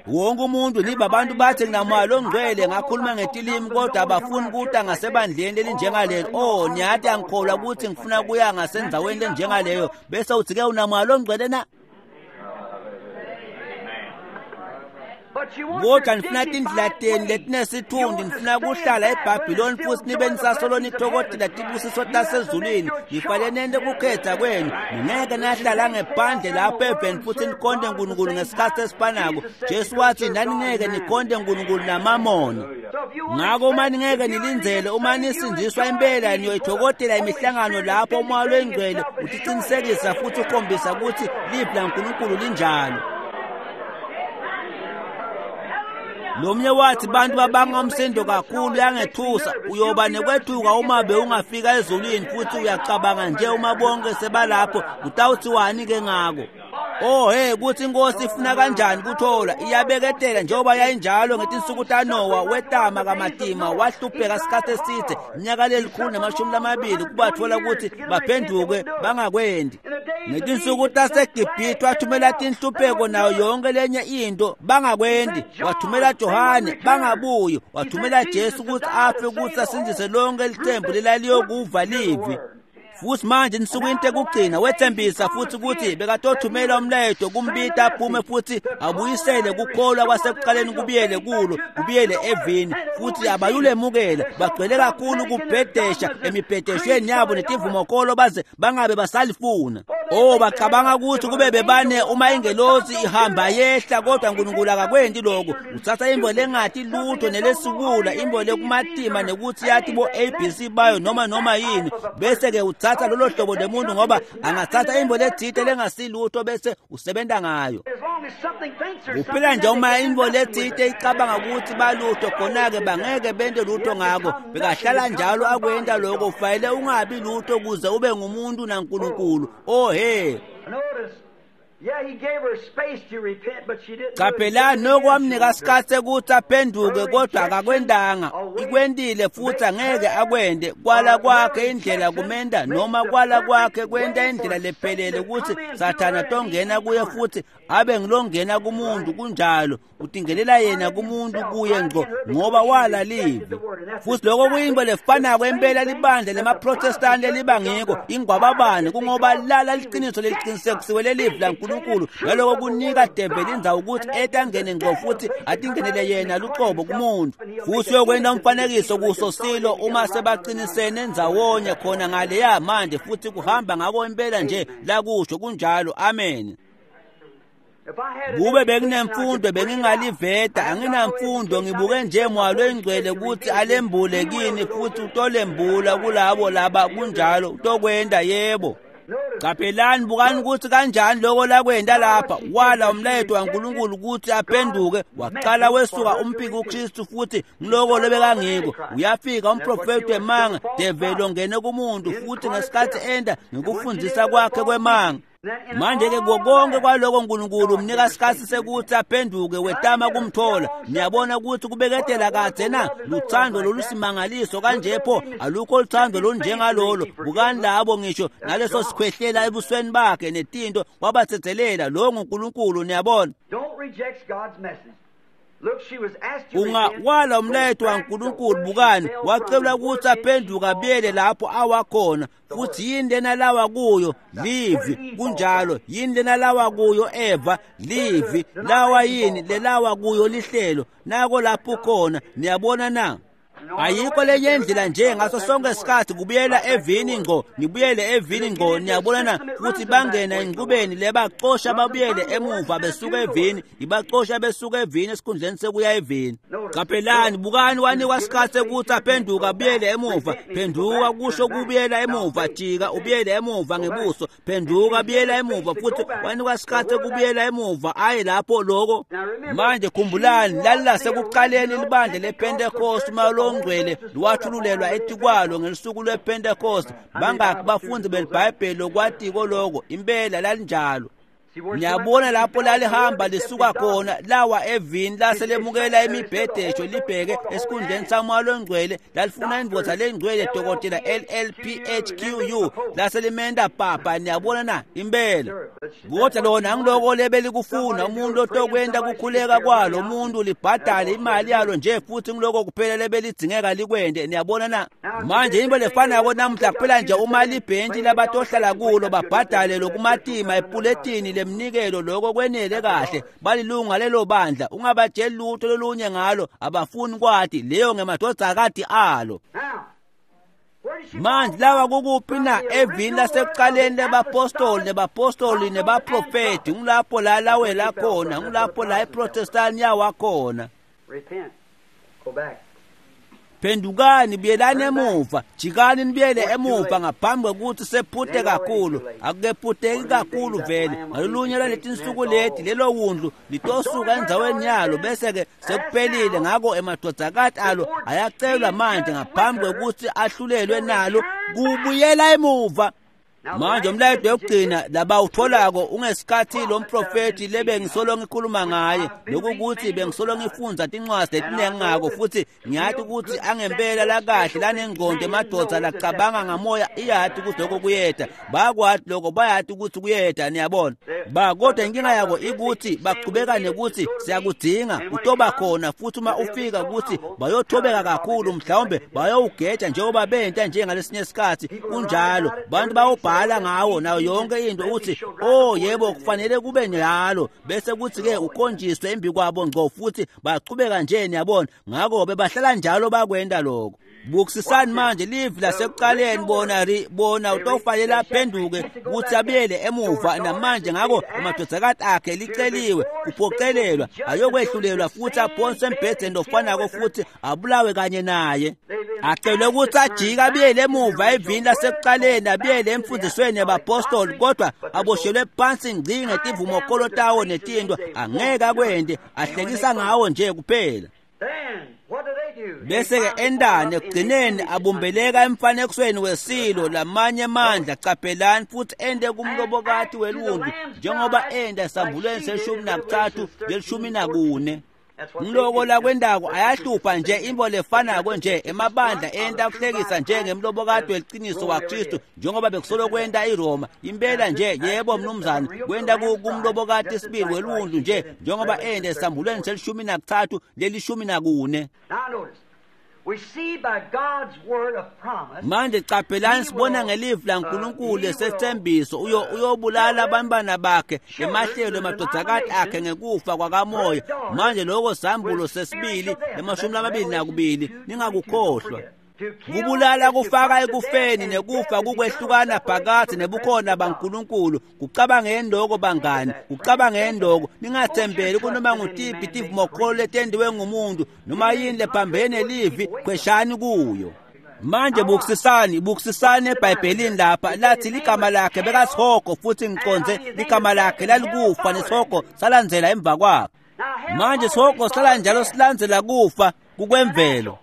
Wonke umuntu liba abantu bathi nginamoya longcwele ngakhuluma ngetilimi, kodwa abafuni kuta ngasebandleni lelinjengalelo. Oh, niyathi angikholwa ukuthi ngifuna kuya ngasendaweni lenjengaleyo, bese uthi ke unamoya longcwele na? Kodwa nifuna tindlela tenu letinesithundi, nifuna kuhlala eBhabhiloni futhi nibe nisasolo nithokodela tibusiso tasezulwini. Nifanele nente kukhetha kwenu. Ningeke nahlala ngephandle lapho eveni futhi nikhonte uNkulunkulu ngesikhathi esifanako. Jesu wathi naningeke nikhonte uNkulunkulu namamona. Ngakho uma ningeke nilindzele, uma nisindziswa impela niyoyithokodela imihlangano lapho umoya lwengcwele utiqinisekisa futhi ukhombisa ukuthi livi laNkulunkulu linjalo. Lomnye wathi bantu babanga umsindo kakhulu uyangethusa. Uyoba nekwethuka uma bewungafika ezulwini futhi uyacabanga nje uma bonke sebalapho utawuthiwani ke ngako. Oh hey, kuthi inkosi ifuna kanjani kuthola, iyabeketela njengoba yayinjalo ngetinsuku taNowa. Wetama kamatima, wahlupheka isikhathi eside, iminyaka 120 kubathola ukuthi baphenduke bangakwendi. Ngetinsuku taseGibhithe wathumela tinhlupheko nayo yonke lenye into, bangakwendi. Wathumela Johane, bangabuyi. Wathumela Jesu ukuthi afe ukuthi asindise lonke lithembu lelaliyokuva livi. Futhi manje nisukwini tekugcina wethembisa futhi ukuthi bekatothumela umlayeto kumbita aphume futhi abuyisele kukholwa kwasekuqaleni kubuyele kulo, kubuyele evini. Futhi abayulemukela, bagcwele kakhulu kubhedesha emibhedeshweni yabo netivumokolo baze bangabe basalifuna. Oh, bacabanga ukuthi kube bebane uma ingelosi ihamba yehla, kodwa uNkulunkulu akakwendi lokho. Uthatha imbo lengathi lutho nelesibula, imbo lekumatima nekuthi yathi bo ABC bayo noma yini, bese ke uthatha lolo hlobo lemuntu, ngoba angathatha imbo lethite lengasilutho bese usebenza ngayo. Kuphela nje uma imbo lethite icabanga ukuthi balutho, khona-ke bangeke bente lutho ngako. Bekahlala njalo akwenta lokho. Ufanele ungabi lutho kuze ube ngumuntu naNkulunkulu. Oh hey. Qaphela noko wamnika isikhathi sekuthi aphenduke, kodwa akakwendanga. Ikwendile futhi angeke akwende. Kwala kwakhe indlela kumenda, noma kwala kwakhe kwenta indlela lephelele ukuthi Sathana tongena kuye futhi abe ngilongena kumuntu. Kunjalo, utingelela yena kumuntu kuye ngco ngoba wala livi. Futhi lokho kuyinto lefanako impela libandla lemaProtestant leliba ngiko ingwababane, kungoba lala liqiniso leliqinisekisiwe lelivi laNkulunkulu, naloko kunika develi indzawo ukuthi etangene ngco futhi atingenele yena luqobo kumuntu. Futhi uyokwenta umfanekiso kuso silo uma sebaqinisene ndzawonye khona ngaleya manje, futhi kuhamba ngako impela nje lakusho. Kunjalo, amen. Kube bekunemfundo bengingaliveta, anginamfundo, ngibuke nje Moya Oyingcwele ukuthi alembule kini, futhi utolembula kulabo laba. Kunjalo, utokwenda, yebo. Qaphelani, bukani ukuthi kanjani lokho lakwenda lapha. Wala umlayeto waNkulunkulu ukuthi aphenduke, waqala wesuka umphiki uKristu, futhi ngiloko lobekangiko. Uyafika umprofeti wemanga, develi ongene kumuntu, futhi ngesikhathi enda ngikufundisa kwakhe kwemanga. Manje-ke konke kwaloko uNkulunkulu umnika isikhathi sekuthi aphenduke, wetama kumthola. Niyabona ukuthi kubeketela kadze na luthando lolusimangaliso kanje pho, alukho luthando olunjengalolo. Bukani labo ngisho naleso sikhwehlela ebusweni bakhe netinto wabathethelela. Lo nguNkulunkulu, niyabona. Ungawala umlayeto waNkulunkulu. Bukani, wacelwa ukuthi aphenduke abuyele lapho awakhona, futhi yini lena lawa kuyo? Livi. Kunjalo, yini lena lawa kuyo Eva? Livi. Lawa yini lelawa kuyo? Lihlelo. Nako lapho khona, niyabona na? Ayikho lenye indlela nje, ngaso sonke isikhathi kubuyela evini ngco, nibuyele evini ngco, niyabona na? Futhi bangena enqubeni lebacosha babuyele emuva besuka evini, ibacosha besuka evini esikhundleni sekuya evini. Qaphelani, bukani, wanikwa isikhathi sekuthi aphenduka abuyele emuva. Phenduka kusho kubuyela emuva, jika ubuyele emuva ngebuso, phenduka buyela emuva. Futhi wanikwa isikhathi sekubuyela emuva aye lapho lokho. Manje khumbulani, lalilasekuqaleni libandla lePentecost, uma longcwele lwathululelwa etikwalo ngelusuku lwePentecost. Bangaki bafundi beliBhayibheli lokwatiko lokho? Impela lalinjalo. Niyabona lapho lalihamba lisuka khona, lawa evini laselemukela imibhedesho libheke esikhundleni samoya longcwele. Lalifuna indvodza lengcwele, dokotela LLPHQU, laselimenda papa. Niyabona na? Impela. Kodwa lona angiloko lebelikufuna, umuntu otokwenta kukhuleka kwalo umuntu libhadale imali yalo nje, futhi ngiloko kuphela lebelidzingeka likwente. Niyabona na? Manje into lefanako namuhla, kuphela nje uma libhentshi labatohlala kulo babhadale lokumatima epuletini lemnikelo, lokho kwenele kahle, balilunga lelo bandla. Ungabatsheli lutho lolunye ngalo, abafuni kwati. Leyo ngemadvodzakati alo. Manje lawa kukuphi na? Evini lasekuqaleni lebapostoli nebapostoli nebaprofeti. Ngulapho la lawela khona, ngulapho la iProtestant yawakhona. Phendukani, buyelani emuva, jikani nibuyele emuva ngaphambi kwekuthi sephute kakhulu. Akukephuteki kakhulu vele. Ngalolunye lwaletinsuku leti lelo wundlu litosuka endzaweni yalo, bese-ke sekuphelile. Ngako emadvodzakati alo ayacelwa manje ngaphambi kwekuthi ahlulelwe nalo kubuyela emuva. Manje umlayeto wokugcina labawutholako ungesikhathi lo mprofethi lebengisolo ngikhuluma ngaye, lokukuthi bengisolo ngifundza tincwadzi letiningi ngako, futhi ngiyati ukuthi angempela lakahle lanengqondo emadoda lacabanga ngamoya iyati ukuthi lokho kuyeda. Bayakwati lokho, bayati ukuthi kuyeda, niyabona ba. Kodwa inkinga yako ikuthi bachubeka nekuthi siyakudinga, utoba khona, futhi uma ufika ukuthi bayothobeka kakhulu, mhlawumbe bayowugeja njengoba benta njengalesinye isikhathi. Kunjalo, bantu bawubhala ngawo nayo yonke into, uthi oh yebo kufanele kube njalo, bese kuthi ke ukhonjiswe embi kwabo ngco, futhi bachubeka nje, niyabona. Ngakho bebahlala njalo bakwenda lokho. Bukusisani manje livi lasekuqaleni, bona bona utofanele aphenduke ukuthi abuyele emuva namanje. Ngakho amadodakati akhe liceliwe kuphoqelelwa ayokwehlulelwa futhi aphonswe embhedeni ofanako futhi abulawe kanye naye. Acelwe ukuthi ajike abuyele emuva evini lasekuqaleni, abuyele emfundisweni yabapostoli, kodwa aboshelwe phansi ngci ngetivumokolo tawo netinto. Angeke akwende, ahlekisa ngawo nje kuphela. Bese-ke endane ekugcineni abumbeleka emfanekisweni wesilo lamanye amandla. Caphelani futhi ende kumlobokati welungu njengoba enda esambulweni se-13 le-14. Ngiloko lakwendako ayahlupha nje imbo lefanako nje emabandla enta kuhlekisa njengemlobokati weliciniso waKristu njengoba bekusolo kwenta iRoma impela nje. Yebo mnumzane, kwenta kumlobokati sibili weluntu nje njengoba enda esambulweni se-13 le-14. Manje caphelani, sibona ngelivi laNkulunkulu lesethembiso uyobulala abantwana bakhe emahlelo emadvodzakati akhe ngekufa kwakamoya. Manje lokho sambulo sesibili le-22, ningakukhohlwa. Kubulala kufaka ekufeni nekufa kukwehlukana phakathi nebukhona baNkulunkulu. Kucabangeni lokho bangani, kucabangeni lokho. Ningathembeli kunoma ngutiphi tivumokholo letendiwe ngumuntu noma yini lephambene nelivi, khweshani kuyo. Manje bukisisani, bukisisani eBhayibhelini lapha lathi ligama lakhe bekasihogo, futhi ngiconze ligama lakhe lalikufa nesihogo salandzela emva kwakhe. Manje sihogo sala njalo silandzela kufa kukwemvelo.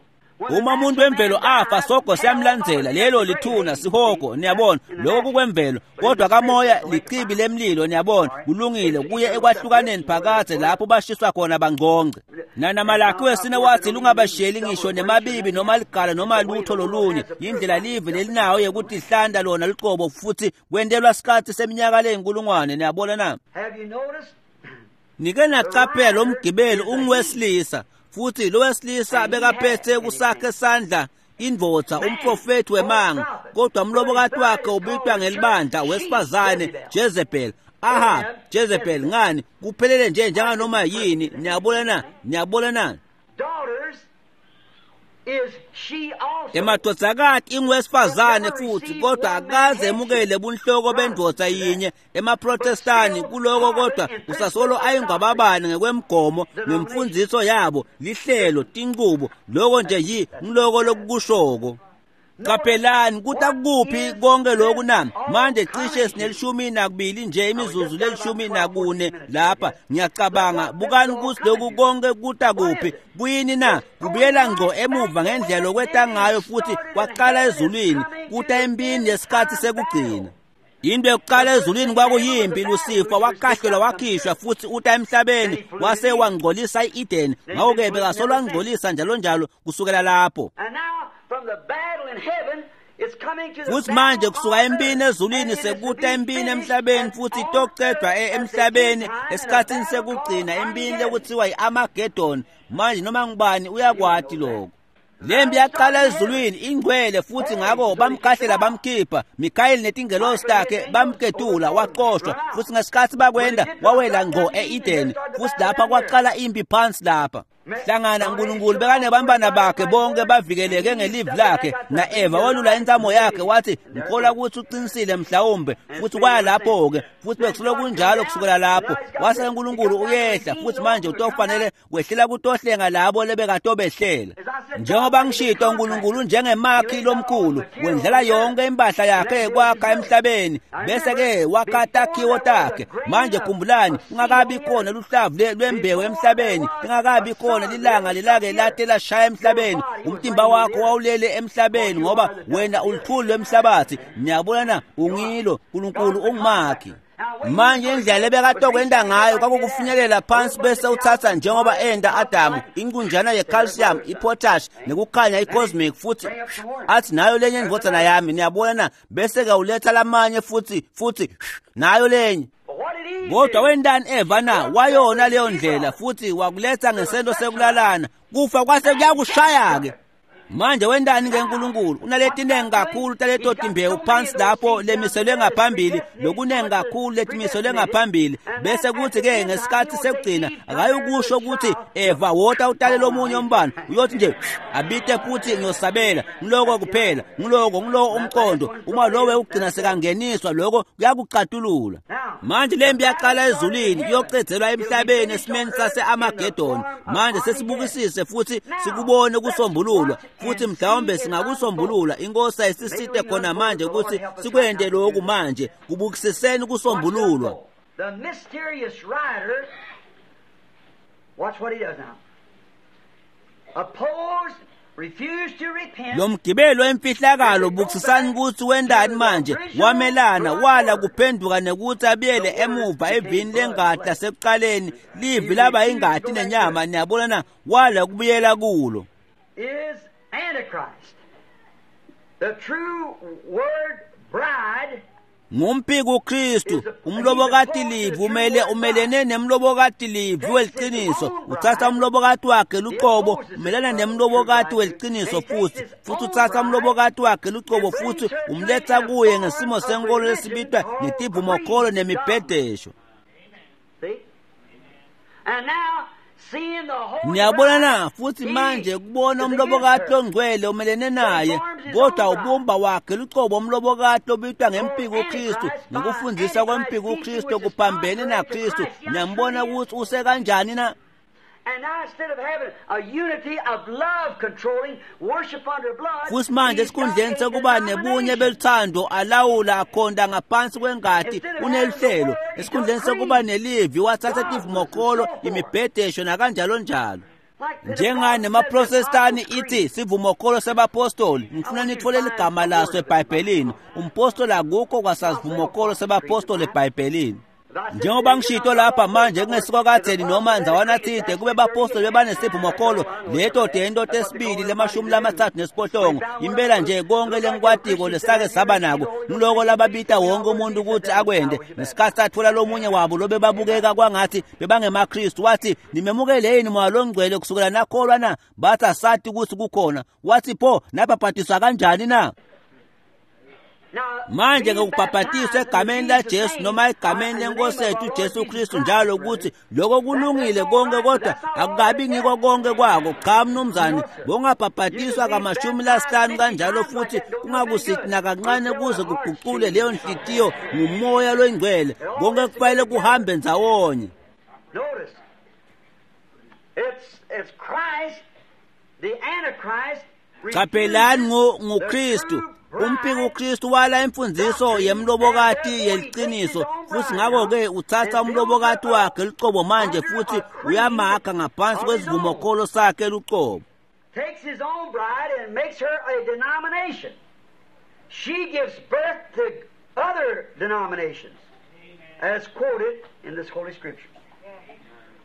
Uma umuntu wemvelo afa sogo siyamlandzela, lelo lithuna sihogo, niyabona, lokho kukwemvelo. Kodwa kamoya lichibi lemlilo, niyabona, kulungile kuye ekwahlukaneni phakathe lapho bashiswa khona bangcongce. Nanamalakhi wesine wathi lungabashiyeli ngisho nemabibi noma ligala noma lutho lolunye. Indlela live lelinayo yekutihlanta lona luqobo futhi kwentelwa sikhathi seminyaka leyinkulungwane, niyabona na? Nike nacaphela lo mgibeli unguwesilisa, futhi lo wesilisa bekaphethe kusakhe sandla indvodza umprofethi wemanga, kodwa umlobokati wakhe ubitwa ngelibandla wesifazane Jezebel. Ahab, Jezebel, ngani kuphelele nje njenganoma yini, niyabona na? Niyabona na? Emadvodzakati inguwesifazane futhi, kodwa akaze emukele bunhloko bendvodza yinye emaprotestani kuloko, kodwa usasolo ayingwababane ngekwemgomo ngemfundziso yabo, lihlelo, tinqubo, loko nje yi ngiloko lokukushoko. Qaphelani kuta kuphi konke lokhu na? Manje cishe sinelishumi nakubili nje, imizuzu lelishumi nakune lapha ngiyacabanga. Bukani ukuthi lokhu konke kuta kuphi, kuyini na? Kubuyela ngco emuva ngendlela lokweta ngayo futhi kwaqala ezulwini, kuta empini yesikhathi sekugcina. Into yokuqala ezulwini kwakuyimpi, Lusifa wakahlelwa wakhishwa futhi uta emhlabeni wase wangcolisa i-Eden. Ngakho-ke bekasolo angcolisa njalo njalo kusukela lapho. Futhi manje kusuka empini ezulwini sekuta empini emhlabeni, futhi itocedwa emhlabeni esikhathini sekugcina, empini lekuthiwa i-Armageddon. Manje noma ngubani uyakwati lokho. Lempi yaqala ezulwini ingcwele, futhi ngakho bamkhahlela bamkhipha. Mikhayeli netingelosi takhe bamketula waxoshwa, futhi ngesikhathi bakwenda wawela ngqo e-Eden, futhi lapha kwaqala impi phansi lapha. Hlangana uNkulunkulu bekanebantwana bakhe bonke bavikeleke ngelivi lakhe, na-Eva walula intsamo yakhe wathi ngikholwa ukuthi uqinisile mhlawumbe, futhi kwaya lapho-ke, futhi bekusuke kunjalo kusukela lapho. Wase uNkulunkulu uyehla, futhi manje utofanele wehlela kutohlenga labo lebekatobehlela. Njengoba ngishito, uNkulunkulu njengemakhi lomkhulu wendlela yonke impahla yakhe kwakha emhlabeni, bese-ke wakha takhiwo takhe. Manje khumbulani, kungakabi khona luhlavu lwembewu emhlabeni, lingakabi khona lilanga lelake late lashaya emhlabeni, umtimba wakho wawulele emhlabeni ngoba wena uluthuli lwemhlabathi. Niyabona na? Ungilo uNkulunkulu ungumakhi. Manje indlela ebekatokwenda ngayo kwakukufinyelela phansi bese uthatha njengoba enda Adamu inkunjana ye-calcium, i-potash nekukhanya i-cosmic, futhi athi nayo lenye indvodzana yami, niyabona na? Bese-ke uletha lamanye futhi futhi nayo lenye. Kodwa wendani Eva na? Wayona leyo ndlela futhi wakuletha ngesento sekulalana, kufa kwase kuyakushaya-ke. Manje wendani ke uNkulunkulu? Unaletinengi kakhulu taleto timbewu phansi lapho lemiselwe ngaphambili, lokunengi kakhulu letimiselwe ngaphambili, bese kuthi-ke ngesikhathi sekugcina akayukusho ukuthi Eva wota utale lomunye umbano, uyothi nje abite futhi ngiyosabela. Ngiloko kuphela, ngiloko ngilowo umqondo. Uma lowo ugcina sekangeniswa, lokho kuyakucatulula. Manje lempi yaqala ezulwini iyocedzelwa emhlabeni esimeni sase-Armageddon. Manje sesibukisise futhi sikubone kusombululwa, futhi mhlawumbe singakusombulula. Inkosi ayisisite khona manje ukuthi sikwente lokhu. Manje kubukisiseni kusombululwa.
The mysterious rider, watch what he does now. Opposed, refused to repent.
Lo mgibelo wemfihlakalo bukisisani ukuthi wendani manje wamelana wala kuphenduka nekuthi abuyele emuva evini lengati lasekuqaleni livi laba ingati nenyama niyabona na wala kubuyela kulo
Is Antichrist. The true word bride
ngumphiko uKristu umlobokati livi umele umelene nemlobokati livi weliciniso uthatha umlobokati wakhe luqobo umelana nemlobokati weliciniso futhi uthatha umlobokati wakhe luqobo futhi umletha kuye ngesimo senkolo lesibitwa ngetivumokholo nemibhedesho
See? And now, seeing the holy
niyabona na
bride,
futhi
he
manje kubona
is
umlobokati
against her.
longcwele umelene naye kodwa ubumba wakhe lucobo umlobokati lobitwa ngempiko uKristu ngokufundisa kwempiko uKristu kuphambene naKristu niyambona ukuthi usekanjani na
And now instead of having a unity of love controlling worship under blood,
futhi manje
he's got
esikhundleni
a
sekuba nebunye
denomination.
beluthando alawula akhonda ngaphansi kwengati unelihlelo esikhundleni sekuba nelivi wathatha tivumokolo imibhedesho nakanjalo njalo
Like the
njengane nemaprotestani ithi sivumokholo sebapostoli ngifuna nithole ligama laso ebhayibhelini umpostoli akukho kwasasivumokholo sebapostoli ebhayibhelini njengoba ngishito lapha manje kungesikwa kadzeni noma ndzawana tsite kube bapostoli bebanesivumokholo leto tento tesibili lemashumi lamathathu nesiphohlongo impela nje konke lengikwatiko lesake saba nako ngiloko lababita wonke umuntu ukuthi akwende ngesikhathi sathola lomunye wabo lobe babukeka kwangathi bebangemaKristu wathi nimemukele yini moya longcwele kusukela nakholwa na bathi asati ukuthi kukhona wathi pho nabhabhatiswa kanjani na
Now,
manje
being
ngokubhabhatiswa
baptized in
egameni
Jesus'
laJesu
name,
noma egameni
in the
lenkosi
name of
yethu
our Lord
uJesu
Jesus
Kristu
Christ,
njalo ukuthi lokho kulungile konke kodwa akukabi ngiko konke kwako cha mnumzane bongabhabhatiswa kamashumi lasihlanu kanjalo futhi kungakusithi nakancane kuze kuguqule leyo nhliziyo ngumoya loyingcwele konke kufanele kuhambe ndzawonye
Notice, it's Christ, the Antichrist.
Qaphelani
refuses
nguKristu
the true bride
umpiko uKristu wala imfundiso yemlobokati yeliciniso futhi ngakho-ke uthatha umlobokati wakhe lucobo manje futhi uyamakha ngaphansi kwesivumokholo sakhe lucobo
takes his own bride and makes her a denomination. She gives birth to other denominations, as quoted in this Holy Scripture.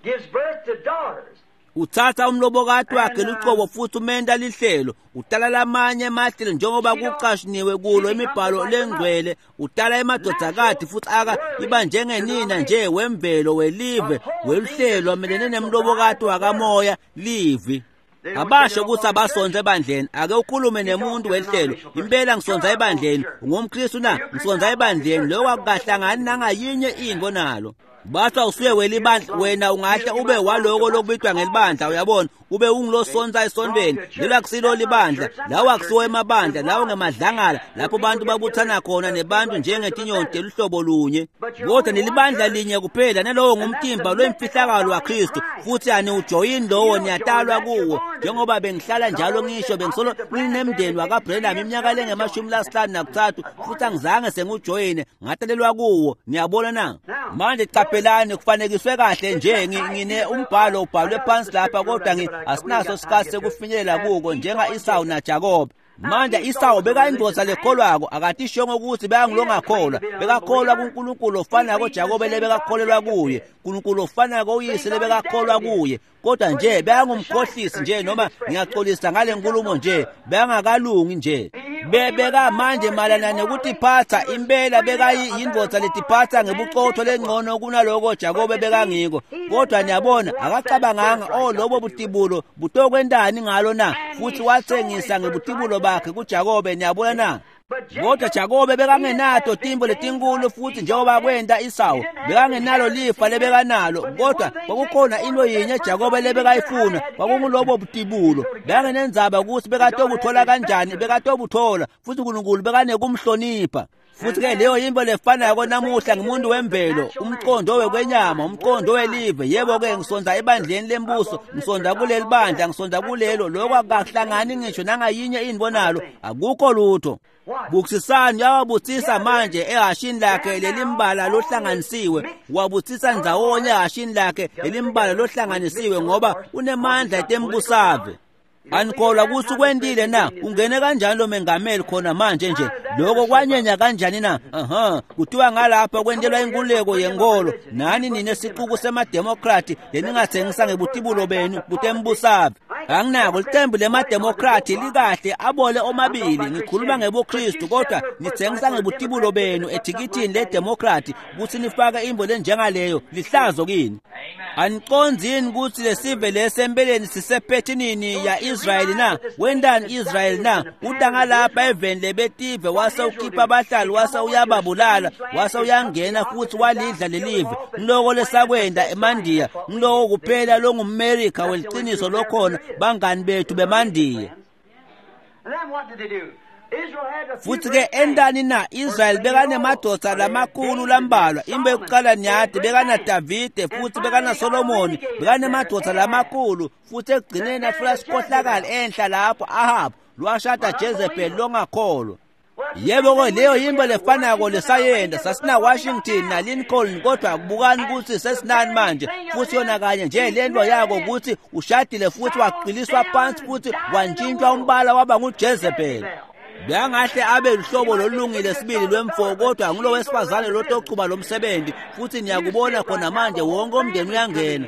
Gives birth to daughters.
Uthatha umlobokati wakhe lucobo futhi umenta lihlelo utala lamanye emahlelo njengoba kucashuniwe kulo imibhalo lengcwele utala emadodakati futhi aka iba njengenina nje wemvelo welive weluhlelo amelene nemlobokati wakamoya livi abasho ukuthi abasonze ebandleni ake ukhulume nemuntu welihlelo impela ngisonza ebandleni ungumkristu na ngisonza ebandleni lokho akukahlangani nangayinye into nalo bathi awusuye welibandla wena ungahle ube waloko lokubitwa ngelibandla uyabona ube ungilosonsa esontweni lelo akusilo libandla lawo akusiwo emabandla lawo ngemadlangala lapho bantu babuthana khona nebantu njengetinyoni teluhlobo lunye kodwa nelibandla linye kuphela nalowo ngumtimba lwemfihlakalo waKristu futhi aniwujoyini lowo niyatalwa kuwo njengoba bengihlala njalo ngisho bengisolo nginemndeni wakaBrenham iminyaka lengemashumi lasihlanu nakuthathu futhi angizange sengiwujoyine ngatalelwa kuwo niyabona na manje qaphelani kufanekiswe kahle nje ngine umbhalo ubhalwe phansi lapha kodwa asinaso isikhathi sekufinyelela kuko njenga-Isawu naJakobe manje Isawu bekayindoda lekholwako akatishongo ukuthi bekangilongakholwa bekakholwa kuNkulunkulu ofanako Jakobe lebekakholelwa kuye uNkulunkulu ofanako uyise lebekakholwa kuye kodwa nje bekangumkhohlisi nje noma ngiyaxolisa ngale nkulumo nje bekangakalungi nje bebeka manje malana nekutiphatha impela bekayindvodza letiphatha ngebuqotho lengcono kunaloko Jakobe bekangiko kodwa niyabona akacabanganga oh lobo butibulo butokwentani ngalo na futhi wathengisa ngebutibulo bakhe kuJakobe niyabona na kodwa Jakobe bekangenato timbo letinkulu futhi njengoba kwenta Isawu bekangenalo lifa lebekanalo kodwa kwakukhona into yinye Jakobe lebekayifuna kwakungulobo butibulo bekangenendzaba ukuthi bekatobuthola kanjani bekatobuthola futhi uNkulunkulu bekanekumhlonipha futhi ke leyo yinto lefanako namuhla ngumuntu wemvelo umqondo wekwenyama umqondo welive yebo ke ngisonza ebandleni lembuso ngisonza kuleli bandla ngisonza kulelo lokho akukahlangani ngisho nangayinye into nalo akukho lutho Bukisisani uyawabuthisa manje ehashini lakhe lelimbala lohlanganisiwe wabuthisa ndzawonye ehashini lakhe lelimbala lohlanganisiwe ngoba unemandla etembusave. Anikholwa kutsi kwentile na? Ungene kanjani lo mengameli khona manje nje? Lokho kwanyenya kanjani na? Kuthiwa ngalapha kwentelwa inkululeko yenkolo, nani nine sicuku semademokrati leningatsengisa ngebutibulo benu kutembusave. Anginako licembu lemademokrati likahle abole omabili, ngikhuluma ngebuKristu, kodwa nitsengisa ngebutibulo benu ethikithini ledemokrati kutsi nifake imbo lenjengaleyo, lihlazo kini. Aniconzi yini kutsi lesive lesempeleni sisephethinini ya Israyeli na? Wentani Israyeli na? Uta ngalapha eveni lebetive wase ukhipha abahlali wase uyababulala wase uyangena futhi walidla lelive. Ngiloko lesakwenta eMandiya, ngiloko kuphela longumMerika weliciniso lokhona, bangani bethu beMandiya. Futhi ke entani na? Israyeli bekanemadvodza lamakhulu lambalwa. Imbe yokuqala niyati bekana Davide futhi bekana Solomoni, bekanemadvodza lamakhulu, futhi ekugcineni afika sikhohlakala enhla lapho Ahab lwashada Jezebel longakholwa. Yebo ke leyo yimbo lefanako lesayenda sasina Washington na Lincoln, kodwa kubukani ukuthi sesinani manje. Futhi yona kanye nje lento yako ukuthi ushadile futhi waqiliswa phansi futhi wantshintshwa umbala waba nguJezebel. Bekangahle abe luhlobo lolungile sibili lwemfo, kodwa ngulo wesifazane lotochuba lomsebenzi, futhi niyakubona khona manje wonke umndeni uyangena.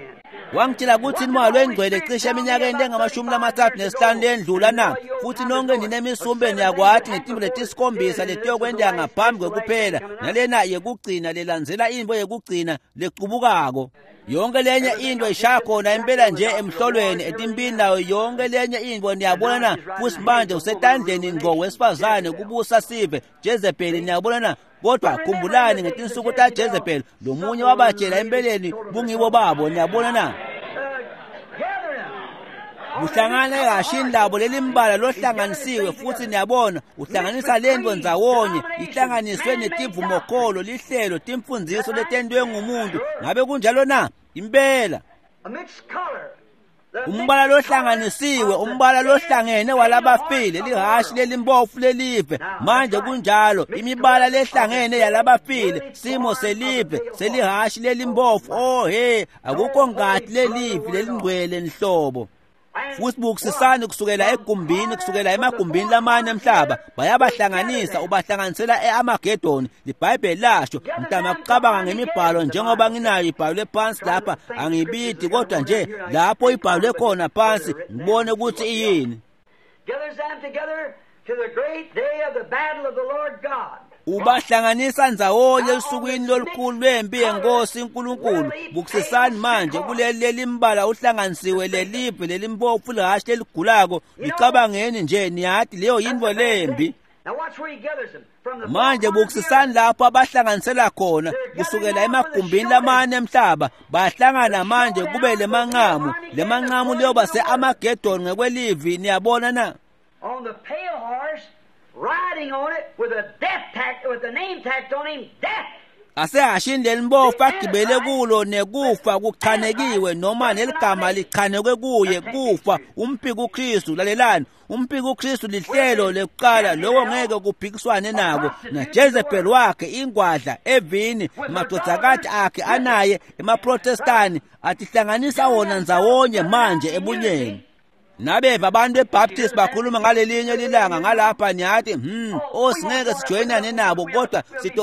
Wangitshela ukuthi uMoya lwengcwele cishe eminyakeni engama-35 lendlula na, futhi nonke ninemisumbe niyakwati ngetimbo letisikhombisa letiyokwenteka ngaphambi kwekuphela, nalena yekugcina lelandzela intfo yekugcina lecubukako. Yonke lenye into ishaya khona impela nje emhlolweni etimpini nayo yonke lenye into, niyabona na? Futhi manje usetandleni ngqo wesifazane kubusa sive Jezebel, niyabona na? Kodwa khumbulani ngetinsuku ta Jezebel lomunye wabatshela empeleni bungibo babo, niyabona na? Kuhlangana ehashini labo lelimbala lohlanganisiwe, futhi niyabona uhlanganisa lento ndzawonye, ihlanganiswe netivumokholo, lihlelo, timfundziso letentiwe ngumuntu. Ngabe kunjalo na? Impela umbala lohlanganisiwe, umbala lohlangene walabafile, lihashi lelimbofu lelive. Manje kunjalo, imibala lehlangene yalabafile, simo selive selihashi lelimbofu. Oh he, akukho ngati lelive lelingcwele nhlobo. Futhi bukisisani kusukela egumbini, kusukela emagumbini lamane emhlaba, bayabahlanganisa, ubahlanganisela e-Amagedoni. LiBhayibheli lasho. Mntama kucabanga ngemibhalo njengoba nginayo ibhalwe phansi lapha, angibidi kodwa nje lapho ibhalwe khona phansi ngibone ukuthi iyini. Ubahlanganisa ndzawonye esukwini lolukhulu lwempi yenkosi uNkulunkulu. Bukisisani manje kuleli lelimbala uhlanganisiwe lelive lelimpofu lihashi leligulako. Licabangeni nje, niyati leyo yintfo lembi. Manje bukisisani lapho abahlanganisela khona kusukela emagumbini lamane emhlaba, bahlangana manje kube lemanqamu. Lemanqamu liyoba se-Amagedoni ngekwelivi, niyabona na?
Riding on it with a death tack, with the name tacked on him, death.
Asehashini lelimbofu agibele kulo nekufa kuchanekiwe, noma neligama lichanekwe kuye, kufa. Umpiki uKristu, lalelani, umpiki uKristu lihlelo lekuqala, lokho ngeke kuphikiswane nako. NaJezebel wakhe ingwadla evini, madvodzakati akhe anaye emaProtestani atihlanganisa wona ndzawonye manje ebunyeni. Nabeva abantu beBaptist bakhuluma ngalelinye lilanga ngalapha, niyathi singeke sijoyinane nabo, kodwa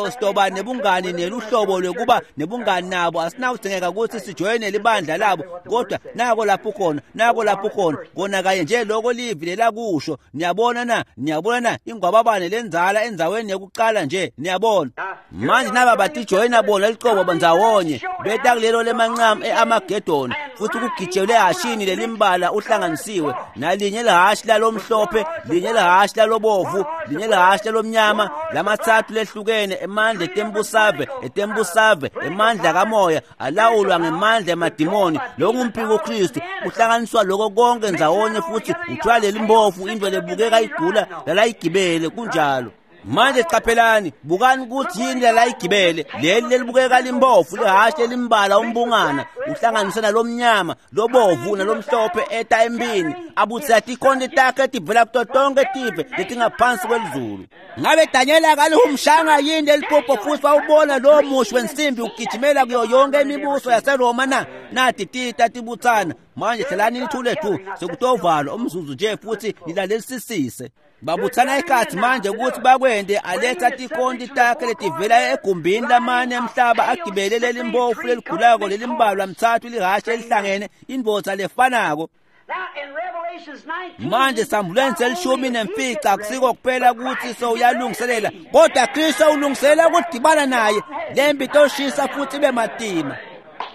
sitoba nebungani neluhlobo lwekuba nebungani nabo, asinawudzingeka ukuthi sijoyine libandla labo, kodwa nako lapho khona, nako lapho khona kona kanye nje lokho livi lelakusho. Niyabona na? Niyabona na? Ingwababane lenzala endzaweni yokuqala nje, niyabona manje naba batijoyina bona liqobo ndzawonye, beta kulelo lemanqamu e-Amagedoni, futhi kugijelwe ehashini lelimbala uhlanganisiwe, nalinye lihashi lalomhlophe, linye lihashi lalobovu, linye lihashi lalomnyama, lamathathu lehlukene, emandla etembusave, etembusave, emandla kamoya alawulwa ngemandla emadimoni. Lokungumphiko uKristu kuhlanganiswa lokho konke ndzawonye, futhi uthola lelimbofu into lebukeka igula lalayigibele. Kunjalo. Manje qaphelani, bukani ukuthi yini layigibele leli lelibukeka limbovu lihhashi lelimbala umbungana uhlanganise nalomnyama lobovu nalomhlophe eta empini abutsela tikhonti takhe tivela kuto tonke tive letingaphansi kwelizulu. Ngabe Daniel akalihumshanga yini leliphupho futhi wawubona lowo mushi wensimbi ugijimela kuyo yonke imibuso yaseRoma na? Nati tita tibutsana. Manje hlalani nithule thu sekutovalwa umzuzu nje futhi nilalelisisise. Babuthana ikhathi manje ukuthi bakwende aletha tikhonti takhe letivela egumbini lamane emhlaba agibele lelimbofu leligulako lelimbalwa mthathu lihhashi elihlangene indvodza lefanako. Manje sambulweni se-15 akusiko kuphela ukuthi sowuyalungiselela kodwa Kristu ulungiselela ukudibana naye. Lempi itoshisa futhi ibe matima.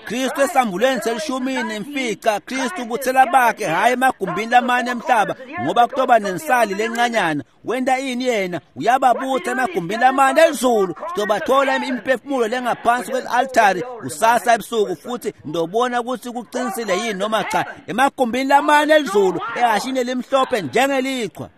Kristu esambulweni se-15 Kristu ubuthela bakhe hhayi emagumbini lamane emhlaba ngoba kutoba nensali lencanyana. Wenta ini yena? Uyababutha emagumbini lamane elizulu. Sizobathola imiphefumulo lengaphansi kwel-altari kusasa ebusuku futhi ndobona ukuthi kuqinisile yini noma cha. Emagumbini lamane elizulu ehhashini elimhlophe njengelichwa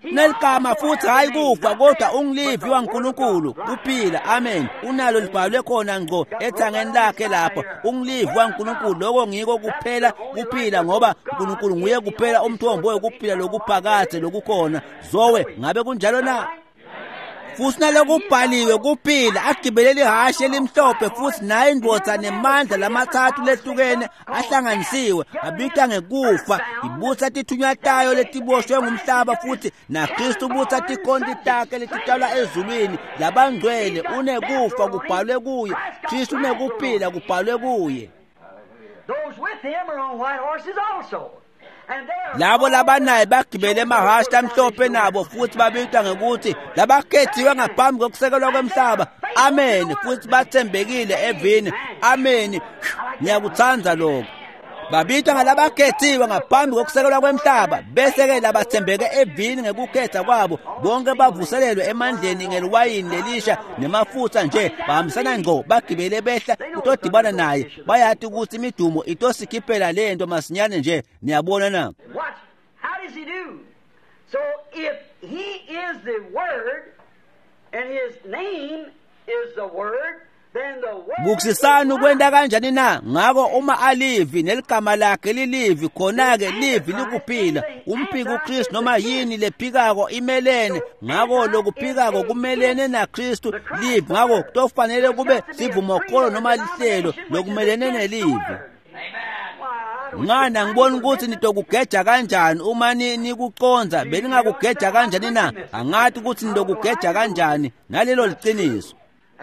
neligama futhi hayi kufa kodwa ungulivi waNkulunkulu kuphila. Amen. Unalo libhalwe khona ngqo ethangeni lakhe lapho, ungulivi waNkulunkulu. Lokho ngiko kuphela kuphila ngoba uNkulunkulu nguye kuphela umthombo wokuphila lokuphakade lokukhona. Zowe ngabe kunjalo na? Futhi nalokubhaliwe kuphila agibelele ihhashi elimhlophe futhi naye indvodza nemandla lamathathu lehlukene ahlanganisiwe abitwa ngekufa. Ibutsa tithunywa tayo letiboshwe ngumhlaba futhi naKristu ubutsa tikhonti takhe letitshalwa ezulwini labangcwele. Unekufa kubhalwe kuye, Kristu unekuphila kubhalwe kuye. Labo labanaye bagibele emahhashi amhlophe nabo futhi babitwa ngekuthi labakhethiwe ngaphambi kokusekelwa kwemhlaba. Amen. Futhi bathembekile evini. Amen. Ngiyakuthanda lokho. Babitwa ngalabakhethiwe ngaphambi kokusekelwa kwemhlaba bese-ke labathembeke evini ngekukhetha kwabo. Bonke bavuselelwe emandleni ngeliwayini lelisha nemafutha nje bahambisana ngqo bagibele behla kutodibana naye. Bayati ukuthi imidumo itosikhiphela lento masinyane nje. Niyabona na?
How does he do? So if he is the Word and his name is the Word,
Bukusisani ukwenta kanjani na? Ngako uma alivi neligama lakhe lilivi, khona-ke livi likuphila. Umphiki uKristu noma yini lephikako imelene. Ngako lokuphikako kumelene naKristu livi. Ngako kutofanele kube sivumokholo noma lihlelo lokumelene nelivi. Ngani angiboni ukuthi nitokugeja kanjani uma nikuconza. Beningakugeja kanjani na? Angathi ukuthi nitokugeja kanjani. Nalelo liciniso.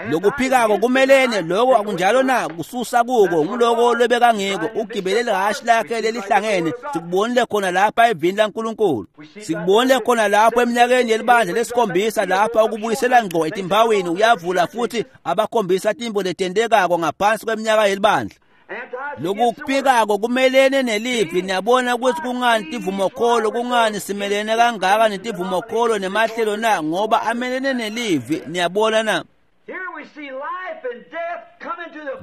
Lokuphikako kumelene lokho akunjalo na? Kususa kuko nguloko lobekangiko. Ugibele lihhashi lakhe lelihlangene. Sikubonile khona lapha evini laNkulunkulu, sikubonile khona lapho eminyakeni yelibandla lesikhombisa lapha ukubuyisela ngqo etimbawini. Uyavula futhi abakhombisa timbo letentekako ngaphansi kweminyaka yelibandla. Lokuphikako kumelene nelivi. Niyabona ukuthi kungani tivumokholo, kungani simelene kangaka netivumokholo nemahlelo na? Ngoba amelene nelivi. Niyabona na?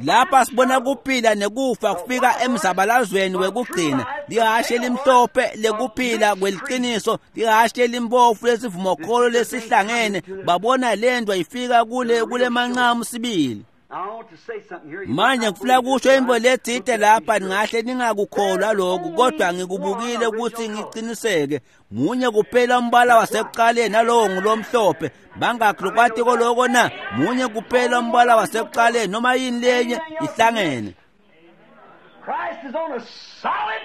Lapha sibona kuphila nekufa kufika emzabalazweni wekugcina. Lihhashi elimhlophe lekuphila kweliqiniso, lihhashi elimbofu lesivumokholo lesihlangene. Babona lento ifika kule manqamu sibili. Manje ngifuna kusho into letsite lapha, ningahle ningakukholwa lokhu kodwa ngikubukile ukuthi ngiqiniseke. Munye kuphela umbala wasekuqaleni nalowo ngulomhlophe. Bangakhi lokho na? Munye kuphela umbala wasekuqaleni noma yini lenye ihlangene.
Christ is on a solid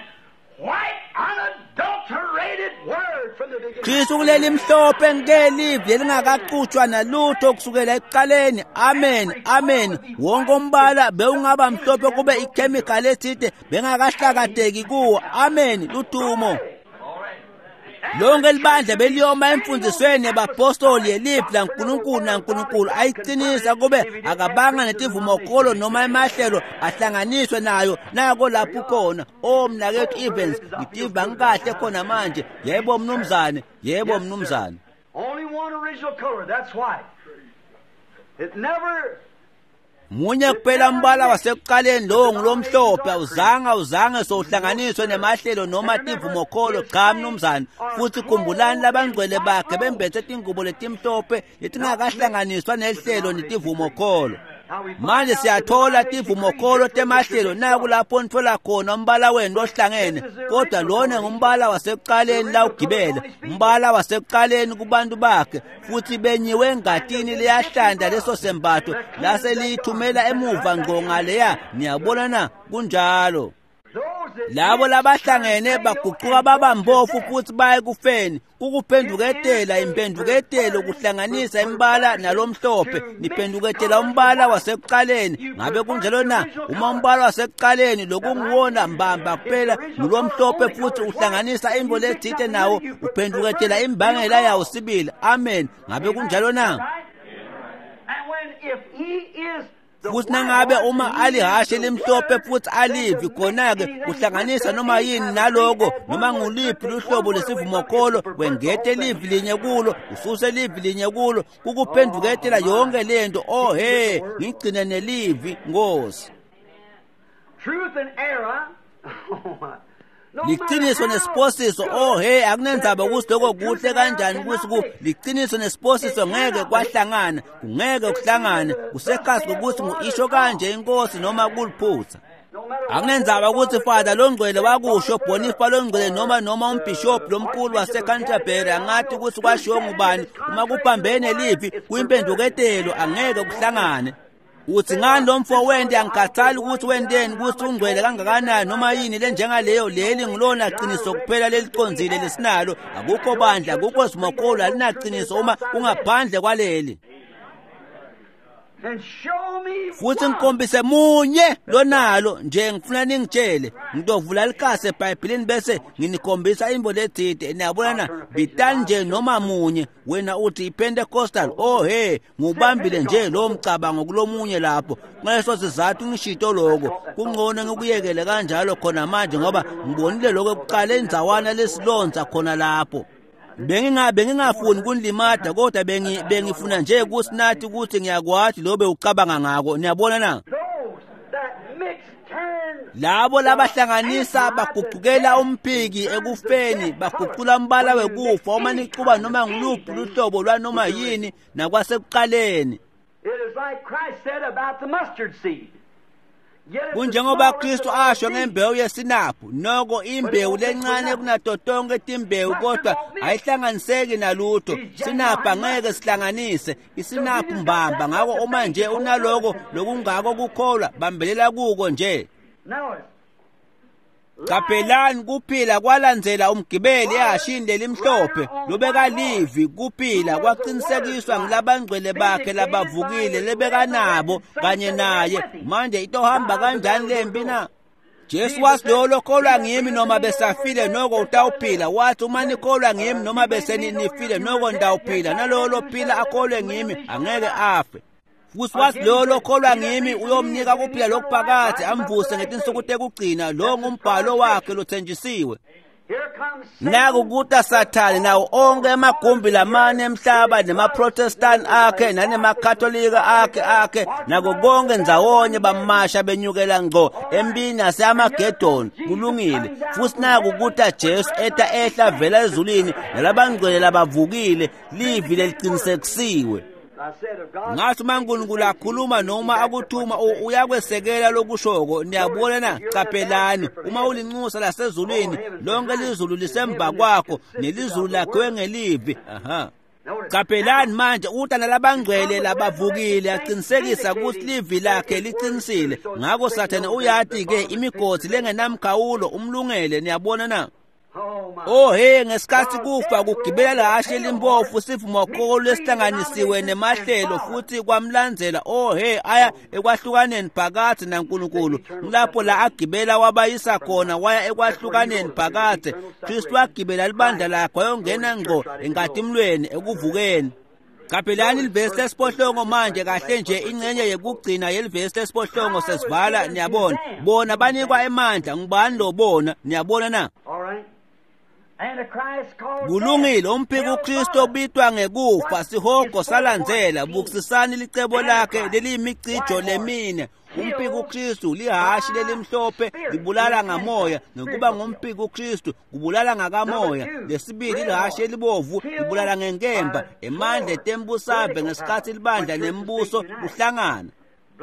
white unadulterated word from the beginning.
Kristu kuleli mhlophe ngelivi elingakaqutshwa nalutho kusukela ekuqaleni. Amen, amen. Wonke umbala bewungaba mhlophe kube ichemical ethide bengakahlakadeki kuwo. Amen. Ludumo. Lonke libandla beliyoma emfundisweni yabapostoli yelivi laNkulunkulu naNkulunkulu ayiqinisa kube akabanga netivumokholo noma emahlelo ahlanganiswe nayo. Nako lapho khona. O mnakethu Evans, ngitiva ngikahle khona manje. Yebo mnumzane, yebo mnumzane.
Only one original color, that's white. It never.
Munye kuphela umbala wasekuqaleni, lowo ngulomhlophe. Awuzange sowuhlanganiswe nemahlelo noma tivumokholo. Cha mnumzane. Futhi khumbulani labangcwele bakhe bembethe tingubo letimhlophe letingakahlanganiswa nehlelo netivumokholo. Manje siyathola tivumokholo temahlelo naku lapho nitfola khona umbala wenu lohlangene, kodwa lona ngumbala wasekuqaleni lawugibele, umbala wasekuqaleni kubantu bakhe, futhi benyiwe engatini liyahlanda leso sembatho lase liyithumela emuva ngqo ngaleya. Niyabona na? Kunjalo. Labo labahlangene baguquka babampofu futhi baye kufeni. Kukuphenduketela impenduketelo kuhlanganisa imbala nalomhlophe. Niphenduketela umbala wasekuqaleni. Ngabe kunjalo na? Uma umbala wasekuqaleni lokunguwona mbamba kuphela ngulomhlophe futhi uhlanganisa imbo lethite nawo, uphenduketela imbangela yawo sibili. Amen. Ngabe kunjalo na? Futhi nangabe uma alihashe limhlophe futhi alivi, khona-ke kuhlanganisa noma yini naloko, noma nguliphi luhlobo lesivumokholo, wengete livi linye kulo, ususe livi linye kulo, kukuphenduketela yonke lento. Oh he, ngigcine nelivi Nkosi.
Truth and error.
Liqiniso nesiphosiso. Oh he, akunenzaba ukuthi lokho kuhle kanjani, ukuthi liqiniso nesiphosiso ngeke kwahlangana, kungeke kuhlangane. Kusekhasi kokuthi ngu-isho kanje inkosi noma kuliphutha. Akunenzaba ukuthi Father longcwele wakusho, Bonifa longcwele noma umbishop lomkhulu waseCanterbury angathi ukuthi kwashiwo ngubani, uma kuphambene livi kuyimpenduketelo, angeke kuhlangane. Uthi ngani lo mfo wente, angikhathali ukuthi wenteni, ukuthi ungcwele kangakanani noma yini lenjengaleyo, leli ngilona qiniso kuphela lelicondzile lesinalo. Akukho bandla, akukho sivumokholo, alinaqiniso uma kungaphandle kwaleli. Futhi ngikhombise munye lonalo nje, ngifuna ningitshele. Ngitovula likhasi eBhayibhelini bese nginikhombisa imbo lethide. Niyabona na? Bitani nje noma munye. Wena uthi iPentecostal. Oh he, ngubambile nje lo mcabango kulomunye lapho. Ngaleso sizathu ngishito lokho. Kungcono ngikuyekele kanjalo khona manje, ngoba ngibonile lokho ekuqala endzawana lesilonza khona lapho. Bengingafuni kunilimada, kodwa bengifuna nje kusinathi ukuthi ngiyakwazi lobe ucabanga ngako. Niyabona na? Labo labahlanganisa baguqukela umphiki ekufeni, baguqula umbala wekufa uma nixuba noma ngiluphi luhlobo lwanoma yini nakwasekuqaleni. Kunjengoba Kristu asho ngembewu yesinaphu, noko imbewu lencane kunato tonke timbewu, kodwa ayihlanganiseki nalutho. Sinaphu angeke sihlanganise isinaphu mbamba. Ngako uma nje unaloko lokungako kukholwa, bambelela kuko nje. Qaphelani, kuphila kwalandzela umgibeli ehashini lelimhlophe lobekalivi. Kuphila kwaqinisekiswa ngilabangcwele bakhe labavukile lebekanabo kanye naye. Manje itohamba kanjani lempi na? Jesu wathi lowo lokholwa ngimi noma besafile noko utawuphila. Wathi uma nikholwa ngimi noma besenifile noko ndawuphila, nalowo lophila akholwe ngimi angeke afe. Futhi wathi lowo lokholwa ngimi uyomnika kuphila lokuphakade, amvuse ngetinsuku tekugcina. Lo ngumbhalo wakhe lothenjisiwe. Naku kuta Sathane nawo onke emagumbi lamane emhlaba nemaProtestant akhe nanemakatholika akhe nako konke ndzawonye bamasha benyukela ngqo empini yaseAmagedon. Kulungile. Futhi naku kuta Jesu eta ehla vela ezulwini nalabangcwele labavukile, livi leliqinisekisiwe. Ngathi uma uNkulunkulu akhuluma noma akuthuma, uyakwesekela lokushoko. Niyabona na? Qaphelani, uma ulinxusa lasezulwini, lonke lizulu lisemva kwakho, nelizulu lakhiwe ngelivi. Aha. Qaphelani manje, uta nalabangcwele labavukile, aqinisekisa ukuthi livi lakhe liqinisile. Ngakho Sathane uyati ke imigodzi lengenamkhawulo umlungele. Niyabona na? Oh he, ngesikhathi kufa kugibela lahashe limpofu, sivumokholo lesihlanganisiwe nemahlelo futhi kwamlandzela. Oh he, aya ekwahlukaneni phakathi naNkulunkulu. Lapho la agibela wabayisa khona, waya ekwahlukaneni phakathi. Kristu wagibela libandla lakhe wayongena ngqo enkatimlweni ekuvukeni. Qaphelani livesi lesiphohlongo manje, kahle nje ingxenye yekugcina yelivesi lesiphohlongo sesivala. Niyabona, bona banikwa emandla. Ngubani lo bona? Niyabona na? Kulungile, umphiko uKristu obitwa ngekufa, sihogo salandzela. Bukisisani licebo lakhe leliyimicijo lemine. Umphiko uKristu lihashi lelimhlophe libulala ngamoya, ngekuba ngumphiko uKristu kubulala ngakamoya. Lesibili lihashi elibovu libulala ngenkemba, emandla etembusave ngesikhatsi libandla nembuso kuhlangana.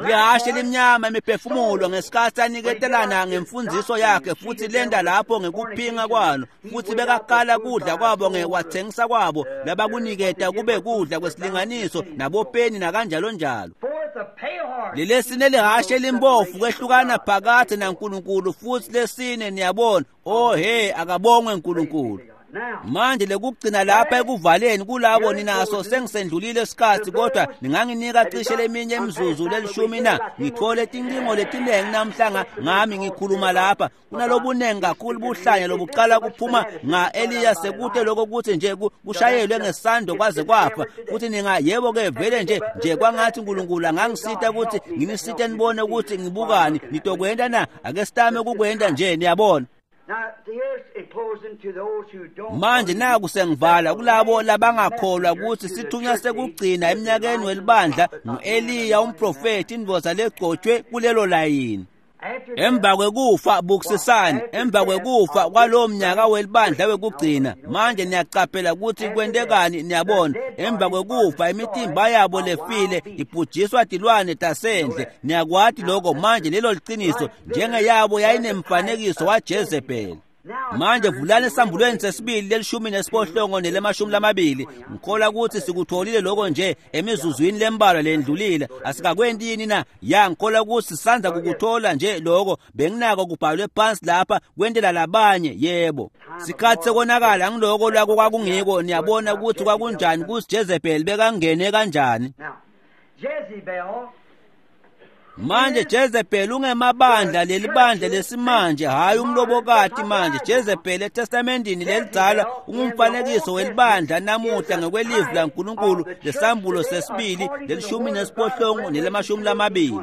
Lihashe limnyama imiphefumulo ngesikhatsi aniketelana ngemfundziso yakhe, futhi lenda lapho ngekuphinga kwalo, futhi bekakala kudla kwabo ngewathengisa kwabo labakuniketa kube kudla kwesilinganiso nabopeni nakanjalo njalo. Lelesine lihashe limbofu kwehlukana phakathe naNkulunkulu, futhi lesine niyabona, oh he, akabongwe uNkulunkulu. Manje lekugcina lapha ekuvaleni kulabo ninaso sengisendlulile isikhathi, kodwa ninganginika cishe leminye imizuzu lelishumi na? Ngithole tincingo letinengi namhlanga ngami ngikhuluma lapha. Kunalobunengi kakhulu buhlanya lobuqala kuphuma nga-Eliya sekute lokho kuthi nje kushayelwe ngesando kwaze kwafa. Futhi ninga yebo-ke vele nje kwangathi uNkulunkulu angangisita ukuthi nginisite nibone ukuthi ngibukani. Nitokwenta na? Ake sitame kukwenta nje, niyabona. Manje naku sengivala kulabo labangakholwa ukuthi sithunywa sekugcina eminyakeni welibandla ngu-Eliya umprofethi, indvodza legcotshwe kulelo layini. Emva kwekufa, bukisisani, emva kwekufa kwalowo mnyaka welibandla wekugcina. Manje niyacaphela ukuthi kwentekani, niyabona. Emva kwekufa imitimba yabo lefile ibhujiswa tilwane tasendle. Niyakwati lokho manje, lelo liciniso, njengeyabo yayinemfanekiso waJezebel. Manje vulani esambulweni sesibili lelishumi nesiphohlongo nelemashumi lamabili. Ngikholwa ukuthi sikutholile lokho nje emizuzwini lembalwa lendlulile. Asikakwenti yini na? Ya, ngikholwa ukuthi sisandza kukuthola nje lokho. Benginako kubhalwe phansi lapha kwentela labanye. Yebo, sikhathi sekonakala ngiloko lwako kwakungiko. Niyabona ukuthi kwakunjani kuthi Jezebel bekangene kanjani. Manje Jezebel ungemabandla, lelibandla lesimanje, hayi umlobokati. Manje Jezebel eTestamentini lelidzala ungumfanekiso welibandla namuhla ngekwelivi laNkulunkulu lesambulo sesibili lelishumi nesiphohlongo nelemashumi lamabili.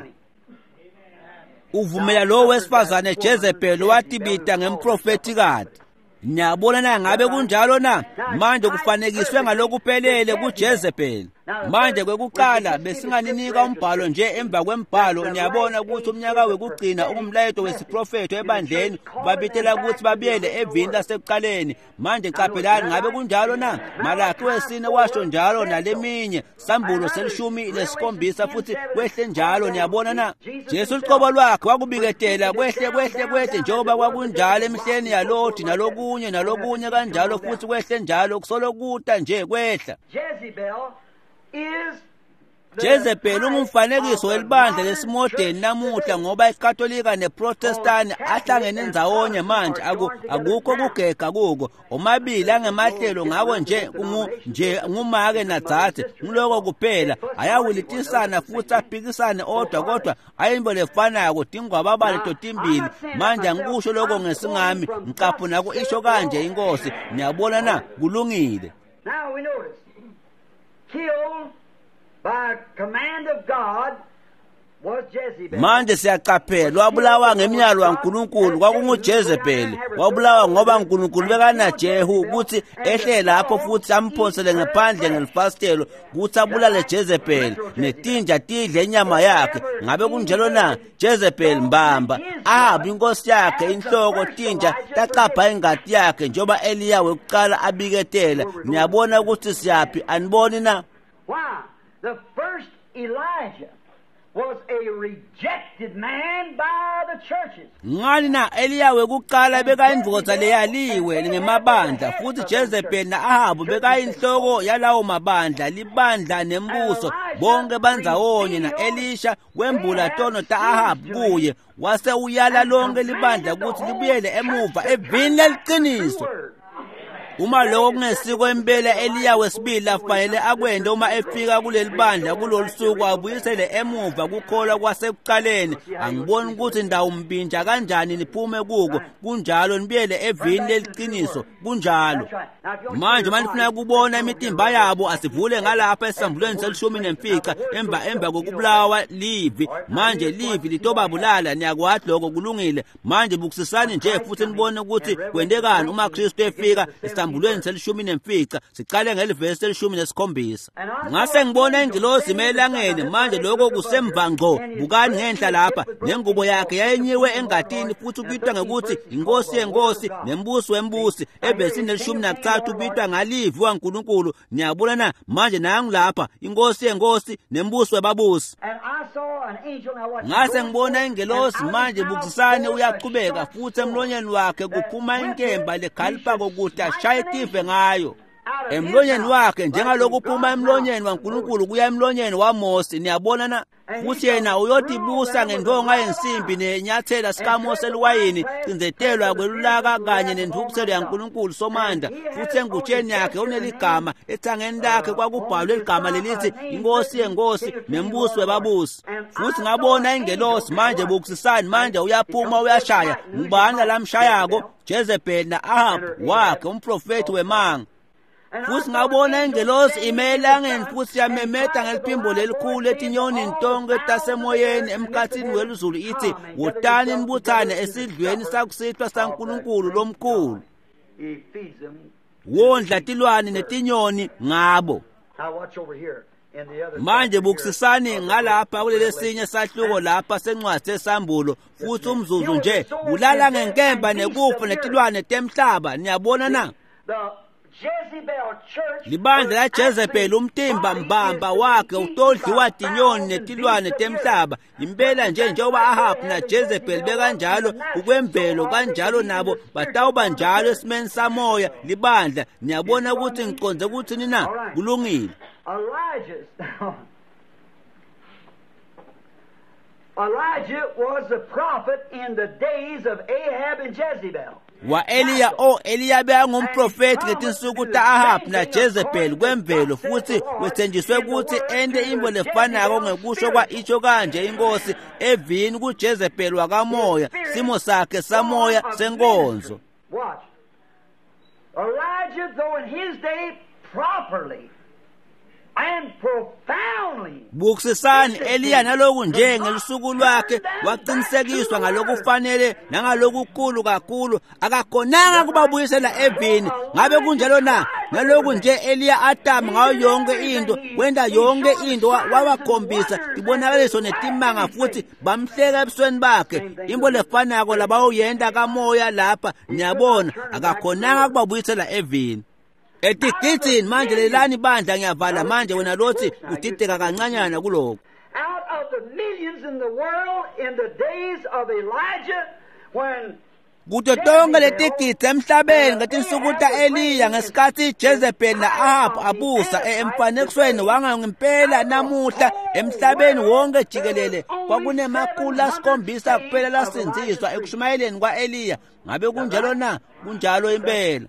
Uvumela lo wesifazane Jezebel watibita ngemprofetikati. Niyabona na ngabe kunjalo na? Manje kufanekiswe ngalokuphelele kuJezebel. Manje kwekuqala besinganinika umbhalo nje emva kwembhalo. Niyabona ukuthi umnyaka wekugcina ungumlayeto wesiprofetho ebandleni, babitela ukuthi babuyele evini lasekuqaleni. Manje qaphelani, ngabe kunjalo na? Malaki wesine washo njalo naleminye, sambulo selishumi lesikhombisa futhi kwehle njalo. Niyabona na? Jesu luqobo lwakhe wakubiketela kwehle kwehle kwehle njengoba kwakunjalo emihleni yaLoti nalokunye nalokunye kanjalo, futhi kwehle njalo kusolo kuta nje kwehla. Jezebel ungumfanekiso welibandla lesimodeni namuhla, ngoba iKatolika neProtestani ahlangene ndzawonye manje. Akukho kugega kuko, omabili angemahlelo, ngako nje nje ngumake nadzadze, ngiloko kuphela. Ayawilitisana futhi aphikisane odwa, kodwa ayinto lefanako, tingwababale totimbili. Manje angikusho lokho ngesingami, ngicaphuna ku isho kanje inkosi. Niyabona na? Kulungile.
Now we notice, killed by command of God was Jezebel.
Manje siyaqaphela, wabulawa ngemiyalo kaNkulunkulu kwakunguJezebel. Wabulawa ngoba uNkulunkulu bekanaJehu ukuthi ehle lapho futhi amphonsele ngaphandle ngelifasitelo ukuthi abulale Jezebel, netinja tidle inyama yakhe. Ngabe kunjalo na? Jezebel mbamba Ahabi inkosi yakhe inhloko, tinja tacapha ingati yakhe njengoba Eliya wekuqala abiketela. Niyabona ukuthi siyaphi, aniboni na?
Why? The first Elijah was a rejected man by the churches.
Ngani na? Eliya wekuqala bekayindvodza leyaliwe ngemabandla, futhi Jezebel na-Ahabu bekayinhloko yalawo mabandla, libandla nembuso, bonke bandzawonye. Na-Elisha wembula tono ta-Ahabu kuye, wase uyala lonke libandla ukuthi libuyele emuva evini leliciniso. Uma lokho kungesiko impela Eliya wesibili afanele akwente uma efika kuleli bandla kulolu suku, abuyisele emuva kukholwa kwasekuqaleni. Angiboni ukuthi ndawumbinja kanjani niphume kuko. Kunjalo, nibuyele evini leliqiniso. Kunjalo. Manje uma nifuna kubona imitimba yabo, asivule ngalapha esambulweni se-15 emva kokubulawa livi. Manje livi litobabulala, niyakwati lokho, kulungile. Manje bukisisani nje futhi nibone ukuthi kwentekani uma Kristu efika esambulweni se-15. Sicale ngelivesi le-17. Ngase ngibona ingilosi ime elangeni. Manje lokho kusemva ngqo. Bukani ngenhla lapha, nengubo yakhe yayinyiwe engatini, futhi ubitwa ngekuthi inkosi yenkosi nembusi wembusi. Evesini le-13 ubitwa ngalivi waNkulunkulu. Niyabona na? Manje nangu lapha, inkosi yenkosi nembusi webabusi. Ngase ngibona ingelosi. Manje bukisisani, uyaqhubeka futhi emlonyeni wakhe kuphuma inkemba lekhalipha kokuthi ashaye tive ngayo. Emlonyeni wakhe, njengalokhu kuphuma emlonyeni waNkulunkulu kuya emlonyeni waMose. Niyabona na? Futhi yena uyotibusa ngentonga yensimbi nenyathela sikaMose eliwayini, cinzetelwa kwelulaka kanye nenthukuthelo yaNkulunkulu Somandla. Futhi engutsheni yakhe uneligama, ethangeni lakhe kwakubhalwe ligama lelithi inkosi yenkosi nembusi webabusi. Futhi ngabona ingelosi. Manje bukisisani, manje uyaphuma uyashaya. Ngubani lamshayako? Jezebel na-Ahab wakhe, umprofethi wemanga. Futhi ngabona ingelosi ime elangeni, futhi yamemeta ngeliphimbo lelikhulu etinyonini tonke tasemoyeni emkhathini welizulu, ithi, wotani nibuthane esidlweni sakusihlwa saNkulunkulu lomkhulu. Wondla tilwane netinyoni ngabo. Manje bukisisani ngalapha kulelesinye sahluko lapha sencwadi sesambulo, futhi umzuzu nje, bulala ngenkemba nekufa netilwane temhlaba. Niyabona na? Libandla la Jezebel, umtimba mbamba wakhe utodliwa tinyoni netilwane temhlaba. Impela nje njengoba Ahab na Jezebel bekanjalo ukwemvelo, kanjalo nabo batawuba njalo esimeni samoya libandla. Niyabona ukuthi ngiconze ukuthini na? Kulungile.
Elijah was a prophet in the days of Ahab and Jezebel.
Wa-Eliya, Eliya bekangumprofethi ngetinsuku ta-Ahab na Jezebel kwemvelo, futhi wethenjiswe ukuthi ente intfo lefanako ngekusho kwa-isho kanje inkosi evini kuJezebel wakamoya, simo sakhe samoya senkonzo.
Watch. Elijah, though in his day properly and profoundly.
Bukisisani Eliya naloku nje ngelusuku lwakhe waqinisekiswa ngalokufanele nangalokukhulu kakhulu, akakhonanga kubabuyisela evini. Ngabe kunjalo na? Naloku nje Eliya atama ngayo yonke into, wenta yonke into, wabakhombisa tibonakaliso netimanga, futhi bamhleka ebusweni bakhe. Into lefanako labawuyenta kamoya lapha, niyabona, akakhonanga kubabuyisela evini. Etigidini manje, lelani bandla, ngiyavala manje. Wena lothi udideka kancanyana kuloko.
Out of the millions in the world in the days of Elijah, when
Kuto tonke letigidzi emhlabeni ngetinsuku ta-Eliya, ngesikhathi Jezebel na-Ahab abusa emfanekisweni wangempela namuhla emhlabeni wonke jikelele, kwakunemakhulu asikhombisa kuphela lasindziswa ekushumayeleni kwa-Eliya. Ngabe kunjalo na? Kunjalo impela.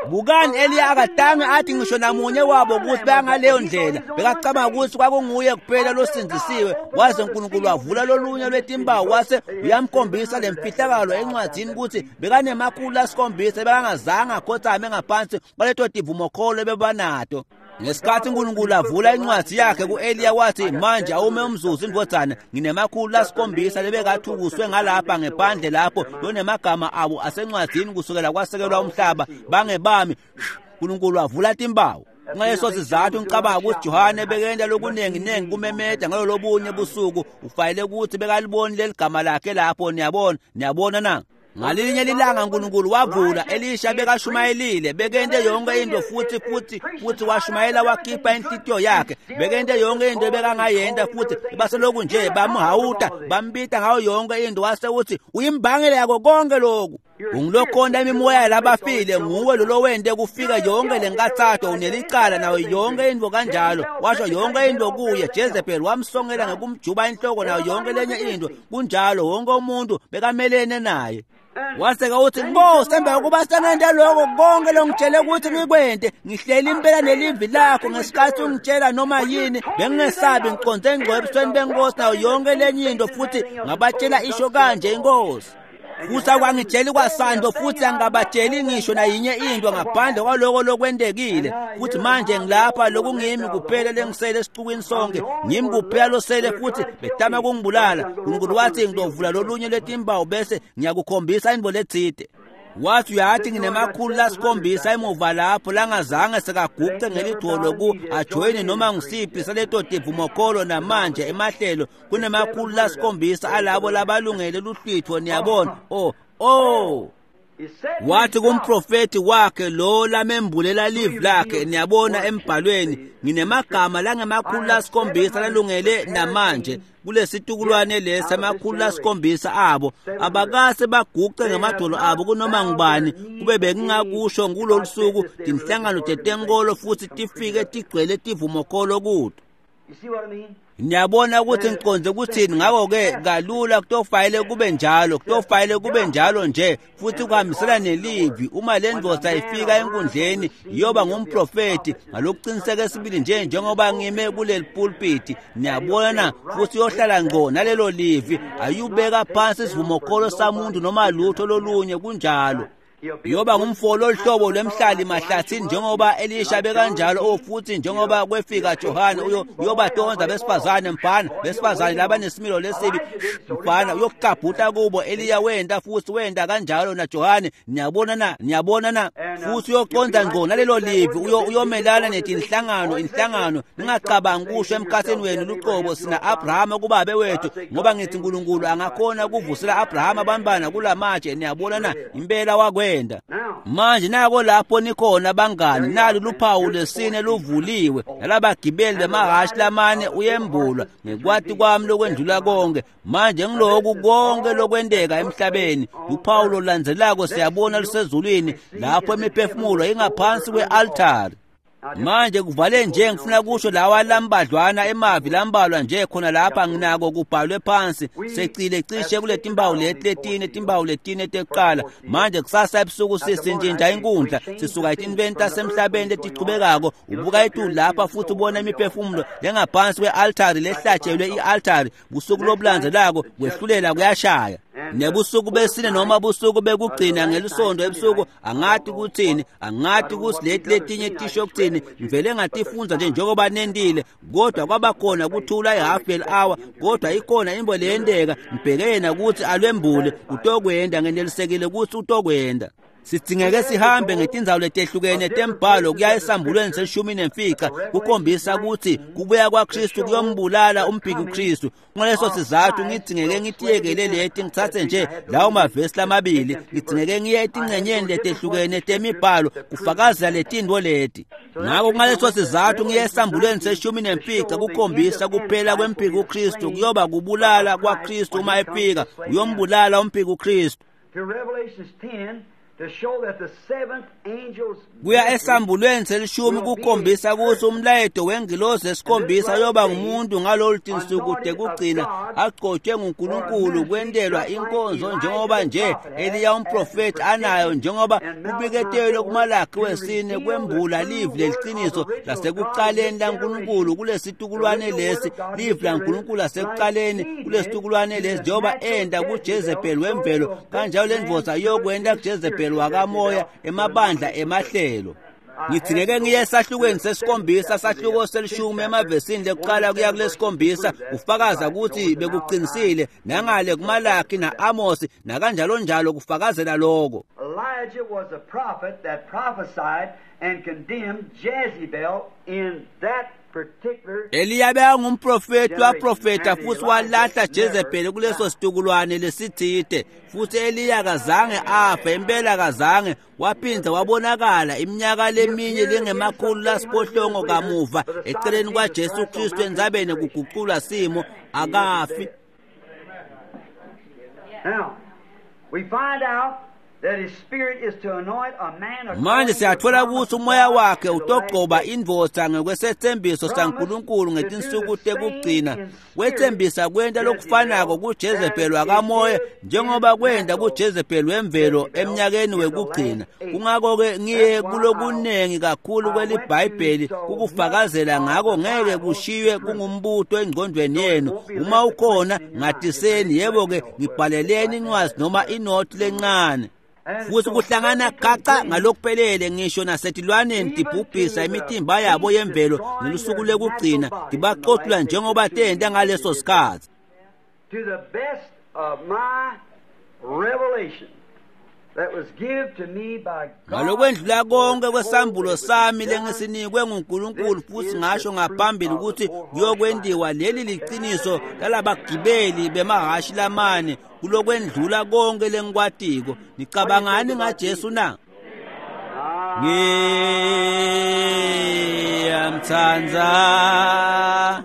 Bukani, Eliya akatange athi ngisho namunye wabo ukuthi bangaleyo ndlela. Bekacabanga ukuthi kwakunguye kuphela losindzisiwe, waze uNkulunkulu wavula lolunye lwetimbawu wase uyamkhombisa lemfihlakalo encwadzini ukuthi bekanemakhulu asikhombisa bekangazange akhothame ngaphansi kwaleto tivumokholo ebebanato. Ngesikhathi uNkulunkulu avula incwadi yakhe ku-Eliya wathi, manje awume umzuzu indvodzana, nginemakhulu asikhombisa lebekathukuswe ngalapha ngephandle lapho lonemagama abo asencwadzini kusukela kwasekelwa umhlaba, bangebami. uNkulunkulu wavula timbawu. Ngaleso sizathu ngicabanga ukuthi Johane bekenta lokuningi-ningi kumemeda ngalo lobunye busuku, ufanele ukuthi bekaliboni leli gama lakhe lapho. Niyabona, niyabona na? Ngalinye lilanga uNkulunkulu wavula. Elisha bekashumayelile, bekente yonke into, futhi futhi futhi washumayela wakhipha inhlitiyo yakhe, bekente yonke into ebekangayenta, futhi baseloku nje bamhawuta bambita ngayo yonke into, wase uthi uyimbangela yako konke lokhu. Ungilokhonda imimoya labafile, nguwe lolowente kufika yonke lenkathato, unelicala nayo yonke intfo kanjalo. Washo yonke intfo kuye. Jezebel wamsongela ngekumjuba inhloko nayo yonke lenye intfo. Kunjalo, wonke umuntu bekamelene naye. Waseka uthi, Nkosi, emva kokuba sengente lokho konke longitshele ukuthi ngikwente, ngihleli impela nelivi lakho ngesikhathi ungitshela noma yini, bengingesabi, ngiconze ngco ebusweni benkosi nayo yonke lenye into, futhi ngabatshela isho kanje inkosi. Futhi akwangitsheli kwasando, futhi angabatsheli ngisho nayinye into ngaphandle kwaloko lokwentekile. Futhi manje ngilapha, lokungimi kuphela lengisele esixukwini sonke, ngimi kuphela losele, futhi betama kungibulala. Unkulunkulu wathi ngizovula lolunye lwetimbawu bese ngiyakukhombisa intfo letsite. Wathi uyathi nginama-700 emuva lapho langazange sekaguqe ngelidolo ku ajoyine noma ngisiphi saleto tivumokholo namanje emahlelo kunama-700 alabo labalungele luhlwitho. Niyabona? Oh wathi kumprofeti wakhe lo lamembulela livi lakhe, niyabona embhalweni, nginemagama langama-700 lalungele namanje kulesitukulwane lesi, ama-700 abo abakase baguqe ngamadolo abo kunoma ngubani. Kube bengingakusho kulolu suku tinhlangano tetenkolo futhi tifike tigcwele tivumokholo kuto. Niyabona ukuthi ngiqonde ukuthini? Ngakho-ke kalula kutofanele kube njalo, kutofanele kube njalo nje, futhi kuhambisana nelivi. Uma le ndoda ifika enkundleni iyoba ngumprofeti ngalokuqiniseka esibili nje njengoba ngime kuleli pulpiti. Niyabona? Futhi iyohlala ngqo nalelo livi, ayubeka phansi isivumokholo samuntu noma lutho lolunye. Kunjalo. Yoba ngumfo loluhlobo lwemhlali mahlathini njengoba Elisha bekanjalo, futhi njengoba kwefika Johane, uyobatonza besifazane, mfana, besifazane labanesimilo lesibi, mfana, uyokuqabhuta kubo. Eliya wenda futhi wenda kanjalo naJohane. Niyabona na? Niyabona na? Futhi uyoqonda ngqo nalelo livi, uyomelana netinhlangano inhlangano. Ningacabangi kusho emkhathini wenu luqobo, sina Abrahama kubabe wethu, ngoba ngithi uNkulunkulu angakhona ukuvusela Abrahama abantwana kulamatshe. Niyabona na? Impela wakwenda. Manje nako lapho nikhona bangani, nalo luphawu lesine luvuliwe, nalabagibeli bemahhashi lamane uyembulwa ngekwati kwami lokwendlula konke. Manje ngiloku konke lokwenteka emhlabeni, luphawu lolandzelako siyabona lusezulwini lapho imiphefumulo ingaphansi kwe-altari. Manje kuvale nje ngifuna kusho lawa lambadlwana emavi lambalwa nje khona lapha, nginako kubhalwe phansi secile cishe kule timbawu leti letine, timbawu letine tekuqala. Manje kusasa ebusuku sisintshintsha inkundla, sisuka etintweni tasemhlabeni letichubekako, ubuka etulu lapha futhi ubona imiphefumulo lengaphansi kwe-altari lehlatshelwe i-altari. Busuku lobulandzelako kwehlulela kuyashaya. Nebusuku besine noma busuku bekugcina ngelisonto ebusuku, angathi kuthini, angathi kuthi leti letinye tisho kuthini, ngivele ngatifundza nje njengoba nentile, kodwa kwabakhona kuthula i-half an hour, kodwa ikhona into leyenteka. Ngibheke yena ukuthi alwembule, utokwenda, ngenelisekile ukuthi utokwenda. Sidzingeke sihambe ngetindzawo letehlukene tembhalo kuya esambulweni se-15 kukhombisa ukuthi kubuya kwaKristu kuyombulala umphiki Kristu. Ngaleso sizathu ngidzingeke ngitiyekele leti, ngithathe nje lawo mavesi lamabili, ngidzingeke ngiye etingcenyeni letehlukene temibhalo kufakazela letintfo leti. Ngako ngaleso sizathu ngiye esambulweni se-15 kukhombisa kuphela kwemphiki Kristu kuyoba kubulala kwaKristu uma efika, uyombulala umphiki Kristu. Kuya esambulweni se-10 kukhombisa ukuthi umlayeto wengilosi esikhombisa yoba ngumuntu ngalolu tinsuku tekugcina agcotshwe nguNkulunkulu kwentelwa inkonzo njengoba nje Eliya umprofeti anayo, njengoba kubiketelwe kuMalakhi wesine kwembula livi leliciniso lasekuqaleni laNkulunkulu kulesitukulwane lesi, livi laNkulunkulu lasekuqaleni kulesitukulwane lesi, njengoba enda kuJezebel wemvelo kanjalo lendvodza iyokwenda kuJezebel wakamoya emabandla emahlelo. Ngidingeke ngiye esahlukweni se-7, sahluko se-10 emavesini lekuqala kuya kule-7, ufakaza ukuthi bekuqinisile nangale kuMalakhi na-Amos nakanjalo njalo kufakazela lokho.
Elijah was a prophet that prophesied and condemned Jezebel in that particular.
Eliya bekangumprofeti, waprofeta futhi walahla Jezebel kuleso situkulwane lesithide, futhi Eliya akazange afe, impela akazange, waphinda wabonakala iminyaka leminye lengama-700 kamuva eceleni kwaJesu Kristu entsabeni kuguqulwa simo, akafi.
Now, we find out
Manje siyatfola kutsi umoya wakhe utogcoba indvodza ngekwesethembiso saNkulunkulu ngetinsuku tekugcina. Wetsembisa kwenta lokufanako kuJezebheli wakamoya njengoba kwenta kuJezebheli wemvelo emnyakeni wekugcina. Kungako-ke ngiye kulokunengi kakhulu kweliBhayibheli kukufakazela ngako, ngeke kushiywe kungumbuto engcondweni yenu. Uma ukhona ngatiseni, yebo-ke ngibhaleleni incwadzi noma inothi lencane. Futhi kuhlangana gaca ngalokuphelele ngisho nasetilwaneni tibhubhisa imitimba yabo yemvelo ngelusuku lekugcina, tibacotula njengoba tenta ngaleso sikhatsi.
To the best of my revelation that was given to me by God,
Ngalokwendlula konke kwesambulo sami lengisinikwe nguNkulunkulu, futhi ngasho ngaphambili ukuthi kuyokwentiwa, leli liciniso lalabagibeli bemahhashi lamane kulokwendlula konke lengikwatiko. Nicabangani ngaJesu na? Ngiyamtsandza,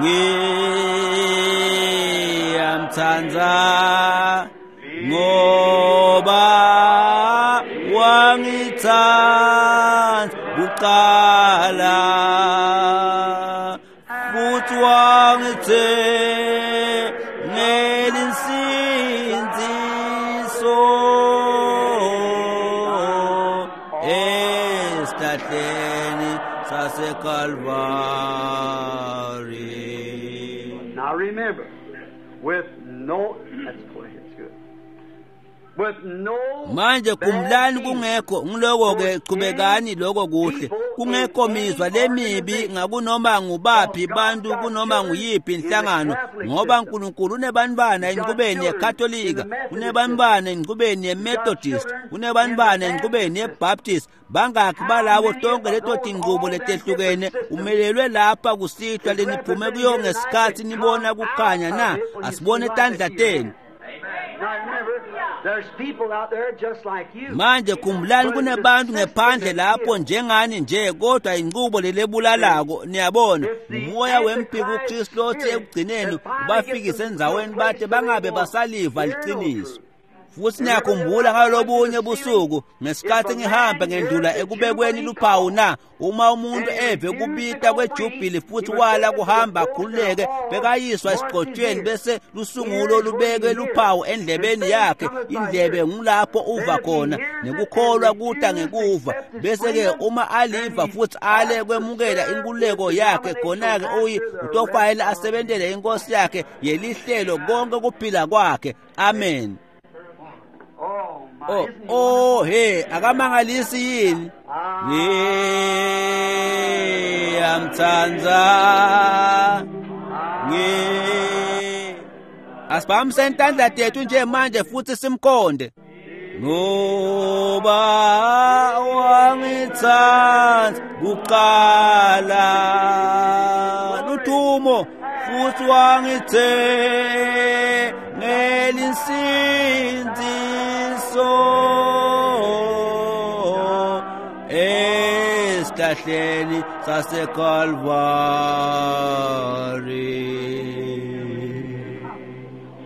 ngiyamtsandza, ngoba wangitsandza kuqala futhi wangithengela insindziso esihlahleni saseKalvari.
Now remember, with no, that's quiet, it's good. With no
Manje khumbulani,
bad
kungekho ngiloko-ke, chubekani lokho kuhle, kungekho mizwa lemibi ngakunoma ngubaphi bantu kunoma nguyiphi inhlangano, ngoba uNkulunkulu unebantwana enqubeni yeKatolika, unebantwana enqubeni yeMethodist, unebantwana enqubeni yeBaptist. Bangakhi balabo tonke leto tinqubo letehlukene umelelwe lapha kusihlwa leniphume kuyo ngesikhathi nibona kukhanya na? Asibone tandla tenu.
Now remember, there's people out there just like you.
Manje khumbulani, kunebantu ngephandle lapho njengani nje, kodwa inqubo lelebulalako, niyabona, umoya wempiko uKristu lothi ekugcineni ubafikise endzaweni bate bangabe basaliva liciniso. Futhi niyakhumbula ngalobunye busuku ngesikhathi ngihamba ngendlula ekubekweni luphawu na? Uma umuntu eve kubita kwejubhili futhi wala kuhamba akhululeke, bekayiswa esigcotshweni bese lusungulo lubeke luphawu endlebeni yakhe. Indlebe ngulapho uva khona, nekukholwa kuta ngekuva. Bese-ke uma aliva futhi ale kwemukela inkululeko yakhe, khona-ke uyi utofanele asebentele inkosi yakhe yelihlelo konke kuphila kwakhe. Amen.
Oh, my,
Oh,
isn't he
oh he, akamangalisi yini? Ngiyamtsandza, ngi Asibambise intandla tethu nje manje futhi simkhonde. Ngoba wangitsandza kuqala, luthumo, futhi wangithengela insindziso esihlahleni saseKalvari.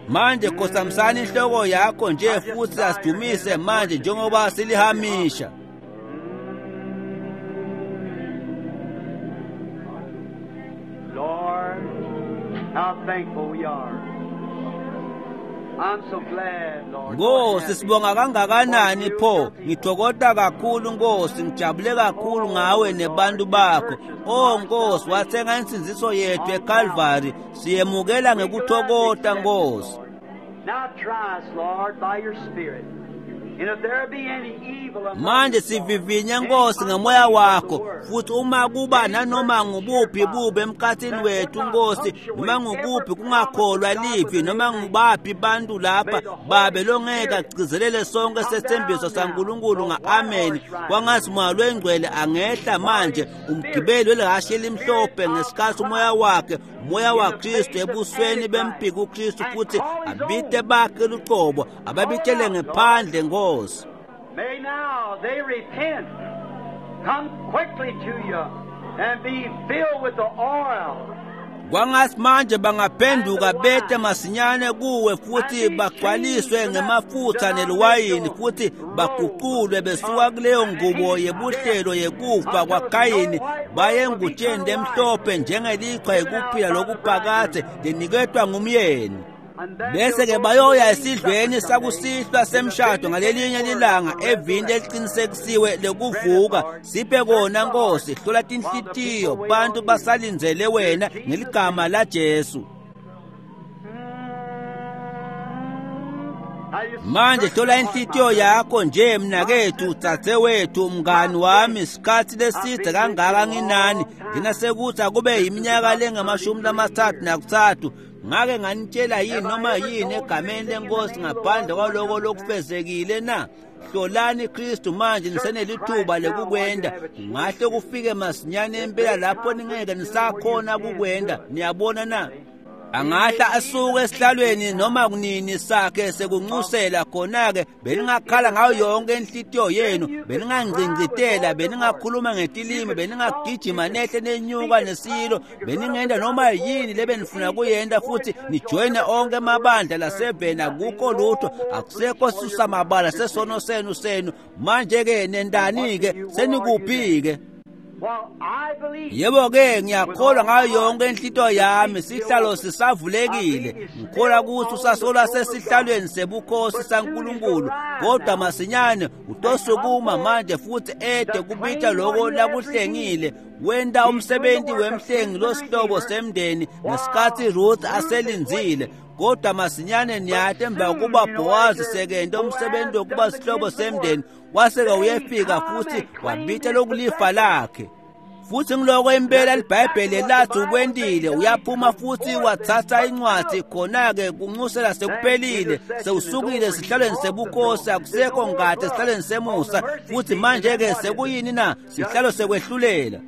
Manje khothamsani inhloko yakho nje futhi asidumise manje njengoba silihamisha.
Lord, how thankful we are. I'm so glad, Lord.
Nkosi, sibonga kangakanani pho. Ngithokoza kakhulu Nkosi, ngijabule kakhulu ngawe nebantu bakho. Oh Nkosi, wathenga insindziso yethu eKalvari, siyemukela ngekuthokota Nkosi.
Now try us, Lord, by your Spirit. And if there be any evil among
Manje
us, Lord,
sivivinye
any
Nkosi ngemoya
unbelief of the
wakho,
word,
futhi uma kuba nanoma ngubuphi bubi emkhathini wethu Nkosi, noma ngukuphi kungakholwa livi, noma ngubaphi bantu lapha babe longeke agcizelele sonke sethembiso saNkulunkulu nga-ameni, kwangathi moya lwengcwele angehla manje, umgibeli welihhashi elimhlophe, ngesikhathi umoya wakhe, umoya waKristu ebusweni bempiko uKristu, futhi abite bakhe lucobo, ababitele ngephandle Nkosi.
May now they repent, come quickly to you, and be filled with the oil.
Kwangathi manje bangaphenduka bete masinyane kuwe futhi bagcwaliswe ngemafutha neliwayini futhi baguqulwe besuka kuleyo ngubo yebuhlelo yekufa kwaKayini baye engutsheni lemhlophe njengelichwa yekuphila lokuphakadze leniketwa ngumyeni. Bese-ke bayoya esidlweni sakusihlwa semshado ngalelinye lilanga evini leliqinisekisiwe lekuvuka. Siphe kona Nkosi, hlola tinhlitiyo bantu basalindzele wena ngeligama laJesu. Manje hlola inhlitiyo yakho nje mnakethu, dzadzewethu, mngani wami, sikhatsi lesidze kangaka nginani nginasekuthi akube yiminyaka lengamashumi-33. Ngake nganitshela yini noma yini egameni lenkosi ngaphandle kwaloko lokufezekile na? Hlolani Kristu manje nisenelithuba lekukwenda. Ngahle kufike masinyane impela lapho ningeke nisakhona kukwenda. Niyabona na? Angahla asuke esihlalweni noma kunini sakhe sekunxusela khona-ke beningakhala ngayo yonke inhlitiyo yenu, beningangcingcitela, beningakhuluma ngetilimi, beningagijima nehle nenyuka nesilo, beningenda noma yini lebenifuna kuyenda futhi nijoyine onke amabandla laseveni. Akukho lutho, akusekho susamabala sesono senu. Manje-ke nendani-ke, senikuphi-ke? Yebo-ke, ngiyakholwa ngayo yonke inhlitiyo yami, sihlalo sisavulekile. Ngikholwa ukuthi usasolwa sesihlalweni sebukhosi saNkulunkulu, kodwa masinyane utosukuma manje futhi ede kubita loko lakuhlengile. Wenta umsebenzi wemhlengi losihlobo semndeni ngesikhathi Ruth aselindzile. Kodwa masinyane niyati emva kokuba Bowazi sekente umsebenzi wokuba sihlobo semndeni, waseke uyefika futhi wabita lokulifa lakhe. Futhi ngiloko impela liBhayibheli lathi ukwentile. Uyaphuma futhi wathatha incwadi khona-ke kunxusela sekuphelile, sewusukile esihlalweni sebukhosi, akusekho ngadi esihlalweni semusa. Futhi manje-ke sekuyini na? Sihlalo sekwehlulela.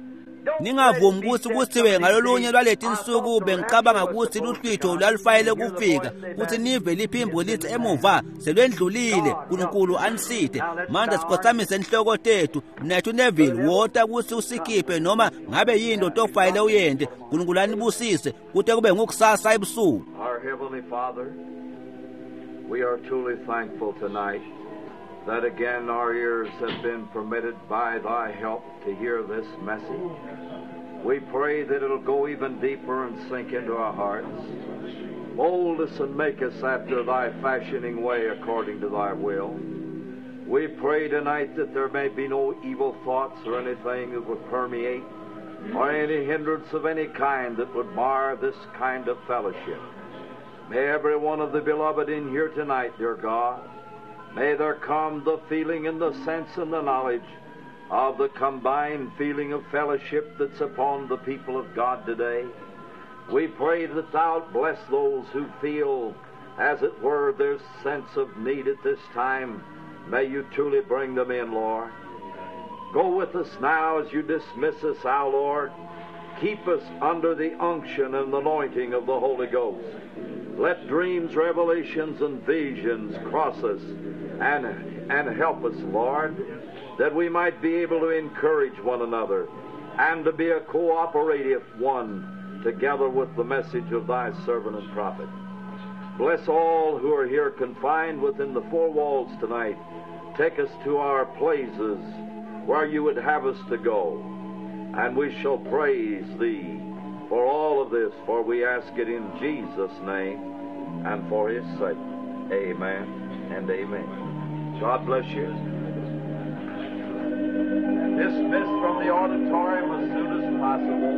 Ningavumi ukuthi kuthiwe ngalolunye lwaleti nsuku bengicabanga ukuthi luhlwitho lwalufanele kufika, kuthi nive liphimbo lithi emuva selwendlulile. Nkulunkulu aniside. Manje sikhothamise inhloko tethu. Mnethu Neville, wota ukuthi usikhiphe noma ngabe yini otofanele uyente. Nkulunkulu anibusise kute kube ngukusasa ebusuku.
Our Heavenly Father, we are truly thankful tonight that again our ears have been permitted by thy help to hear this message. We pray that it'll go even deeper and sink into our hearts. Mold us and make us after thy fashioning way according to thy will. We pray tonight that there may be no evil thoughts or anything that would permeate or any hindrance of any kind that would mar this kind of fellowship. May every one of the beloved in here tonight, dear God, may there come the feeling and the sense and the knowledge of the combined feeling of fellowship that's upon the people of God today. We pray that Thou bless those who feel, as it were, their sense of need at this time. May you truly bring them in, Lord. Go with us now as you dismiss us, our Lord. Keep us under the unction and anointing of the Holy Ghost. Let dreams, revelations, and visions cross us and help us, Lord, that we might be able to encourage one another and to be a cooperative one together with the message of thy servant and prophet. Bless all who are here confined within the four walls tonight. Take us to our places where you would have us to go, and we shall praise thee for all of this, for we ask it in Jesus' name and for his sake. Amen and amen. God bless you. Dismissed from the auditorium as soon as possible.